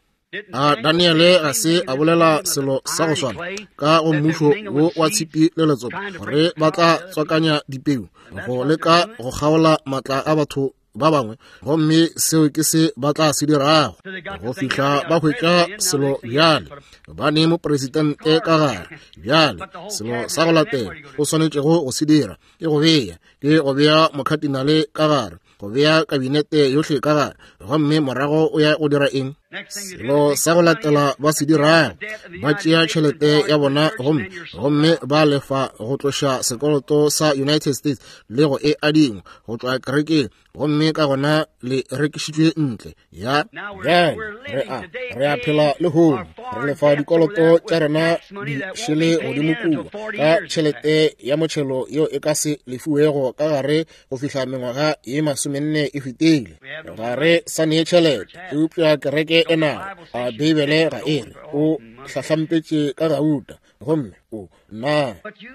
A Daniele ga se a bolela selo sa go swana ka go mmušo wo wa tshipi le letsopa, gore ba tla tswakanya dipeu go leka go kgaola matla a batho ba bangwe, gomme seo ke se ba tla se dirago go fihla ba hwetša selo bjale. Ba ne mopresidente ka gare bjale. Selo sa go latela o swanetšego go se dira ke go bea ke go bea mokhatinale ka gare, go bea kabinete yohle ka gare, gomme morago o ya go dira eng? Selo sa go latela ba se dirago, ba tšea tšhelete ya bona gomme gomme ba lefa go tloša sekoloto sa United States le go e adingwa go tšwa kerekeng, gomme ka gona le rekišitšwe ntle. Ya bjale re a re a phela lehono, re lefa dikoloto tša rena di šele godimo kua ka tšhelete ya motšhelo yeo e ka se lefiwego ka gare go fihla mengwaga ye masomenne e fetile. Ga re sa nee tšhelete, eupša kereke e nayo. A Beibele ga e re o hlahlampetše ka gauta, gomme o na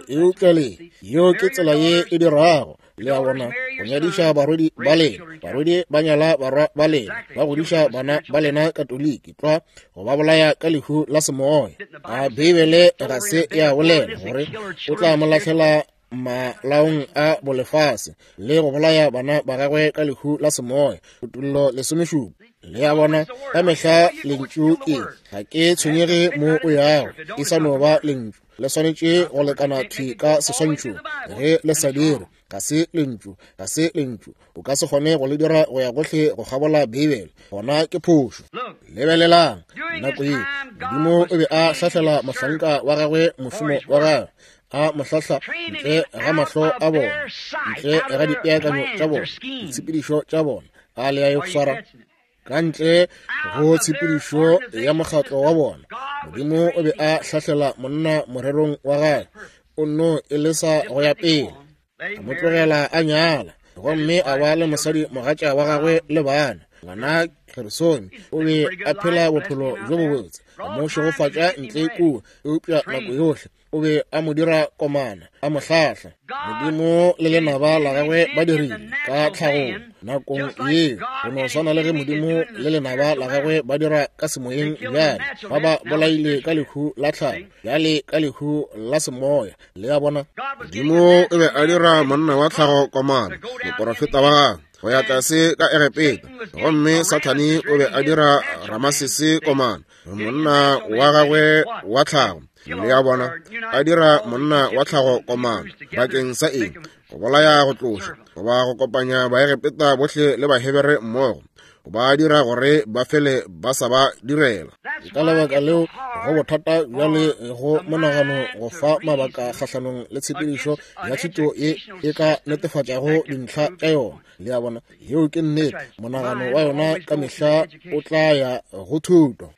eupša le yeo ke tsela ye e dirago. Le a bona, go nyadiša barwedi ba lena, barwedi ba nyala barwa ba lena, ba godiša bana ba lena Katoliki tlwa, go ba bolaya ka lehu la semoya. A Beibele ga se ya bolela gore o tla mo lahlela malaong a bolefase le go bolaya bana ba gagwe ka lehu la semoya? Kutullo lesomešupa. Le a bona, ka mehla lentšu ke, ga ke tshwenyege mo o yago, e sa no ba lentšu. Le swanetše go lekana thwi ka seswantšhong. Ge le sa dire, ga se lentšu, ga se lentšu. O ka se kgone go le dira go ya gohle go kgabola Beibele, gona ke phošo. Lebelelang, nako ye Modimo o be a hlahlela mohlanka wa gagwe mošomo wa gagwe, a mo hlahla ntle ga mahlo a bona, ntle ga dipeakanyo tša bona, ditshepedišo tša bona. A le ya e swara ka ntle go tshepedišo ya mokgatlo wa bona. Modimo o be a hlahlela monna morerong wa gagwe, o nno e lesa go ya pele, a mo tlogela a nyala, gomme a ba le mosadi mogatša wa gagwe le bana. Ngwana Gersone o be a phela bophelo bjo bobotse, a mo šegofatša ntle kua, eupša nako yohle o be a mo dira komana, a mo hlahla. Modimo le lenaba la gagwe ba dirile ka tlhagong nakong yeo, go no swana le ge Modimo le lenaba la gagwe ba dira ka semoyeng bjale. Ba ba bolaile ka lehu la tlhago, bjale ka lehu la semoya. Le a bona, Modimo o be a dira monna wa tlhago komana, moporofeta wa gagwe, go ya tlase ka Egepeta, gomme Sathane o be a dira Ramasese komana, monna wa gagwe wa tlhago. Le a bona, a dira monna wa tlhago komana bakeng sa eng? Go bolaya go tloša, goba go kopanya Baegepeta bohle le Bahebere mmogo, go ba dira gore ba fele ba sa ba direla. Ka lebaka leo go bothata bjale go monagano go fa mabaka kgahlanong le tshepedišo ya thuto ye e ka netefatšago dintlha tša yona. Le a bona, yeo ke nnete. Monagano wa yona ka mehla o tla ya go thuto.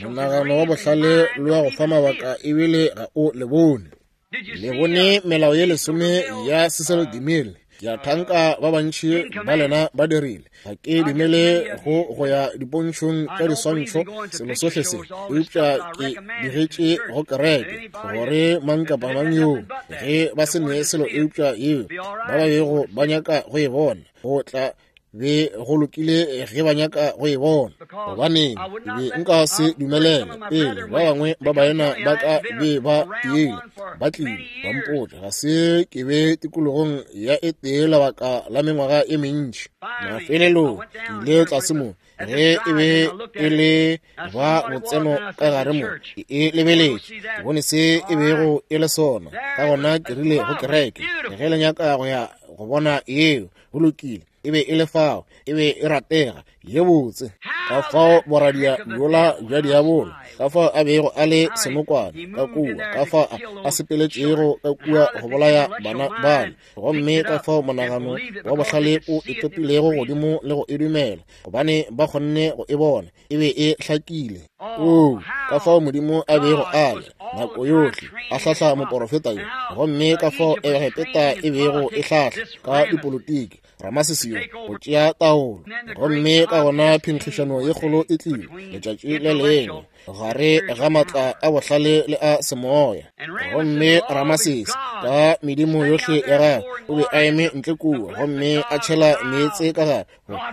Monagano wa bohlale le wa go fa mabaka ebile ga o le bone. Le bone melao ye lesome ya Cecil DeMille. Ke a thanka ba bantši ba lena ba dirile. Ga ke dumele go go ya dipontšhong tša diswantšho selo sohle se, eupša ke digetše go kereke gore mang kapa mang yoo ge ba se ne selo eupša yeo ba ba bego ba nyaka go e bona, go tla be go lokile ge ba nyaka go e bona. Gobaneng be nka se dumelele pele ba bangwe ba baena ba ka be ba ile ba tlile ba mpotša ga se ke be tikologong ya e tee lebaka la mengwaga e mentši. Mafelelong ke ile tlase mo ge e be e le ba botseno ka gare mo, ke e lebeletše, ke bone se e bego e le sona. Ka gona ke rile go kereke, ge le nyaka go ya go bona yeo, go lokile. E be e le fao, e be e ratega, ye botse. Ka fao boradia bjola bja diabolo, ka fao a bego a le senokwane ka kua, ka fao a, a sepeletšego ka kua go bolaya bana bale, gomme ka fao monagano wa bohlale o e topilego godimo le go e dumela, gobane ba kgonne go e bona, e be e hlakile. Oo, ka fao Modimo a bego a le nako yohle a hlahla moporofeta yo, gomme ka fao Egepeta e bego e hlahla ka dipolotiki Ramasese yo go tšea taolo. Gomme ka gona phenkgišano ye kgolo e tlile letšatši le lengwe gare ga matla a bohlale le a semoya. Gomme Ramasese ka medimo yohle ya gagwe o be a eme ntle kua gomme a tšhela meetse ka gare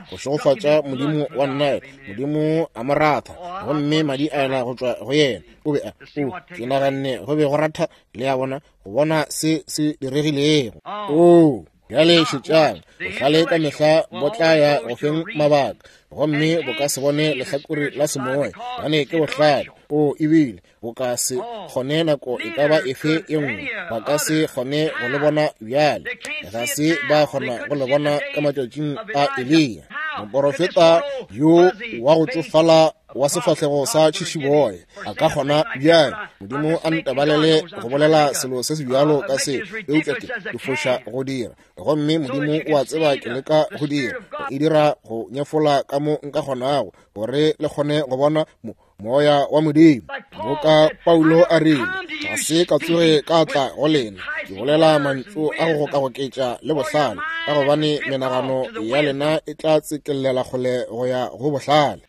go šegofatša modimo wa Nile. Modimo a mo ratha gomme madi a ela go tšwa go yena. O be a o ke naganne go be go ratha, le a bona, go bona se se diregilego. Oo, bjale šetšang, bohlale ka mehla bo tla ya go feng mabaka, gomme bo ka se bone lehlakore la semoya, gobane ke bohlale. O ebile bo ka se kgone nako e ka ba efe e nngwe, ba ka se kgone go le bona bjale, ga se ba kgona go le bona ka matšatšing a Eliya. Moporofeta yo wa go tšofala wa sefahlego sa tšhišiboya a ka kgona bjale. Modimo a ntebalele go bolela selo se se bjalo ka se, eupša ke ke foša go dira, gomme Modimo o a tseba ke leka go dira, go e dira go nyefola ka mo nka kgonago, gore le kgone go bona mo moya wa Modimo. Boka Paulo a rile, ga se ka tsoge ka tla go lena ke bolela mantšu a go gokagoketša le bohlale, ka gobane menagano ya lena e tla tsekelela kgole go ya go bohlale.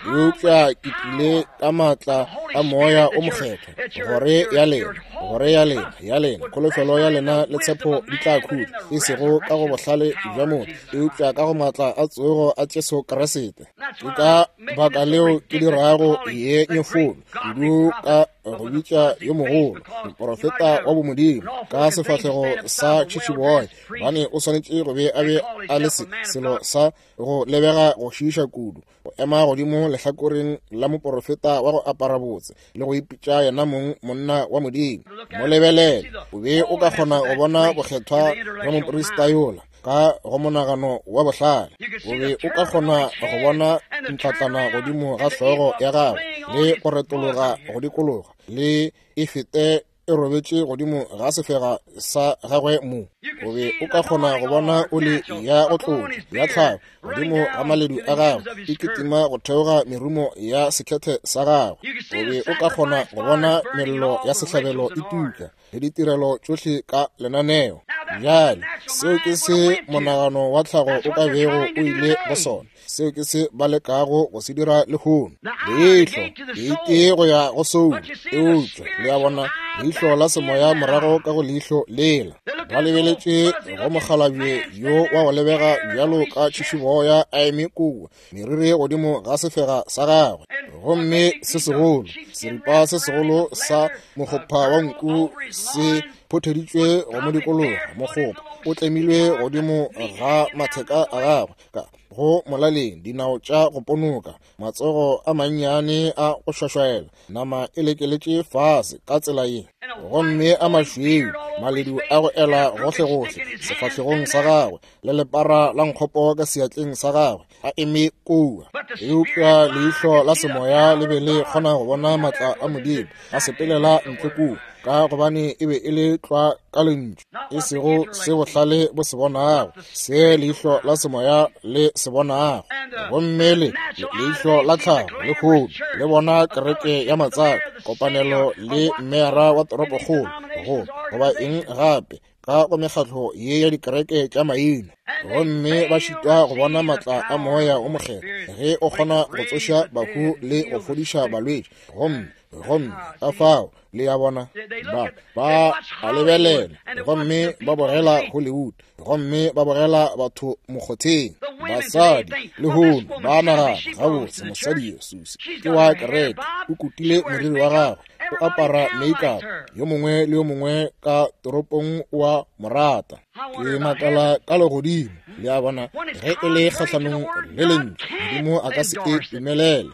Eupša ke tlile ka maatla a moya o mokgethwa, gore ya lena, gore ya lena, ya lena, kholofelo ya lena le tshepo di tla khutša, e sego ka go bohlale bja motho, eupša ka go maatla a tsogo a Jesu Kriste. Ke ka baka leo ke dirago ye nyefolo kudu ka go bitša yo mogolo moporofeta wa bomodimo ka sefahlego sa tšhišiboya, gobane o swanetše go be a be a le se selo sa go lebega go šiiša kudu, go ema godimo lehlakoreng la moporofeta wa go apara botse le go ipitša yena mong monna wa Modimo. Mo lebelele, o be o ka kgona go bona bokgethwa bja moprista yola ka go monagano wa bohlale. O be o ka kgona go bona ntlatlana godimo ga hlogo ya gagwe le go retologa go dikologa le e fete e robetše godimo ga sefega sa gagwe mo. O be o ka kgona go bona oli ya go tlotša ya tlhago godimo ga maledu a gagwe e kitima go theoga merumo ya sekhethe sa gagwe. O be o ka kgona go bona mello ya sehlabelo e tuka le ditirelo tšohle ka lenaneo. Bjale seo ke se monagano wa tlhago o ka bego o ile go sona, seo ke se ba lekago go se dira lehono. Leihlo leite go ya go soulo, eupša le a bona leihlo la semoya morago ka go leihlo lela. Ba lebeletše go mokgalabje yo wa go lebega bjalo ka tšhišiboya a eme kua, meriri godimo ga sefega sa gagwe, gomme se segolo, seripa se segolo sa mokgopha wa nku se photheditšwe go mo dikologa. Mokgopha o tlemilwe godimo ga matheka a gagwe ka go molaleng, dinao tša go ponoka, matsogo a mannyane a go šwašwaela, nama e lekeletše fase ka tsela ye, gomme a mašweu, maledu a go ela gohlegohle sefahlegong sa gagwe, le lepara la nkgopo ka seatleng sa gagwe, a eme kua. Eupša leihlo la semoya le be le kgona go bona matla a Modimo a sepelela ntle kua, ka gobane e be e le tlwa ka lentšu, e sego se bohlale bo se bonago, se leihlo la semoya le se bonago. Gomme le leihlo la tlhago lehono le bona kereke ya matsaka, kopanelo le mmeara wa toropokgolo, go goba eng gape ka go mekgatlo ye ya dikereke tša maina, gomme ba šitwa go bona matla a moya o mokgethwa ge o kgona go tsoša bahu le go fodiša balwetši. Gomme gomme ka fao le ya bona ba ba a lebelela gomme ba bogela Hollywood, gomme ba bogela batho mokgotheng. Basadi lehono ba nagana gabotse mosadi yo Susi ke wa kereke, o kutile moriri wa gagwe, o apara makeup, yo mongwe le yo mongwe ka toropong wa morata. Ke makala ka legodimo, le a bona, ge e le kgahlanong le lentšu, Modimo a ka se e dumelele.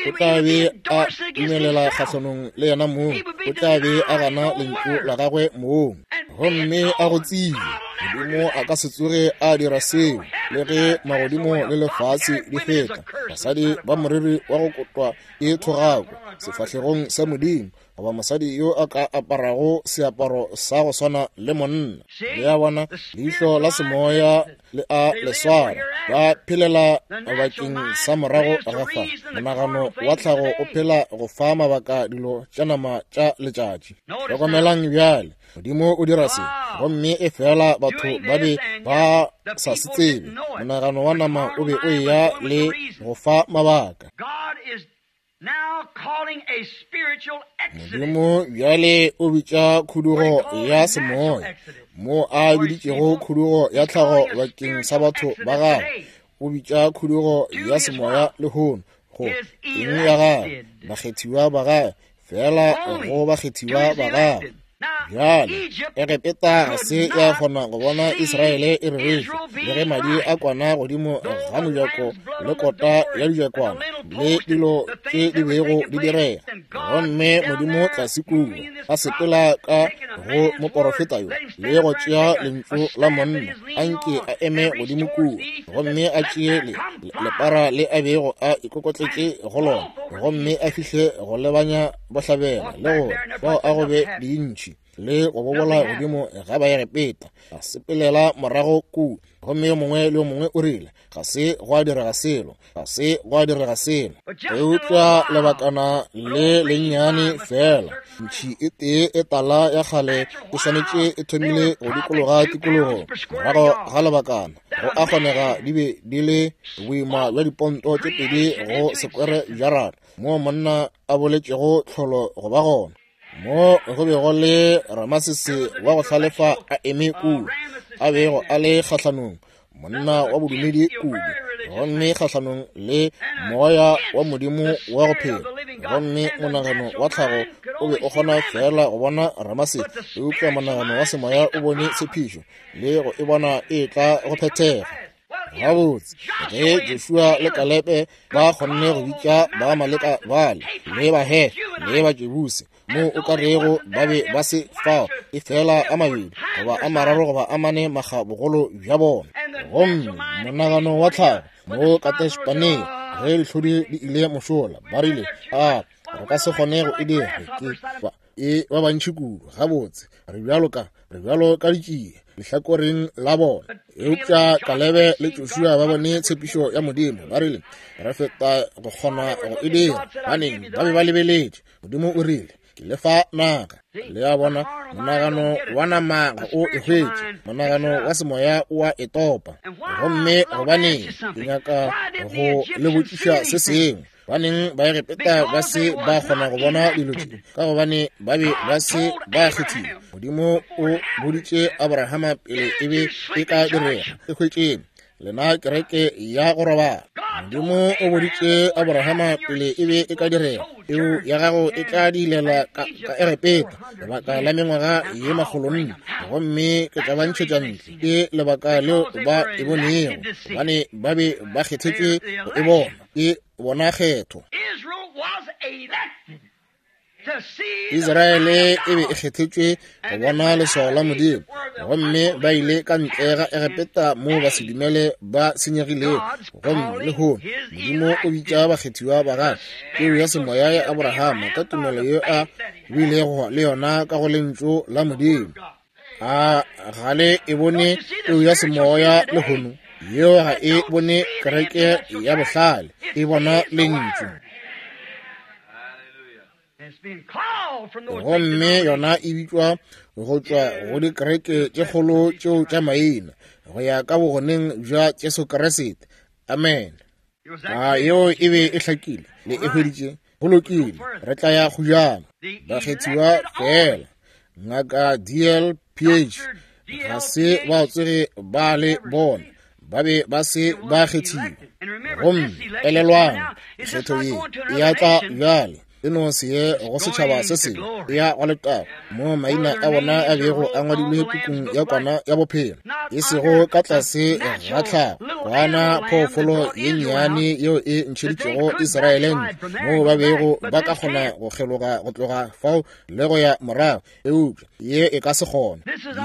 O tla be a dumelela kgahlanong le yena mong, o tla be a gana lentšu la gagwe mong, gomme a go tsile. Modimo a ka se tsoge a dira seo, le ge magodimo le lefase di feta. Basadi ba moriri wa go kotwa ke thogako sefahlegong sa Modimo, goba mosadi yo a ka aparago seaparo sa go swana le monna. Le a bona, leihlo la semoya le a le swara. Ba phelela bakeng sa morago ga fa. Monagano wa tlhago o phela go fa mabaka dilo tša nama tša letšatši. Hlokomelang bjale, Modimo o dira se, gomme e fela batho ba be ba sa se tsebe. Monagano wa nama o be o eya le go fa mabaka. Modimo bjale o bitša khudugo ya semoya, mo a biditšego khudugo ya tlhago bakeng sa batho ba gagwe. O bitša khudugo ya semoya lehono go eng ya gagwe, bakgethiwa ba gagwe, fela go bakgethiwa ba gagwe. Bjale Egepeta ga se ya kgona go bona Israele e reretšwe, le ge madi a kwana godimo ga mojako le kota ya dijakwana le dilo tše di bego di direga. Gomme Modimo tlase kua a sepela ka go moporofeta yo le go tšea lentšu la monna, a nke a eme godimo kua gomme a tšee le lepara le a bego a ikokotletše go lona, gomme a fihle go lebanya bohlabela le gore fao a go be dintši le go bobola godimo ga Baegepeta. A sepelela morago kua, gomme yo mongwe le yo mongwe o rile, ga se gwa direga selo, ga se gwa direga selo. Eupša lebakana le lennyane fela, ntšhi e tee e tala ya kgale e swanetše e thomile go dikologa tikologo. Morago ga lebakana, go a kgonega di be di le boima bja diponto tše pedi go sekwere jarata, moo monna a boletšego tlholo go ba gona. Mo go be go le Ramasese wa go hlalefa a eme kua, a bego a le kgahlanong, monna wa bodumedi kudu, gomme kgahlanong le moya wa Modimo wa go phela. Gomme monagano wa tlhago o be o kgona fela go bona Ramasese, eupša monagano wa semoya o bone tshepišo le go e bona e tla go phethega. Gabotse, ge Joshua le Kalebe ba kgonne go bitša ba Amaleka bale le Bahefe le Bajebuse, mo o ka rego ba be ba se fao, e fela a mabedi goba a mararo goba a mane makga bogolo bja bona. Gomme monagano wa tlhago mo Kadesh-Barnea, ge dihlodi di ile mošola, ba rile, a re ka se kgone go e dira, ke ba e ba bantši kudu. Gabotse, re bjalo ka re bjalo ka ditšie lehlakoreng la bona. Eupša Kalebe le Joshua ba bone tshepišo ya Modimo, ba rile, re feta go kgona go e dira. Baneng ba be ba lebeletše. Modimo o rile, ke le fa naga. Le a bona, monagano wa nama ga o e hwetše, monagano wa semoya o a e topa. Gomme gobaneng, ke nyaka go le botšiša se sengwe. Baneng Baegepeta ba se ba kgona go bona dilo tše, ka gobane ba be ba se ba kgethiwa. Modimo o boditše Abrahama pele e be e ka direga. E hwetšeng lena kereke ya go robala. Modimo o boditše Abrahama pele e be e ka direga, peu ya gago e tla dilela ka, ka Egepeta lebaka la mengwaga ye makgolo nne, gomme ke tla ba ntšhetša ntle. Ke lebaka leo ba e bonego, gobane ba be ba kgethetšwe go e bona. Ke bona kgetho. Israele e be e kgethetšwe go bona leswao la Modimo, gomme ba ile ka ntle ga Egepeta moo ba se dumele ba senyegilego. Gomme lehono Modimo o bitša bakgethiwa ba gagwe, peu ya semoya ya Abrahama, ka tumelo ye a bilego le yona ka go lentšu la Modimo. A ga le e bone peu ya semoya lehono? Yeo ga e bone kereke ya bohlale, e bona lentšu. Gomme yona e bitšwa go tšwa go dikereke tše kgolo tšeo tša maina, go ya ka bogoneng bja Jesu Kriste. Amen. A yeo e be e hlakile, le e hweditše. Go lokile, re tla ya kgojana. Bakgethiwa fela. Ngaka D L P H ga se ba tsoge ba le bona, ba be ba se ba kgethiwa. Gomme elelwang, kgetho ye e ya tla bjale. E no se ye go setšhaba se sengwe, e ya go letago, mo maina a bona a bego a ngwadilwe pukung ya Kwana ya Bophelo, e sego ka tlase ga tlhago, kwana phoofolo ye nnyane yeo e ntšheditšego Israele ntle, moo ba bego ba ka kgona go kgeloga go tloga fao le go ya morago, eupša ye e ka se kgone.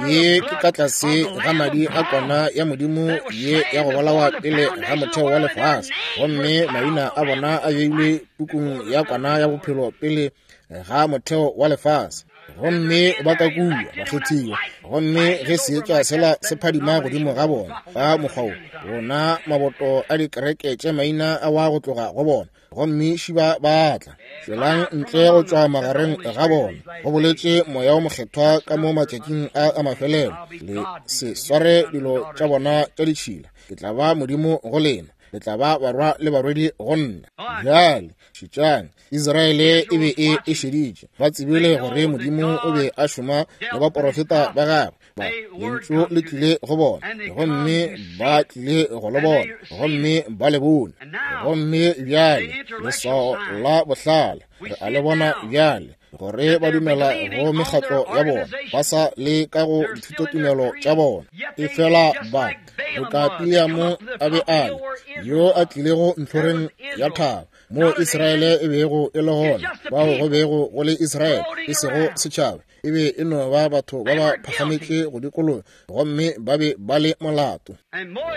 Ye ke ka tlase ga madi a Kwana ya Modimo ye ya go bolawa pele ga motheo wa lefase, gomme maina a bona a beilwe pukung ya Kwana ya Bophelo pele ga motheo wa lefase. Gomme ba ka kua bakgethiwa, gomme ge seetša sela se phadima godimo ga bona ka mokgwa wo, bona maboto a dikereke tše maina a wa go tloga go bona, gomme šiba ba tla. Tšwelang ntle go tšwa magareng ga bona, go boletše Moya o Mokgethwa ka mo matšatšing a a mafelelo. Le se sware dilo tša bona tša ditšhila. Ke tla ba Modimo go lena, le tla ba barwa le barwedi go nna. Bjale šetšang, Israele e be e e šeditše. Ba tsebile gore Modimo o be a šoma le baporofeta ba gagwe. Ba lentšu le tlile go bona, gomme ba tlile go le bona, gomme ba le bone. Gomme bjale leswao la bohlale re a le bona bjale, gore ba dumela go mekgatlo ya bona, ba sa le ka go dithutotumelo tša bona. Efela ba boka Bileamo a be a le, yo a tlilego ntlhoreng ya thaba, moo Israele e bego e le gona, bao go bego go le Israele, e sego setšhaba, e be e no ba batho ba ba phagametše go dikologa, gomme ba be ba le molato.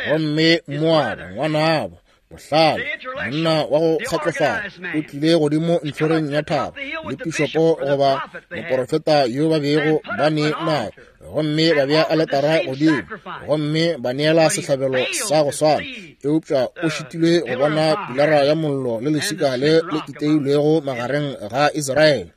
Gomme Moaba, ngwanabo bohlale, monna wa go kgatlofala, o tlile godimo ntlhoreng ya thaba le pišopo goba moporofeta yo ba bego ba ne naye, gomme ba bea aletara godimo, gomme ba neela sehlabelo sa go swana. Eupša o šitilwe go bona pilara ya mollo le leswika le le iteilwego magareng ga Israele.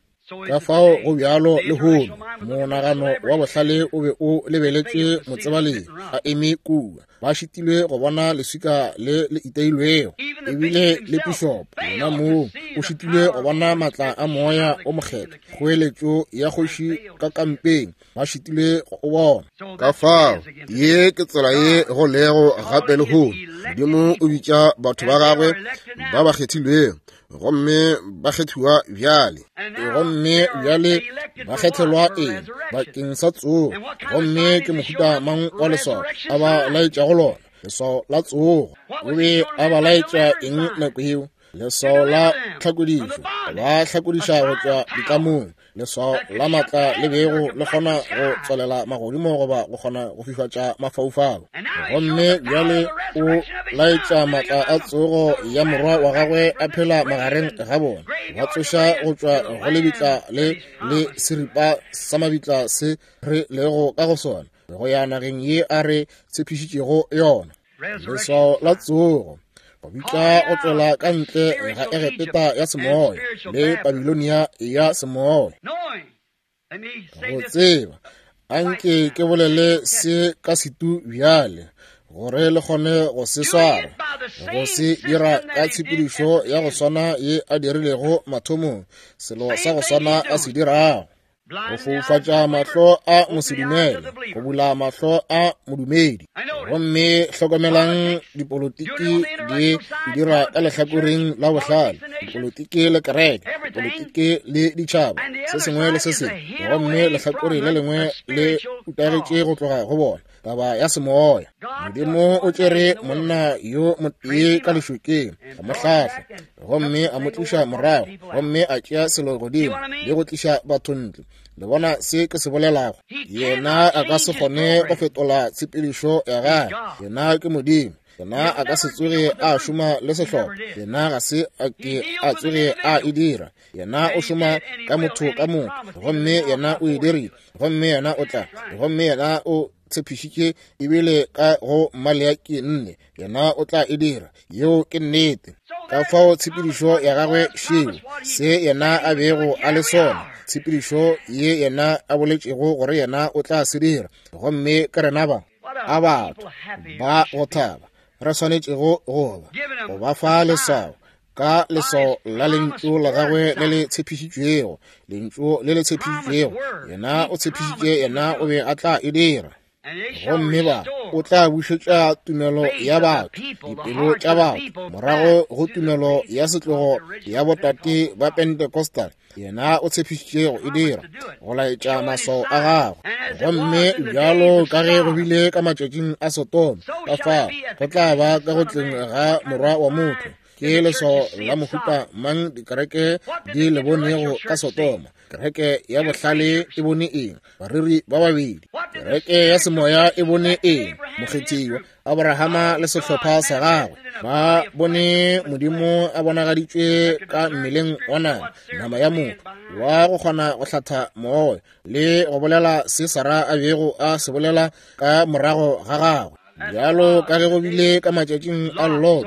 Ka fao go bjalo lehono, monagano wa bohlale o be o lebeletše motsebalegi a eme kua. Ba šitilwe go bona leswika le le iteilwego. Ebile le pišopo yena moo o šitilwe go bona matla a Moya o Mokgethwa, kgoeletšo ya kgoši ka kampeng, ba šitilwe go o bona. Ka fao ye ke tsela ye go lego gape lehono. Modimo o bitša batho ba gagwe ba ba kgethilwego, gomme ba kgethiwa bjale. Gomme bjale ba kgethelwa eng? Bakeng sa tsogo. Gomme ke mohuta mang wa leswao a ba laetšago lona? Leswao la tsogo. O be a ba laetša eng nako yeo? Leswao la tlhakodišo, ba hlakodiša go tšwa ditlamong. Leswao la matla le bego le kgona go tswalela magodimo goba go kgona go fifatša mafaufau. Gomme bjale o laetša matla a tsogo ya morwa wa gagwe a phela magareng ga bona, ba tsoša go tšwa go lebitla le le seripa sa mabitla se re lego ka go sona, go ya nageng ye a re tshepišitšego yona. Leswao la tsogo, go bitša go tšwela ka ntle ga Egepeta ya semoya le Babilonia ya semoya. Go tseba, anke ke bolele se ka setu bjale, gore le kgone go se swara, go se dira ka tshepedišo ya go swana ye a dirilego mathomong, selo sa go swana a se dirago. Go foufatša mahlo a mosedumele, go bula mahlo a modumedi. Gomme hlokomelang dipolotiki di dira ka lehlakoreng la bohlale, dipolotiki le kereke, dipolotiki le ditšhaba, se sengwe le se sengwe. Gomme lehlakore le lengwe le utagetše go tloga go bona, taba ya semoya. Modimo o tšere monna yo motee ka lešokeng, a mo hlahla, gomme a mo tliša morago, gomme a tšea selo godimo le go tliša batho ntle. Le bona se ke se bolelago? Yena a ka se kgone go fetola tshepedišo ya gagwe. Yena ke Modimo. Yena a ka se tsoge a šoma le sehlopha. Yena ga se a ke a tsoge a e dira. Yena o šoma ka motho ka motho, gomme yena o e dirile, gomme yena o tla, gomme yena o tshepišitše ebile ka go Maleaki nne, yena o tla e dira. Yeo ke nnete. Ka fao tshepedišo ya gagwe šeo, se yena a bego a le sona, tshepedišo ye yena a boletšego gore yena o tla se dira. Gomme ke rena ba a batho ba go thaba re swanetšego go ba go ba fa leswao ka leswao la lentšu la gagwe le le tshepišitšwego, lentšu le le tshepišitšwego. Yena o tshepišitše, yena o be a tla e dira. Gomme ba o tla bušetša tumelo ya batho, dipelo tša batho, morago go tumelo ya setlogo ya botate ba Pentecostal. Yena o tshepišitše go e dira, go laetša maswao a gagwe. Gomme bjalo ka ge go bile ka matšatšing a Sodoma, ka fao go tla ba ka go tleng ga Morwa wa motho. Ke leswao la mohuta mang dikereke di le bonego ka Sodoma? Kereke ya bohlale e bone eng? Bareri ba babedi. Kereke ya semoya e bone eng? Mokgethiwa Abrahama le sehlopha sa gagwe ba bone Modimo a bonagaditšwe ka mmeleng wa nama, nama ya motho, wa go kgona go hlatha moya le go bolela se Sara a bego a se bolela ka morago ga gagwe. Bjalo ka ge go bile ka matšatšing a Lot,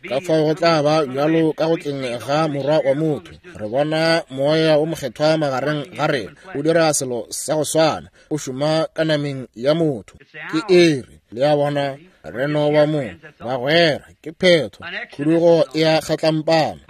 ka fao go tla ba bjalo ka go tleng ga Morwa wa motho. Re bona Moya o Mokgethwa magareng ga rena o dira selo sa go swana, o šoma ka nameng ya motho. Ke ere, le a bona, re no ba mo bagwera, ke phetho, khudugo e a kgatlampana.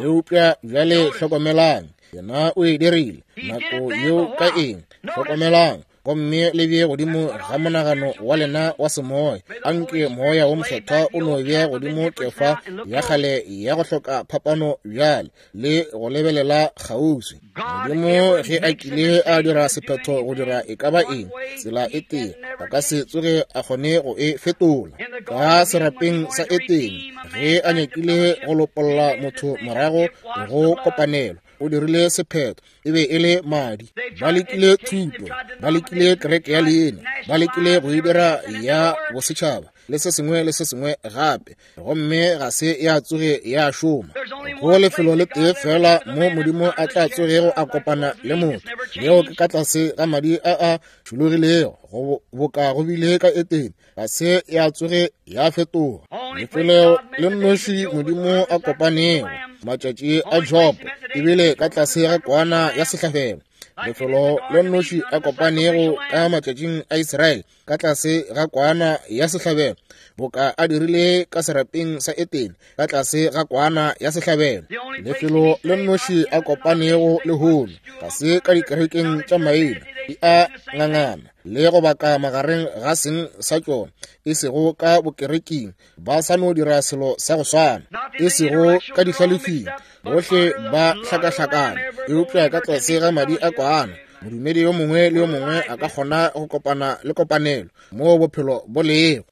Eupša bjale hlokomelang, yena o e dirile nako yeo ka eng? Hlokomelang, gomme le bee godimo ga monagano wa lena wa semoya. Anke Moya wo Mokgethwa o no bea godimo kefa ya kgale ya go hloka phapano bjale le go lebelela kgauswi. Modimo ge a kile a dira sephetho go dira e ka ba eng, tsela e tee, a ka se tsoge a kgone go e fetola. Ka serapeng sa Etene, ge a nyakile go lopolla motho morago go kopanelo, o dirile sephetho, e be e le madi. Ba lekile thuto, ba lekile kereke ya leina, ba lekile go e dira ya bosetšhaba le se sengwe le se sengwe gape, gomme ga se ya tsoge ya šoma. Go lefelo le tee fela mo Modimo a tla tsogego a kopana le motho, leo ke ka tlase ga madi a a tšhologilego, go boka go bile ka Etene, ga se ya tsoge ya fetoga. Lefelo le nnoši Modimo a kopanego matšatši a Jobo ebile ka tlase ga kwana ya sehlabelo. Lefelo le nnoši a kopanego ka matšatšing a Israele ka tlase ga kwana ya sehlabelo, boka a dirile ka serapeng sa Etene ka tlase ga kwana ya sehlabelo. Lefelo le nnoši a kopanego lehono ga se ka dikerekeng tša maina, di a ngangana le go baka magareng ga seng sa tšona, e sego ka bokereking, ba sa no dira selo sa go swana, e sego ka dihlalefing, bohle ba hlakahlakana, eupša ka tlase ga madi a kwana modumedi yo mongwe le yo mongwe a ka kgona go kopana le kopanelo moo bophelo bo lego.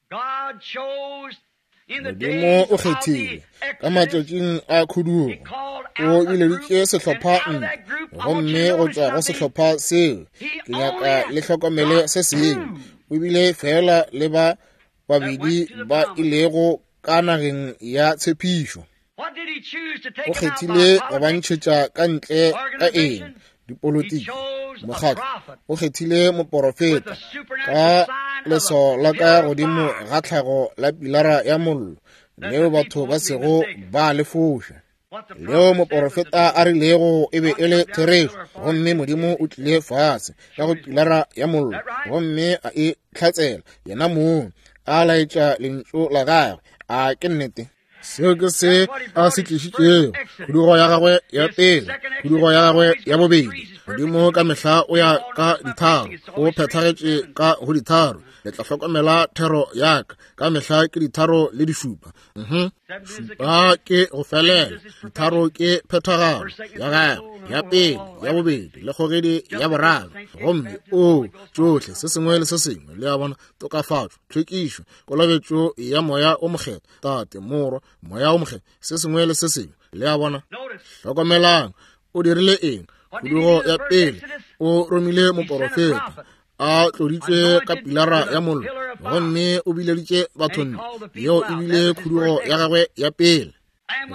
Modimo o kgethile ka matšatšing a khudugo, o bileditše sehlopha ntle, gomme go tšwa go sehlopha seo ke nyaka le hlokomele se sengwe. O bile fela le ba babedi ba ilego ka nageng ya tshepišo. O kgethile go ba ntšhetša ka ntle ka eng? Dipolitiki, mokgatlo. O kgethile moporofeta ka leswao la ka godimo ga tlhago la pilara ya mollo, leo batho ba sego ba le foša, leo moporofeta a rilego e be e le therešo. Gomme Modimo o tlile fase ka go pilara ya mollo gomme a e hlatsela yena mong, a laetša lentšu la gagwe. A ke nnete? Seo ke se a se tlišitšego, khudugo ya gagwe ya pele, khudugo ya gagwe ya bobedi. Modimo ka mehla o ya ka ditharo, o phethagetše ka go ditharo. Le tla hlokomela thero ya ka, ka mehla ke ditharo le dišupa. Mhm. Šupa ke go felela, ditharo ke phethagalo ya gagwe ya pele, ya bobedi le kgogedi ya boraro. Gomme o tšohle se sengwe le se sengwe, le a bona, tokafatšo, tlhwekišo, kolobetšo ya Moya o Mokgethwa, Tate, Morwa, Moya o Mokgethwa, se sengwe le se sengwe, le a bona. Hlokomelang, o dirile eng? Khudugo ya pele, o romile moporofeta a tloditšwe ka pilara ya mollo, gomme o bileditše batho ntle. Yeo e bile khudugo ya gagwe ya pele.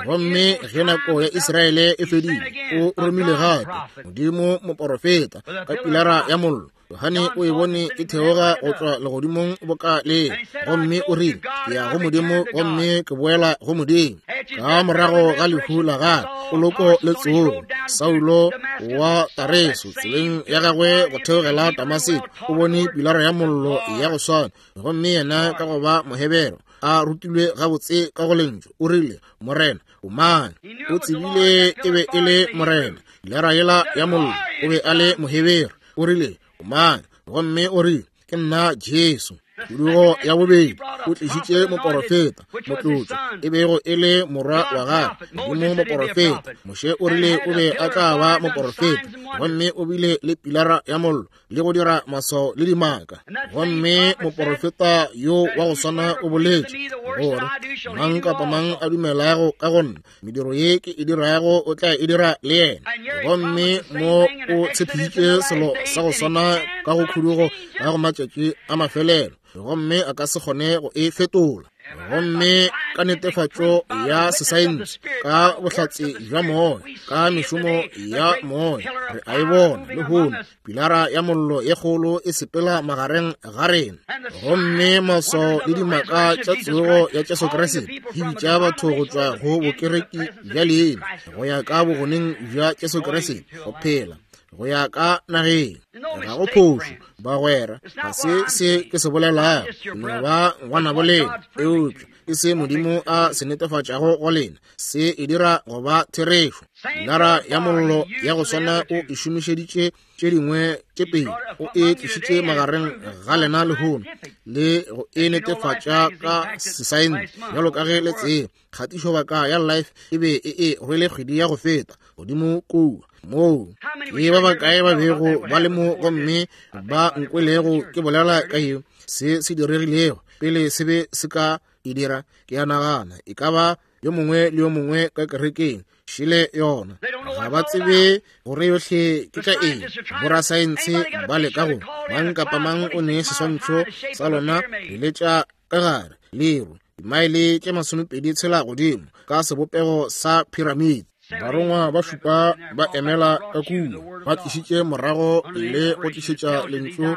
Gomme ge nako ya Israele e fedile, o romile gape Modimo moporofeta ka pilara ya mollo. Johane o e bone e theoga go tšwa legodimong boka le, gomme o rile, ke ya go Modimo gomme ke boela go Modimo. Ka morago ga lehu la gagwe, poloko le tsogo, Saulo wa Tareso tseleng ya gagwe go theogela Damaseko o bone pilara ya mollo ya go swana, gomme yena ka go ba Mohebero a rutilwe gabotse ka go lentšu, o rile, Morena, o mang? O tsebile e be e le Morena. Pilara yela ya mollo, o be a le Mohebero. O rile, o mang? Gomme o rile, Ke nna Jesu. Khudugo ya bobedi, o tlišitše moporofeta, motlotšwa, e bego e le morwa wa gagwe, Modimo moporofeta. Moshe o rile o be a tla ba moporofeta, gomme o bile le pilara ya mollo le go dira maswao le dimaka. Gomme moporofeta yo wa go swana o boletše gore mang kapa mang a dumelago ka go nna, mediro ye ke e dirago o tla e dira le yena. Gomme mo o tshepišitše selo sa go swana ka go khudugo ka go matšatši a mafelelo, gomme a ka se kgone go e fetola. Gomme ka netefatšo ya sesaense, ka bohlatse bja moya, ka mešomo ya moya, re a e bona lehono, pilara ya mollo ye kgolo e sepela magareng ga rena. Gomme maswao le dimaka tša tsogo ya Jesu Kriste di bitša batho go tšwa go bokereki bja leina go ya ka bogoneng bja Jesu Kriste, go phela go ya ka nageng. Ga go phošo, bagwera, ga se se ke se bolelago, no ba ngwanabo lena, eupša ke se Modimo a se netefatšago go lena, se e dira go ba therešo. Pilara ya mollo ya go swana o e šomišeditše tše dingwe tše pedi, o e tlišitše magareng ga lena lehono le go e netefatša ka sesaense. Bjalo ka ge le tseba, kgatišobaka ya Life e be e e rwele kgwedi ya go feta godimo kua moo ke ba bakae ba bego ba le mo gomme ba nkwelego ke bolela ka yeo, se se diregilego pele se be se ka e dira. Ke a nagana e ka ba yo mongwe le yo mongwe ka kerekeng šele yona. Ga ba tsebe gore yohle ke tša eng. Borasaense ba leka go mang kapa mang o ne seswantšho sa lona le letša ka gare leru dimaele tše masomepedi tshela godimo ka sebopego sa piramide. Barongwa ba šupa ba emela ka kua, ba tlišitše morago le go tlišetša lentšu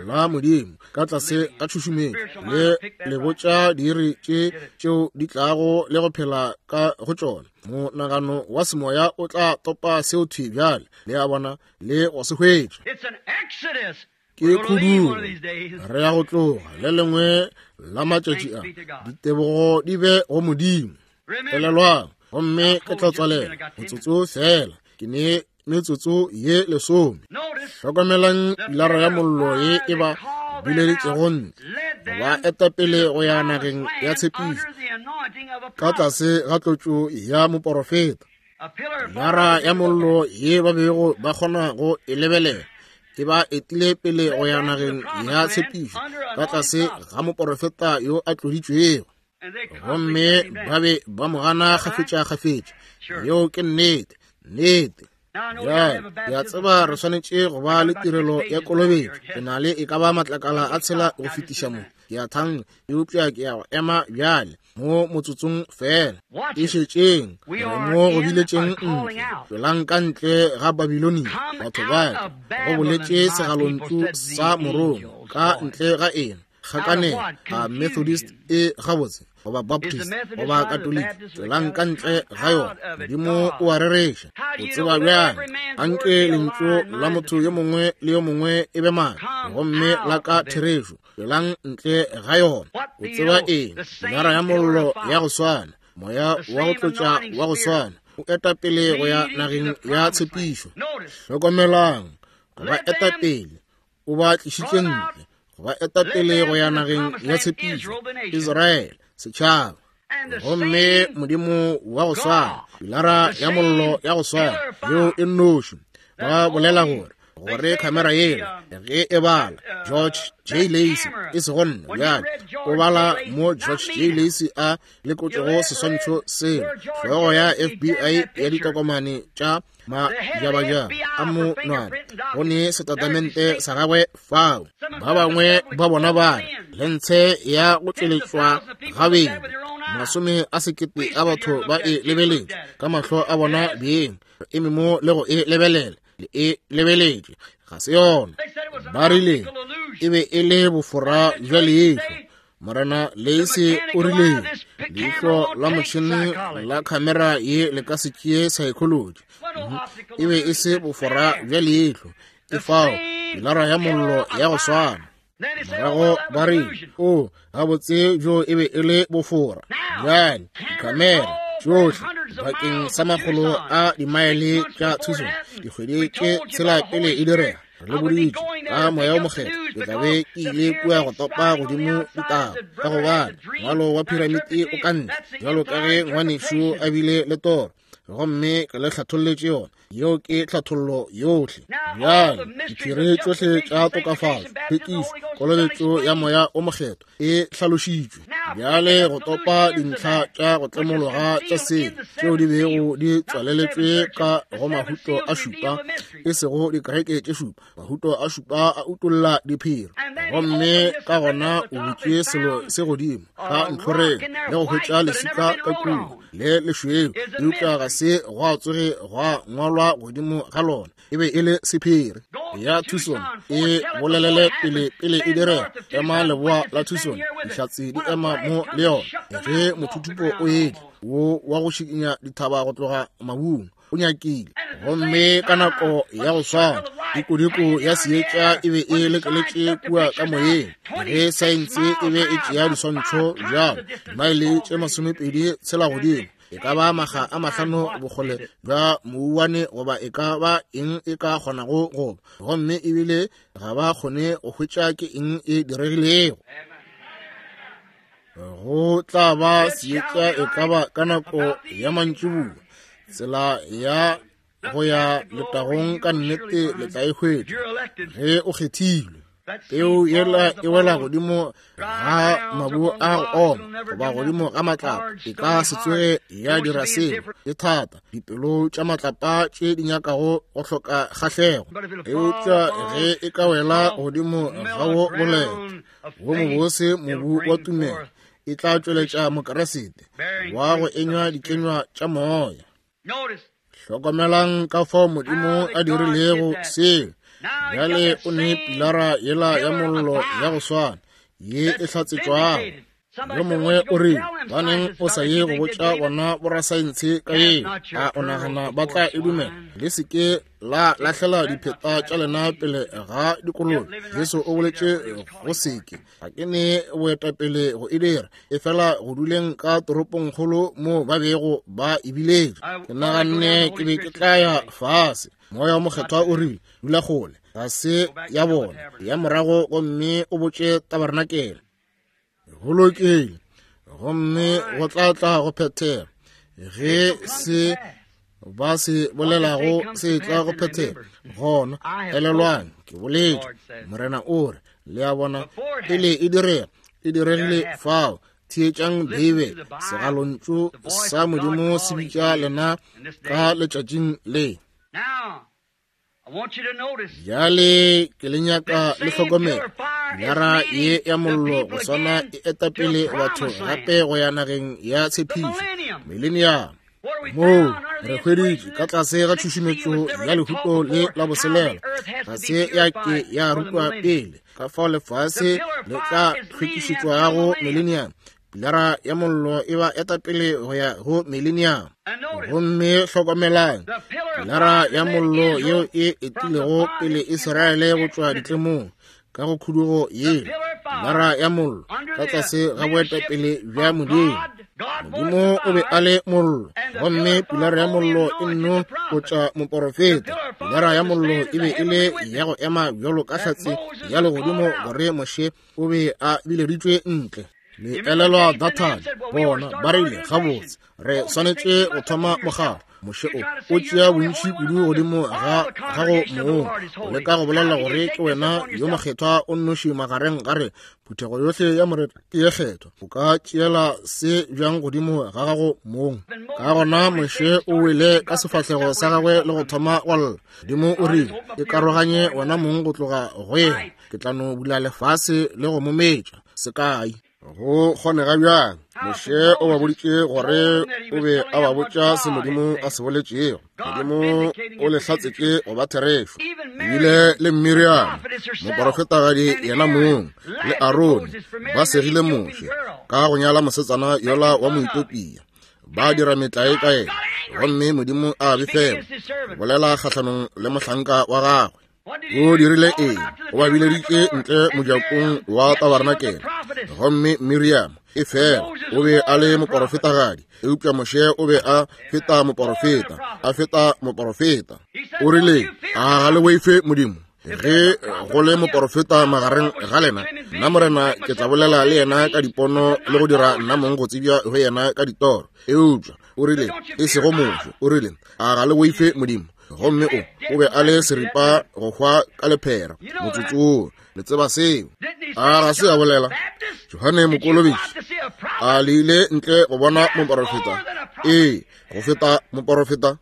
la Modimo ka tlase ga tšhušumetšo, le le botša diiri tše tšeo di tlago le go phela ka go tšona. Monagano wa semoya o tla topa seo thwi bjale, le a bona, le go se hwetša. Ke khudugo, re ya go tloga le lengwe la matšatši a. Ditebogo di be go Modimo. Elelwang, gomme ke tla tswalela motsotso fela, ke ne metsotso ye lesome. Hlokomelang pilara ya mollo ye e ba bileditšego ntle, ba etapele go ya nageng ya tshepišo ka tlase ga tlotšo ya moporofeta. Pilara ya mollo ye ba bego ba kgona go e lebelela e ba etile pele go ya nageng ya tshepišo ka tlase ga moporofeta yo a tloditšwego. Gomme ba be ba mo gana kgafetša-kgafetša. Yeo ke nnete, nnete. Bjale, ke a tseba re swanetše go ba le tirelo ya kolobetšo. Ke na le e ka ba matlakala a tshela go fetiša mo, ke a thanka, eupša ke ya go ema bjale mo motsotsong fela. E šetšeng, re mo go biletšeng ntle, tšwelang ka ntle ga Babilonia, batho ba ka, go boletše segalontšu sa morongwa, ka ntle ga eng? Kgakaneng a Methodist e gabotse, goba Baptist, goba Katoliki, tšwelang ka ntle ga yona. Modimo o a rereša. O tseba bjang? Anke lentšu la motho yo mongwe le yo mongwe e be maaka, gomme la ka therešo. Tšwelang ntle ga yona. O tseba eng? Pilara ya mollo ya go swana, moya wa go tlotša wa go swana, o eta pele go ya nageng ya tshepišo. Hlokomelang, go ba eta pele, o ba tlišitše ntle, go ba eta pele go ya nageng ya tshepišo, Israele, setšhaba. Gomme Modimo wa go swana, pilara ya mollo ya go swana, yeo e nnoši. Ba bolela gore gore khamera yela ge e bala George J. Lacey, e sego nna bjale, o bala mo George J. Lacey a lekotšego seswantšho sela, hlogo ya F B I ya ditokomane tša majabajaba a monwana, go ne setatamente sa gagwe fao. Ba bangwe ba bona ba re lentshe ya go tšweletšwa gabedi, masome a sekete a batho ba e lebeletše ka mahlo a bona beng, re eme mo le go e lebelela, le e lebeletše, ga se yona. Ba rile e be e le bofora bja leihlo. Morena Lacey o rile leihlo la motšhene la khamera ye le ka se tšee psychology. E be e se bofora bja leihlo, e fao pilara ya mollo ya go swana. Morago ba rile, o gabotse bjo e be e le bofora. Bjale dikhamera tšohle bakeng sa makgolo a dimaele tša Tucson dikgwedi tše tshela pele e direga, Re le boditše ka Moya o Mokgethwa, ke tla be ke ile kua go topa godimo ditaba, ka gobane ngwalo wa piramiti o ka ntle, bjalo ka ge ngwanešu a bile le toro, gomme ke le hlatholletše yona. Yeo ke tlhathollo yohle. Bjale diphiri tšohle tša tokafatšo, tlhwekišo, kolobetšo ya Moya o Mokgethwa e hlalošitšwe. Bjale go topa dintlha tša go tlemologa tša selo tšeo di bego di tswaleletšwe ka go mahuto a šupa, e sego dikereke tše šupa. Mahuto a šupa a utolla diphiri, gomme ka gona o butše selo se godimo ka ntlhoreng le go hwetša leswika ka kua le lešweu, eupša ga se gwa tsoge gwa ngwalwa godimo ga lona. E be e le sephiri. Ya Tucson e bolelele pele pele e direga. Ema leboa la Tucson, dihlatse di ema mo le yona. Ge mothuthupo o etla wo wa go šikinya dithaba go tloga mabung, o nyakile, gomme ka nako ya go swana dikodiko ya seetša e be e lekeletše kua ka moyeng. Ge saense e be e tšea diswantšho bjalo dimaele tše masomepedi tshela godimo, e ka ba maga a mahlano bokgole bja mouwane goba e ka ba eng e ka kgonago go ba, gomme ebile ga ba kgone go hwetša ke eng e diregilego. Go tla ba seetša e ka ba ka nako ya mantšiboa. Tsela ya go ya letagong ka nnete le tla e hwetša ge o kgethilwe. Peu yela e wela godimo ga mabu a go oma goba godimo ga matlapa, e ka se tsoge ya dira selo. E thata, dipelo tša matlapa tše di nyakago go hloka kgahlego, eupša ge e ka wela godimo ga wo boleta wo mobose mobu wa tumelo, e tla tšweletša Mokeresete wa go enywa dikenywa tša moya. Hlokomelang ka fao Modimo a dirilego seo. Bjale o ne pilara yela ya mollo ya go swana ye e hlatsetšwago. Yo mongwe o rile, baneng o sa ye go botša bona borasaense ka yeo? A o nagana ba tla e dumela? Le se ke la lahlela dipheta tša lena pele ga dikolobe. Jesu o boletše go seke. Ga ke ne boetapele go e dira, efela go duleng ka toropongkgolo mo ba bego ba e biletše. Ke naganne ke be ke tla ya fase. Moya o Mokgethwa o rile, dula kgole, ga se ya bona, ya morago gomme o botše tabarenakele. Go lokile, gomme go tla tla go phethega. Ge se ba se bolelago se tla go phethega, gona elelwang ke boletše. Morena o re, le a bona, pele e direga, e diregile fao. Theetšang Beibele, segalontšu sa Modimo se bitša lena ka letšatšing le. Bjale ke le nyaka le hlokomele. Pilara ye ya mollo go swana e etapele batho gape go ya nageng ya tshepišo, millennium. Moo re hweditše ka tlase ga tšhušumetšo ya lehuto le la boselela, ga se ya ke ya rutwa pele ka fao lefase le tla hlwekišetšwago millennium. Pilara ya mollo e ba etapele go ya go millennium. Gomme hlokomelang, pilara ya mollo yeo e etilego pele Israele go tšwa ditlemong ka go khudugo yeo, pilara ya mollo ka tlase ga boetapele bja Modimo. Modimo o be a le mollo, gomme pilara ya mollo e nno go tšwa moporofeta. Pilara ya mollo e be e le ya go ema bjalo ka hlatse ya legodimo gore Moshe o be a bileditšwe ntle. Le elelwa Dathane, bona ba rile, gabotse re swanetše go thoma mokgatlo. Moshe o o tšea bontši kudu godimo ga gago mong, o leka go bolela gore ke wena yo mokgethwa o nnoši magareng ga re. Phuthego yohle ya Morena ke ye kgethwa. O ka tšeela se bjang godimo ga gago mong? Ka gona Moshe o wele ka sefahlego sa gagwe le go thoma go lla. Modimo o rile, e karoganye wena mong go tloga go yena, ke tla no bula lefase le go mo metša. Sekai go kgonega bjang? Moshe o ba boditše gore o be a ba botša se Modimo a se boletšego. Modimo o le hlatsetše go ba therešo. Ebile le Miriam, moporofetagadi yena mong, le Arone ba segile Moshe ka go nyala mosetsana yola wa Moethiopia, ba dira metlae ka yena, gomme Modimo a befela, bolela kgahlanong le mohlanka wa gagwe. O dirile eng? O ba bileditše ntle mojakong wa tabarenakele. Gomme Miriam e fela o be a le moporofetagadi, eupša Moshe o be a feta moporofeta, a feta moporofeta. O rile, a ga le boife Modimo? Ge go le moporofeta magareng ga lena, nna Morena ke tla bolela le yena ka dipono le go dira nna mong go tsebja go yena ka ditoro. Eupša o rile, e sego Moshe, o rile, a ga le boife Modimo? Gomme o o be a le seripa go hwa ka lephera motsotso wo. Le tseba seo. A ga se a bolela Johane Mokolobetši a le ile ntle go bona moporofeta? Ee, go feta moporofeta.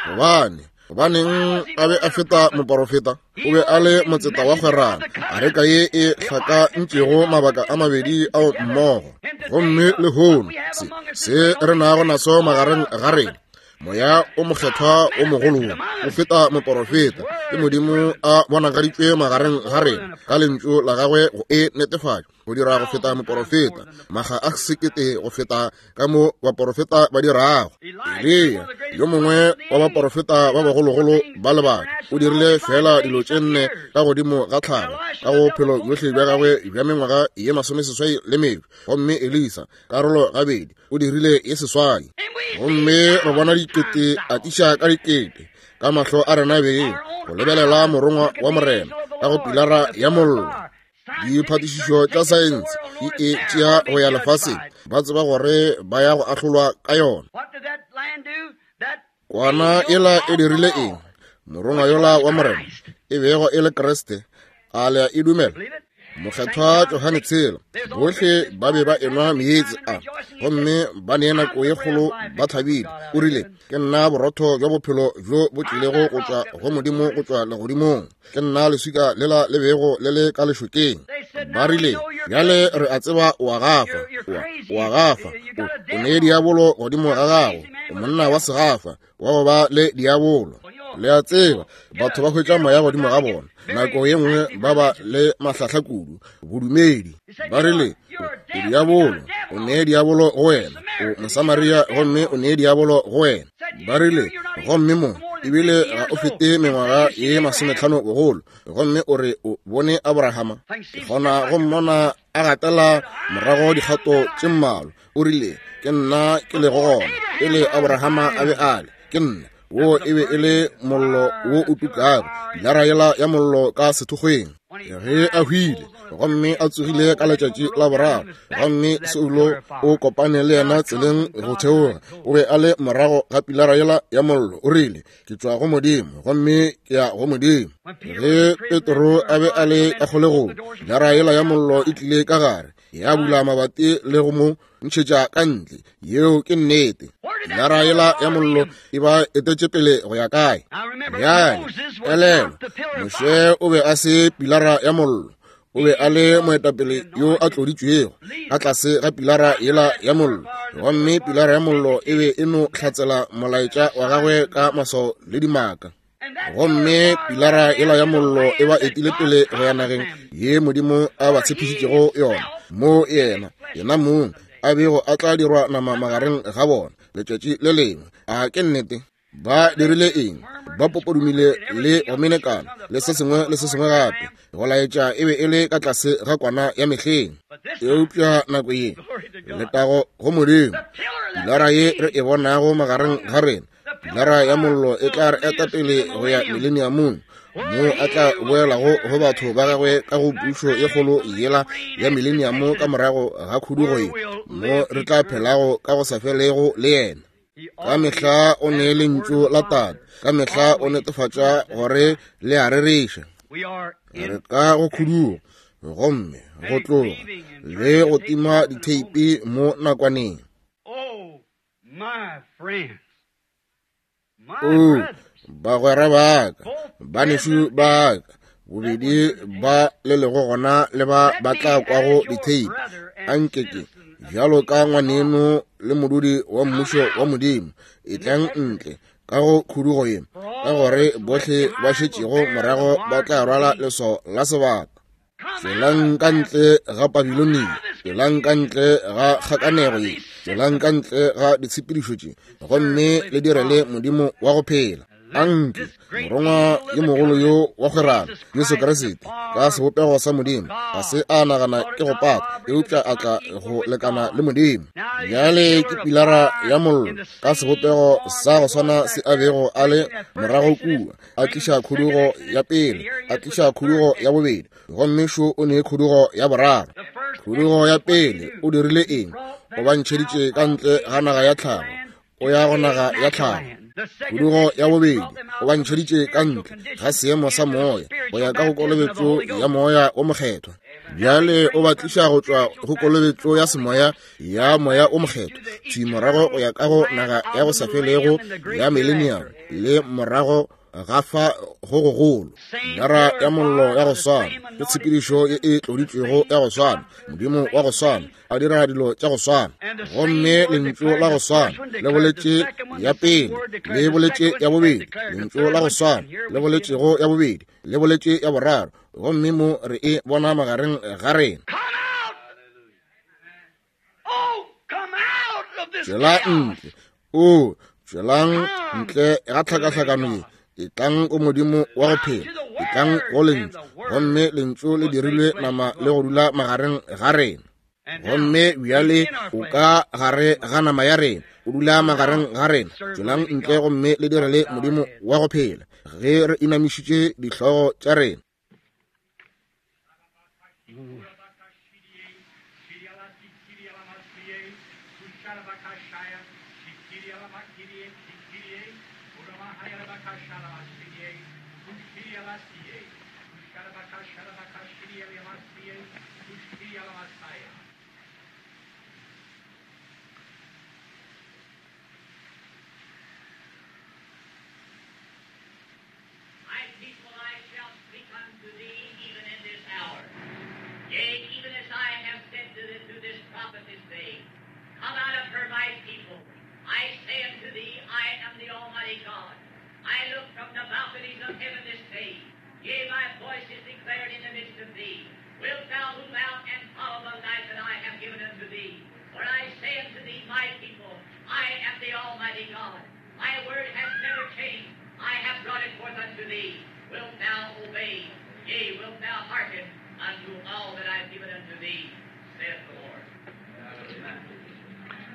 Gobane gobaneng a be a feta moporofeta? O be a le motseta wa kgwerano, areka ye e hlakantšego mabaka a mabedi ao mmogo. Gomme lehono se se re nago naso magareng ga rena, Moya o mokgethwa o mogolo o feta moporofeta, ke Modimo a bonagaditšwe magareng ga rena ka lentšu la gagwe go e netefatša, go dira go feta moporofeta maga a sekete go feta ka mo baporofeta ba dirago. Eliya, yo mongwe wa baporofeta ba bagologolo ba lebaka, o dirile fela dilo tše nne ka godimo ga tlhago ka go bophelo bjohle bja gagwe bja mengwaga ye masomeseswai le mebe. Gomme Elisa karolo gabedi o dirile ye seswai. Gomme re bona dikete atiša ka dikete ka mahlo a rena beng go lebelela morongwa wa Morena ka go pilara ya mollo. Diphatišišo tša saense di e tšea go ya lefaseng, ba tseba gore ba ya go ahlolwa ka yona. Kwana ela e dirile eng? Morongwa yola wa Morena e bego e le Kriste, a le a e dumela? Mokgethwa Johane tshela, bohle ba be ba enwa meetse a, gomme ba ne nako ye kgolo ba thabile. O rile, ke nna borotho bja bophelo bjo bo tlilego go tšwa go Modimo go tšwa legodimong. Ke nna leswika lela le bego le le ka lešokeng. Ba rile, bjale re a tseba o a gafa, o a gafa, o ne diabolo godimo ga gago, o monna wa segafa wa go ba le diabolo. Le a tseba, batho ba hwetša moya godimo ga bona nako ye nngwe ba ba le mahlahla kudu bodumedi. Ba rile, o diabolo, o nee diabolo go wena, o Mosamaria gomme o nee diabolo go wena. Ba rile, gomme mo ebile ga o fete mengwaga ye masometlhano bogolo, gomme o re o bone Abrahama. Ke kgona go mmona a gatela morago dikgato tše mmalwa. O rile, ke nna ke lego gona pele Abrahama a be a le, ke nna. Wo e be e le mollo wo o tukago, pilara yela ya mollo ka sethokgweng. Ge a hwile gomme a tsogile ka letšatši la boraro, gomme Saulo o kopane le yena tseleng go theoga, o be a le morago ga pilara yela ya mollo. O rile, ke tšwa go Modimo gomme ke ya go Modimo. Ge Petro a be a le ka kgolegong, pilara yela ya mollo e tlile ka gare, ya bula mabati le go mo ntšhetša ka ntle. Yeo ke nnete. Pilara yela ya mollo e ba etetše pele go ya kae? Bjale elelwa, Moshe o be a se pilara ya mollo, o be a le moetapele yo a tloditšwego ka tlase ga pilara yela ya mollo, gomme pilara ya mollo e be e no hlatsela molaetša wa gagwe ka maswao le dimaka. Gomme pilara yela ya mollo e ba etile pele go ya nageng ye Modimo a ba tshepišitšego yona, mo yena yena mong a bego a tla dirwa nama magareng ga bona letšatši le lengwe. A ke nnete? Ba dirile eng? Ba popodumile le go menekana le se sengwe le se sengwe gape, go laetša e be e le ka tlase ga kwana ya mehleng. Eupša nako ye, letago go Modimo, pilara ye re e bonago magareng ga rena, pilara ya mollo e tla re eta pele go ya mileniamong, mo a tla boelago go batho ba gagwe ka go pušo ye kgolo yela ya mileniamo ka morago ga khudugo ye, mo re tla phelago ka go sa felego le yena. Ka mehla o ne lentšu la Tate, ka mehla o netefatša gore le a rereša. Re ka go khudugo gomme go tloga le go tima ditheipi mo nakwaneng. O bagwera ba ka, banešu ba ka, bobedi ba le lego gona le ba ba tla kwago ditheipi, a nke ke bjalo ka ngwaneno le modudi wa mmušo wa Modimo, etlang ntle ka go khudugo ye, ka gore bohle ba šetšego morago ba tla rwala leswao la sebata. Tšwelang ka ntle ga Babilonia, tšwelang ka ntle ga kgakanego ye, tšwelang ka ntle ga ditshepedišo tše, gomme le direle Modimo wa go phela. Anke morongwa yo mogolo yo wa kgwerano, Jesu Kriste, ka sebopego sa Modimo, ga se a nagana ke go pata, eupša a tla go lekana le Modimo. Bjale ke pilara ya mollo ka sebopego sa go swana se a bego a le morago kua, a tliša khudugo ya pele, a tliša khudugo ya bobedi, gomme šo o ne khudugo ya boraro. Khudugo ya pele o dirile eng? O ba ntšheditše ka ntle ga naga ya tlhago, o ya go naga ya tlhago. Khudugo ya bobedi o ba ntšheditše ka ntle ga seemo sa moya go ya ka go kolobetšo ya moya o mokgethwa. Bjale o ba tliša go tšwa go kolobetšo ya semoya ya moya o mokgethwa thwi morago go ya ka go naga ya go sa felego ya millennium le morago ga fa go gogolo. Nara ya mollo ya go swana ke tshepedišo ye e tloditšwego ya go swana, Modimo wa go swana a dira dilo tša go swana, gomme lentšu la go swana le boletše ya pele, le boletše ya bobedi, lentšu la go swana le boletšego ya bobedi, le boletše ya boraro, gomme mo re e bona magareng ga rena. Tšwela ntle, o tšwelang ntle ga tlhakahlakano ye. Etlang go Modimo wa go phela, etlang go lentšu, gomme lentšu le dirilwe nama le go dula magareng ga rena. Gomme bjale o ka gare ga nama ya rena, o dula magareng ga rena. Tšwelang ntle gomme le direle Modimo wa go phela, ge re inamišitše dihlogo tša rena.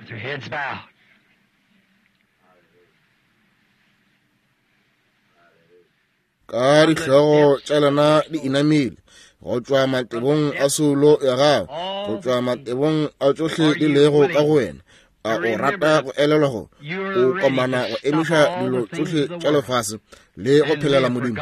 With your heads bowed. Ka dihlogo tša lena di inamile, go tšwa matebong a soulo ya gago, go tšwa matebong a tšohle di lego ka go wena, a o rata go elelwa go o komana go emiša dilo tšohle tša lefase le go phelela Modimo.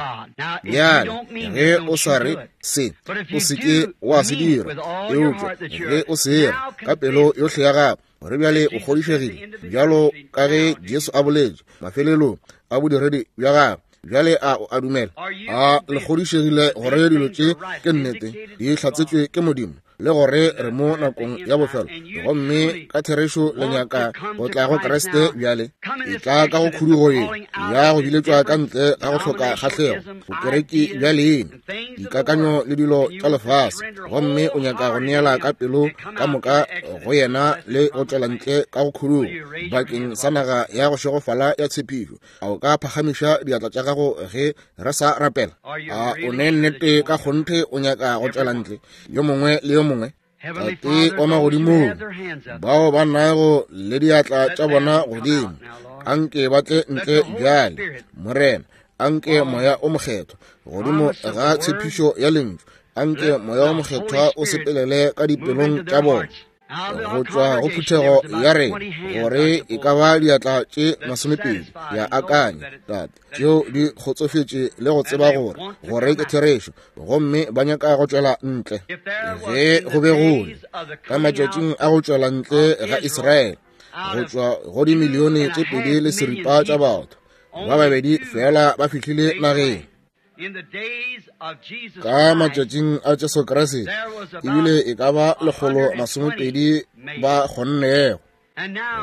Bjale ge o sa re se, o se ke wa se dira, eupša ge o se era ka pelo yohle ya gago, gore bjale o kgodišegile, bjalo ka ge Jesu a boletše mafelelong a bodiredi bja gagwe. Bjale a o a dumela? A le kgodišegile gore dilo tše ke nnete, di hlatsetšwe ke Modimo, le gore re mo nakong ya bofelo, gomme ka therešo le nyaka go tla go Kriste bjale? E tla ka go khudugo ye ya go biletšwa ka ntle ga go hloka kgahlego, bokereki bja leina, dikakanyo le dilo tša lefase, gomme o nyaka go neela ka pelo ka moka go yena le go tšwela ntle ka go khudugo bakeng sa naga ya go šegofala ya tshepišo. A o ka phagamiša diatla tša gago ge re sa rapela? A o ne nnete ka kgonthe o nyaka go tšwela ntle, yo mongwe le yo mongwe? Tate wa magodimong, bao ba nago le diatla tša bona godimo, anke ba tle ntle bjale, Morena. Anke moya o mokgethwa godimo ga tshepišo ya lentšu, anke moya o mokgethwa o sepelele ka dipelong tša bona go tšwa go phuthego ya rena, gore e ka ba diatla tše masomepedi ya akanya, Tate, tšeo di kgotsofetše le go tseba gore gore ke therešo, gomme ba nyaka go tšwela ntle. Ge go be go le ka matšatšing a go tšwela ntle ga Israele, go tšwa go dimilione tše pedi le seripa tša batho, ba babedi fela ba fihlile nageng. Ka matšatšing a Jesu Kriste ebile e ka ba lekgolo masomepedi ba kgonnego.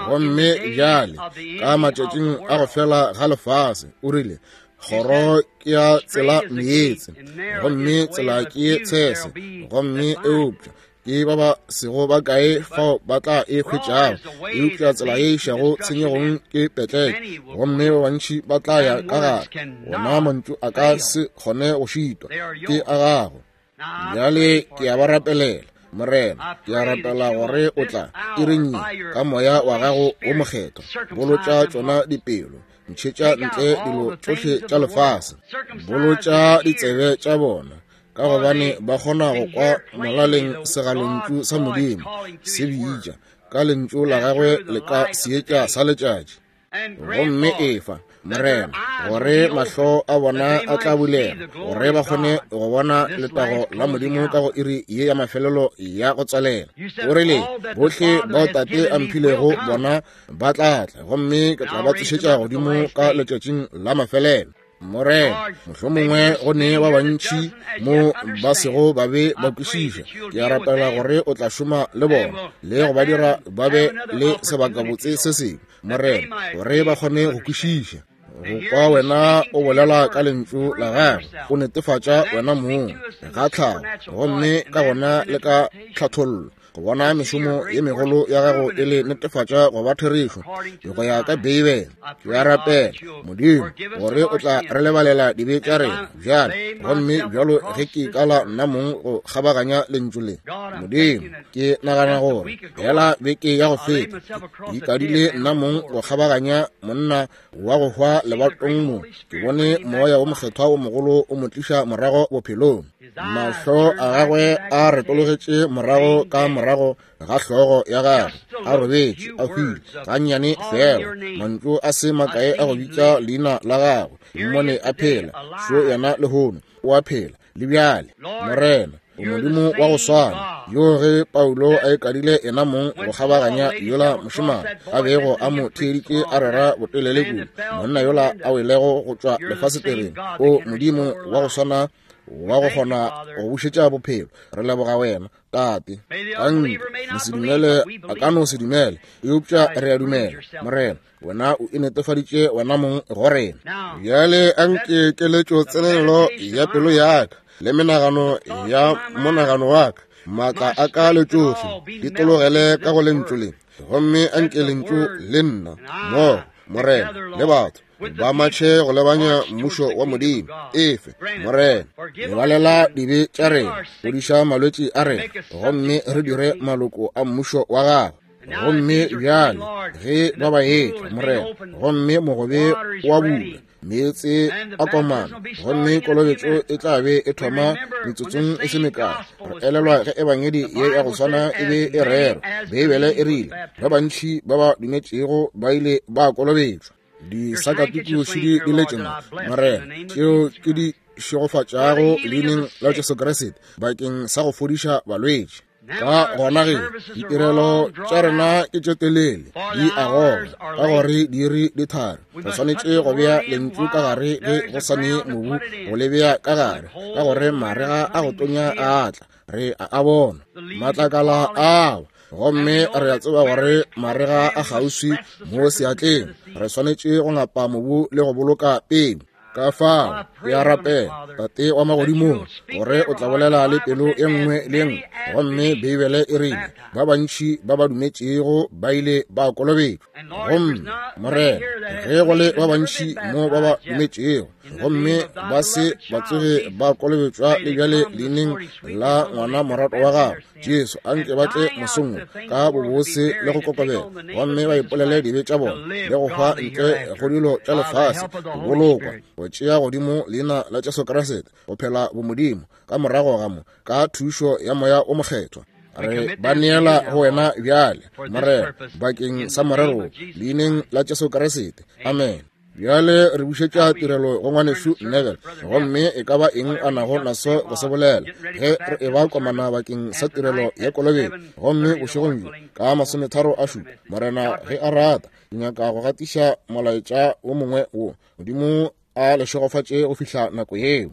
Gomme bjale ka matšatšing a go fela ga lefase, o rile, kgoro ke ya tsela meetse, gomme tsela ke ye tshese, gomme eupša Ke ba ba sego ba kae fao ba tla e hwetšago, eupša tsela ye išago tshenyegong ke petleke, gomme ba bantši ba tla ya ka gare. Wona mantšu a ka se kgone go šitwa, ke a gago. Bjale ke a ba rapelela, Morena, ke a rapela gore o tla iring ye ka moya wa gago wo mokgethwa bolotša tšona dipelo, ntšhetša ntle dilo tšohle tša lefase, bolotša ditsebe tša bona, ka gobane ba kgona go kwa molaleng segalontšu sa Modimo se bitša ka lentšu la gagwe le ka seetša sa letšatši. Gomme efa, Morena, gore mahlo a bona a tla bulega, gore ba kgone go bona letago la Modimo ka go iri ye ya mafelelo ya go tswalela. O rile, bohle bao Tate a mphilego bona ba tla tla, gomme ke tla ba tsošetša godimo ka letšatšing la mafelelo. Morena, mohlomongwe go ne ba bantši mo ba sego ba be ba kwešiša. Ke a rapela gore o tla šoma le bona le go ba dira ba be le sebakabotse se sengwe, Morena, gore ba kgone go kwešiša, go kwa wena o bolela ka lentšu la gagwe, o netefatša wena mong ga tlhago, gomme ka gona le ka tlhathollo, go bona mešomo ye megolo ya gago e le netefatša go ba therešo go ya ka Beibele. Ke a rapela, Modimo, gore o tla re lebalela dibe tša rena bjale, gomme bjalo ge ke kala nna mong go kgabaganya lentšu le. Modimo, ke nagana gore hela beke ya go feta ke ikadile nna mong go kgabaganya monna wa go hwa lebatong mo, ke bone moya wo mokgethwa wo mogolo o mo tliša morago bophelong. Mahlo a gagwe a retologetše morago ka morago ga hlogo ya gagwe, a robetše a hwile gannyane fela, mantšu a se makae a go bitša leina la gagwe, mmone a phela, šo yena lehono o a phela le bjale. Morena, o Modimo wa go swana yo ge Paulo a ikadile yena mong go kgabaganya yola mošemane a bego a mo theeditše a rera botelele kudu, monna yola a welego go tšwa lefasetereng, o Modimo wa go swana wa go kgona go bušetša bophelo. Re leboga wena, Tate. Anke mosedumele a ka no se dumele, eupša re a dumela, Morena, wena o inetefaditše wena mong go rena. Bjale anke keletšo tsenelelo ya pelo ya ka le menagano ya monagano wa ka, maatla a ka le tšohle di tologele ka go lentšu le, gomme anke lentšu le nna mmogo, Morena, le batho ba matšhe go lebanya mmušo wa Modimo. Efe, Morena, lebalela dibe tša rena, fodiša malwetši a rena, gomme re dire maloko a mmušo wa gago. Gomme bjale ge ba ba etla, Morena, gomme mogobe wa bula, meetse a komana, gomme kolobetšo e tla be e thoma metsotsong e se mekae. Re elelwa ge ebangedi ye ya go swana e be e rerwa. Beibele e rile ba bantši ba ba dumetšego ba ile ba kolobetšwa. Disakatuku šidi di letše mo, Morena, tšeo ke di šegofatšago leineng la Jesu Kriste bakeng sa go fodiša balwetši. Ka gona ge ditirelo tša rena ke tše telele, di a goga ka gore diiri di tharo, re swanetše go bea lentšu ka gare ge go sa ne mobu go le bea ka gare, ka gore marega a go tonya a tla, re a a bona matlakala ao, gomme re a tseba gore marega a kgauswi mo seatleng. Re swanetše go ngapa mobu le go boloka peu. Ka fao ke a rapela, Tate wa magodimong, gore o tla bolela le pelo e nngwe le e nngwe. Gomme Beibele e rile ba bantši ba ba dumetšego ba ile ba kolobetšwa. Gomme Morena, ge go le ba bantši mo ba ba dumetšego gomme ba se ba tsoge ba kolobetšwa le bjale leineng la ngwana morato wa gago Jesu, anke ba tle mosong ka bobose le go kokobela, gomme ba ipolele dibe tša bona le go hwa ntle go dilo tša lefase, go bolokwa, go tšea godimo leina la Jesu Kriste, go phela bomodimo ka morago ga mo, ka thušo ya moya o mokgethwa. Re ba neela go wena bjale, Morena, bakeng sa morero, leineng la Jesu Kriste. Amen. Bjale re bušetša tirelo go ngwanešu Neville, gomme e ka ba eng a nago naso go se bolela ge re e ba komana bakeng sa tirelo ya kolobetšo. Gomme bošegong bjo ka masometharo a šupa, Morena ge a rata, ke nyaka go gatiša molaetša wo mongwe wo. Modimo a le šegofatše go fihla nako yeo.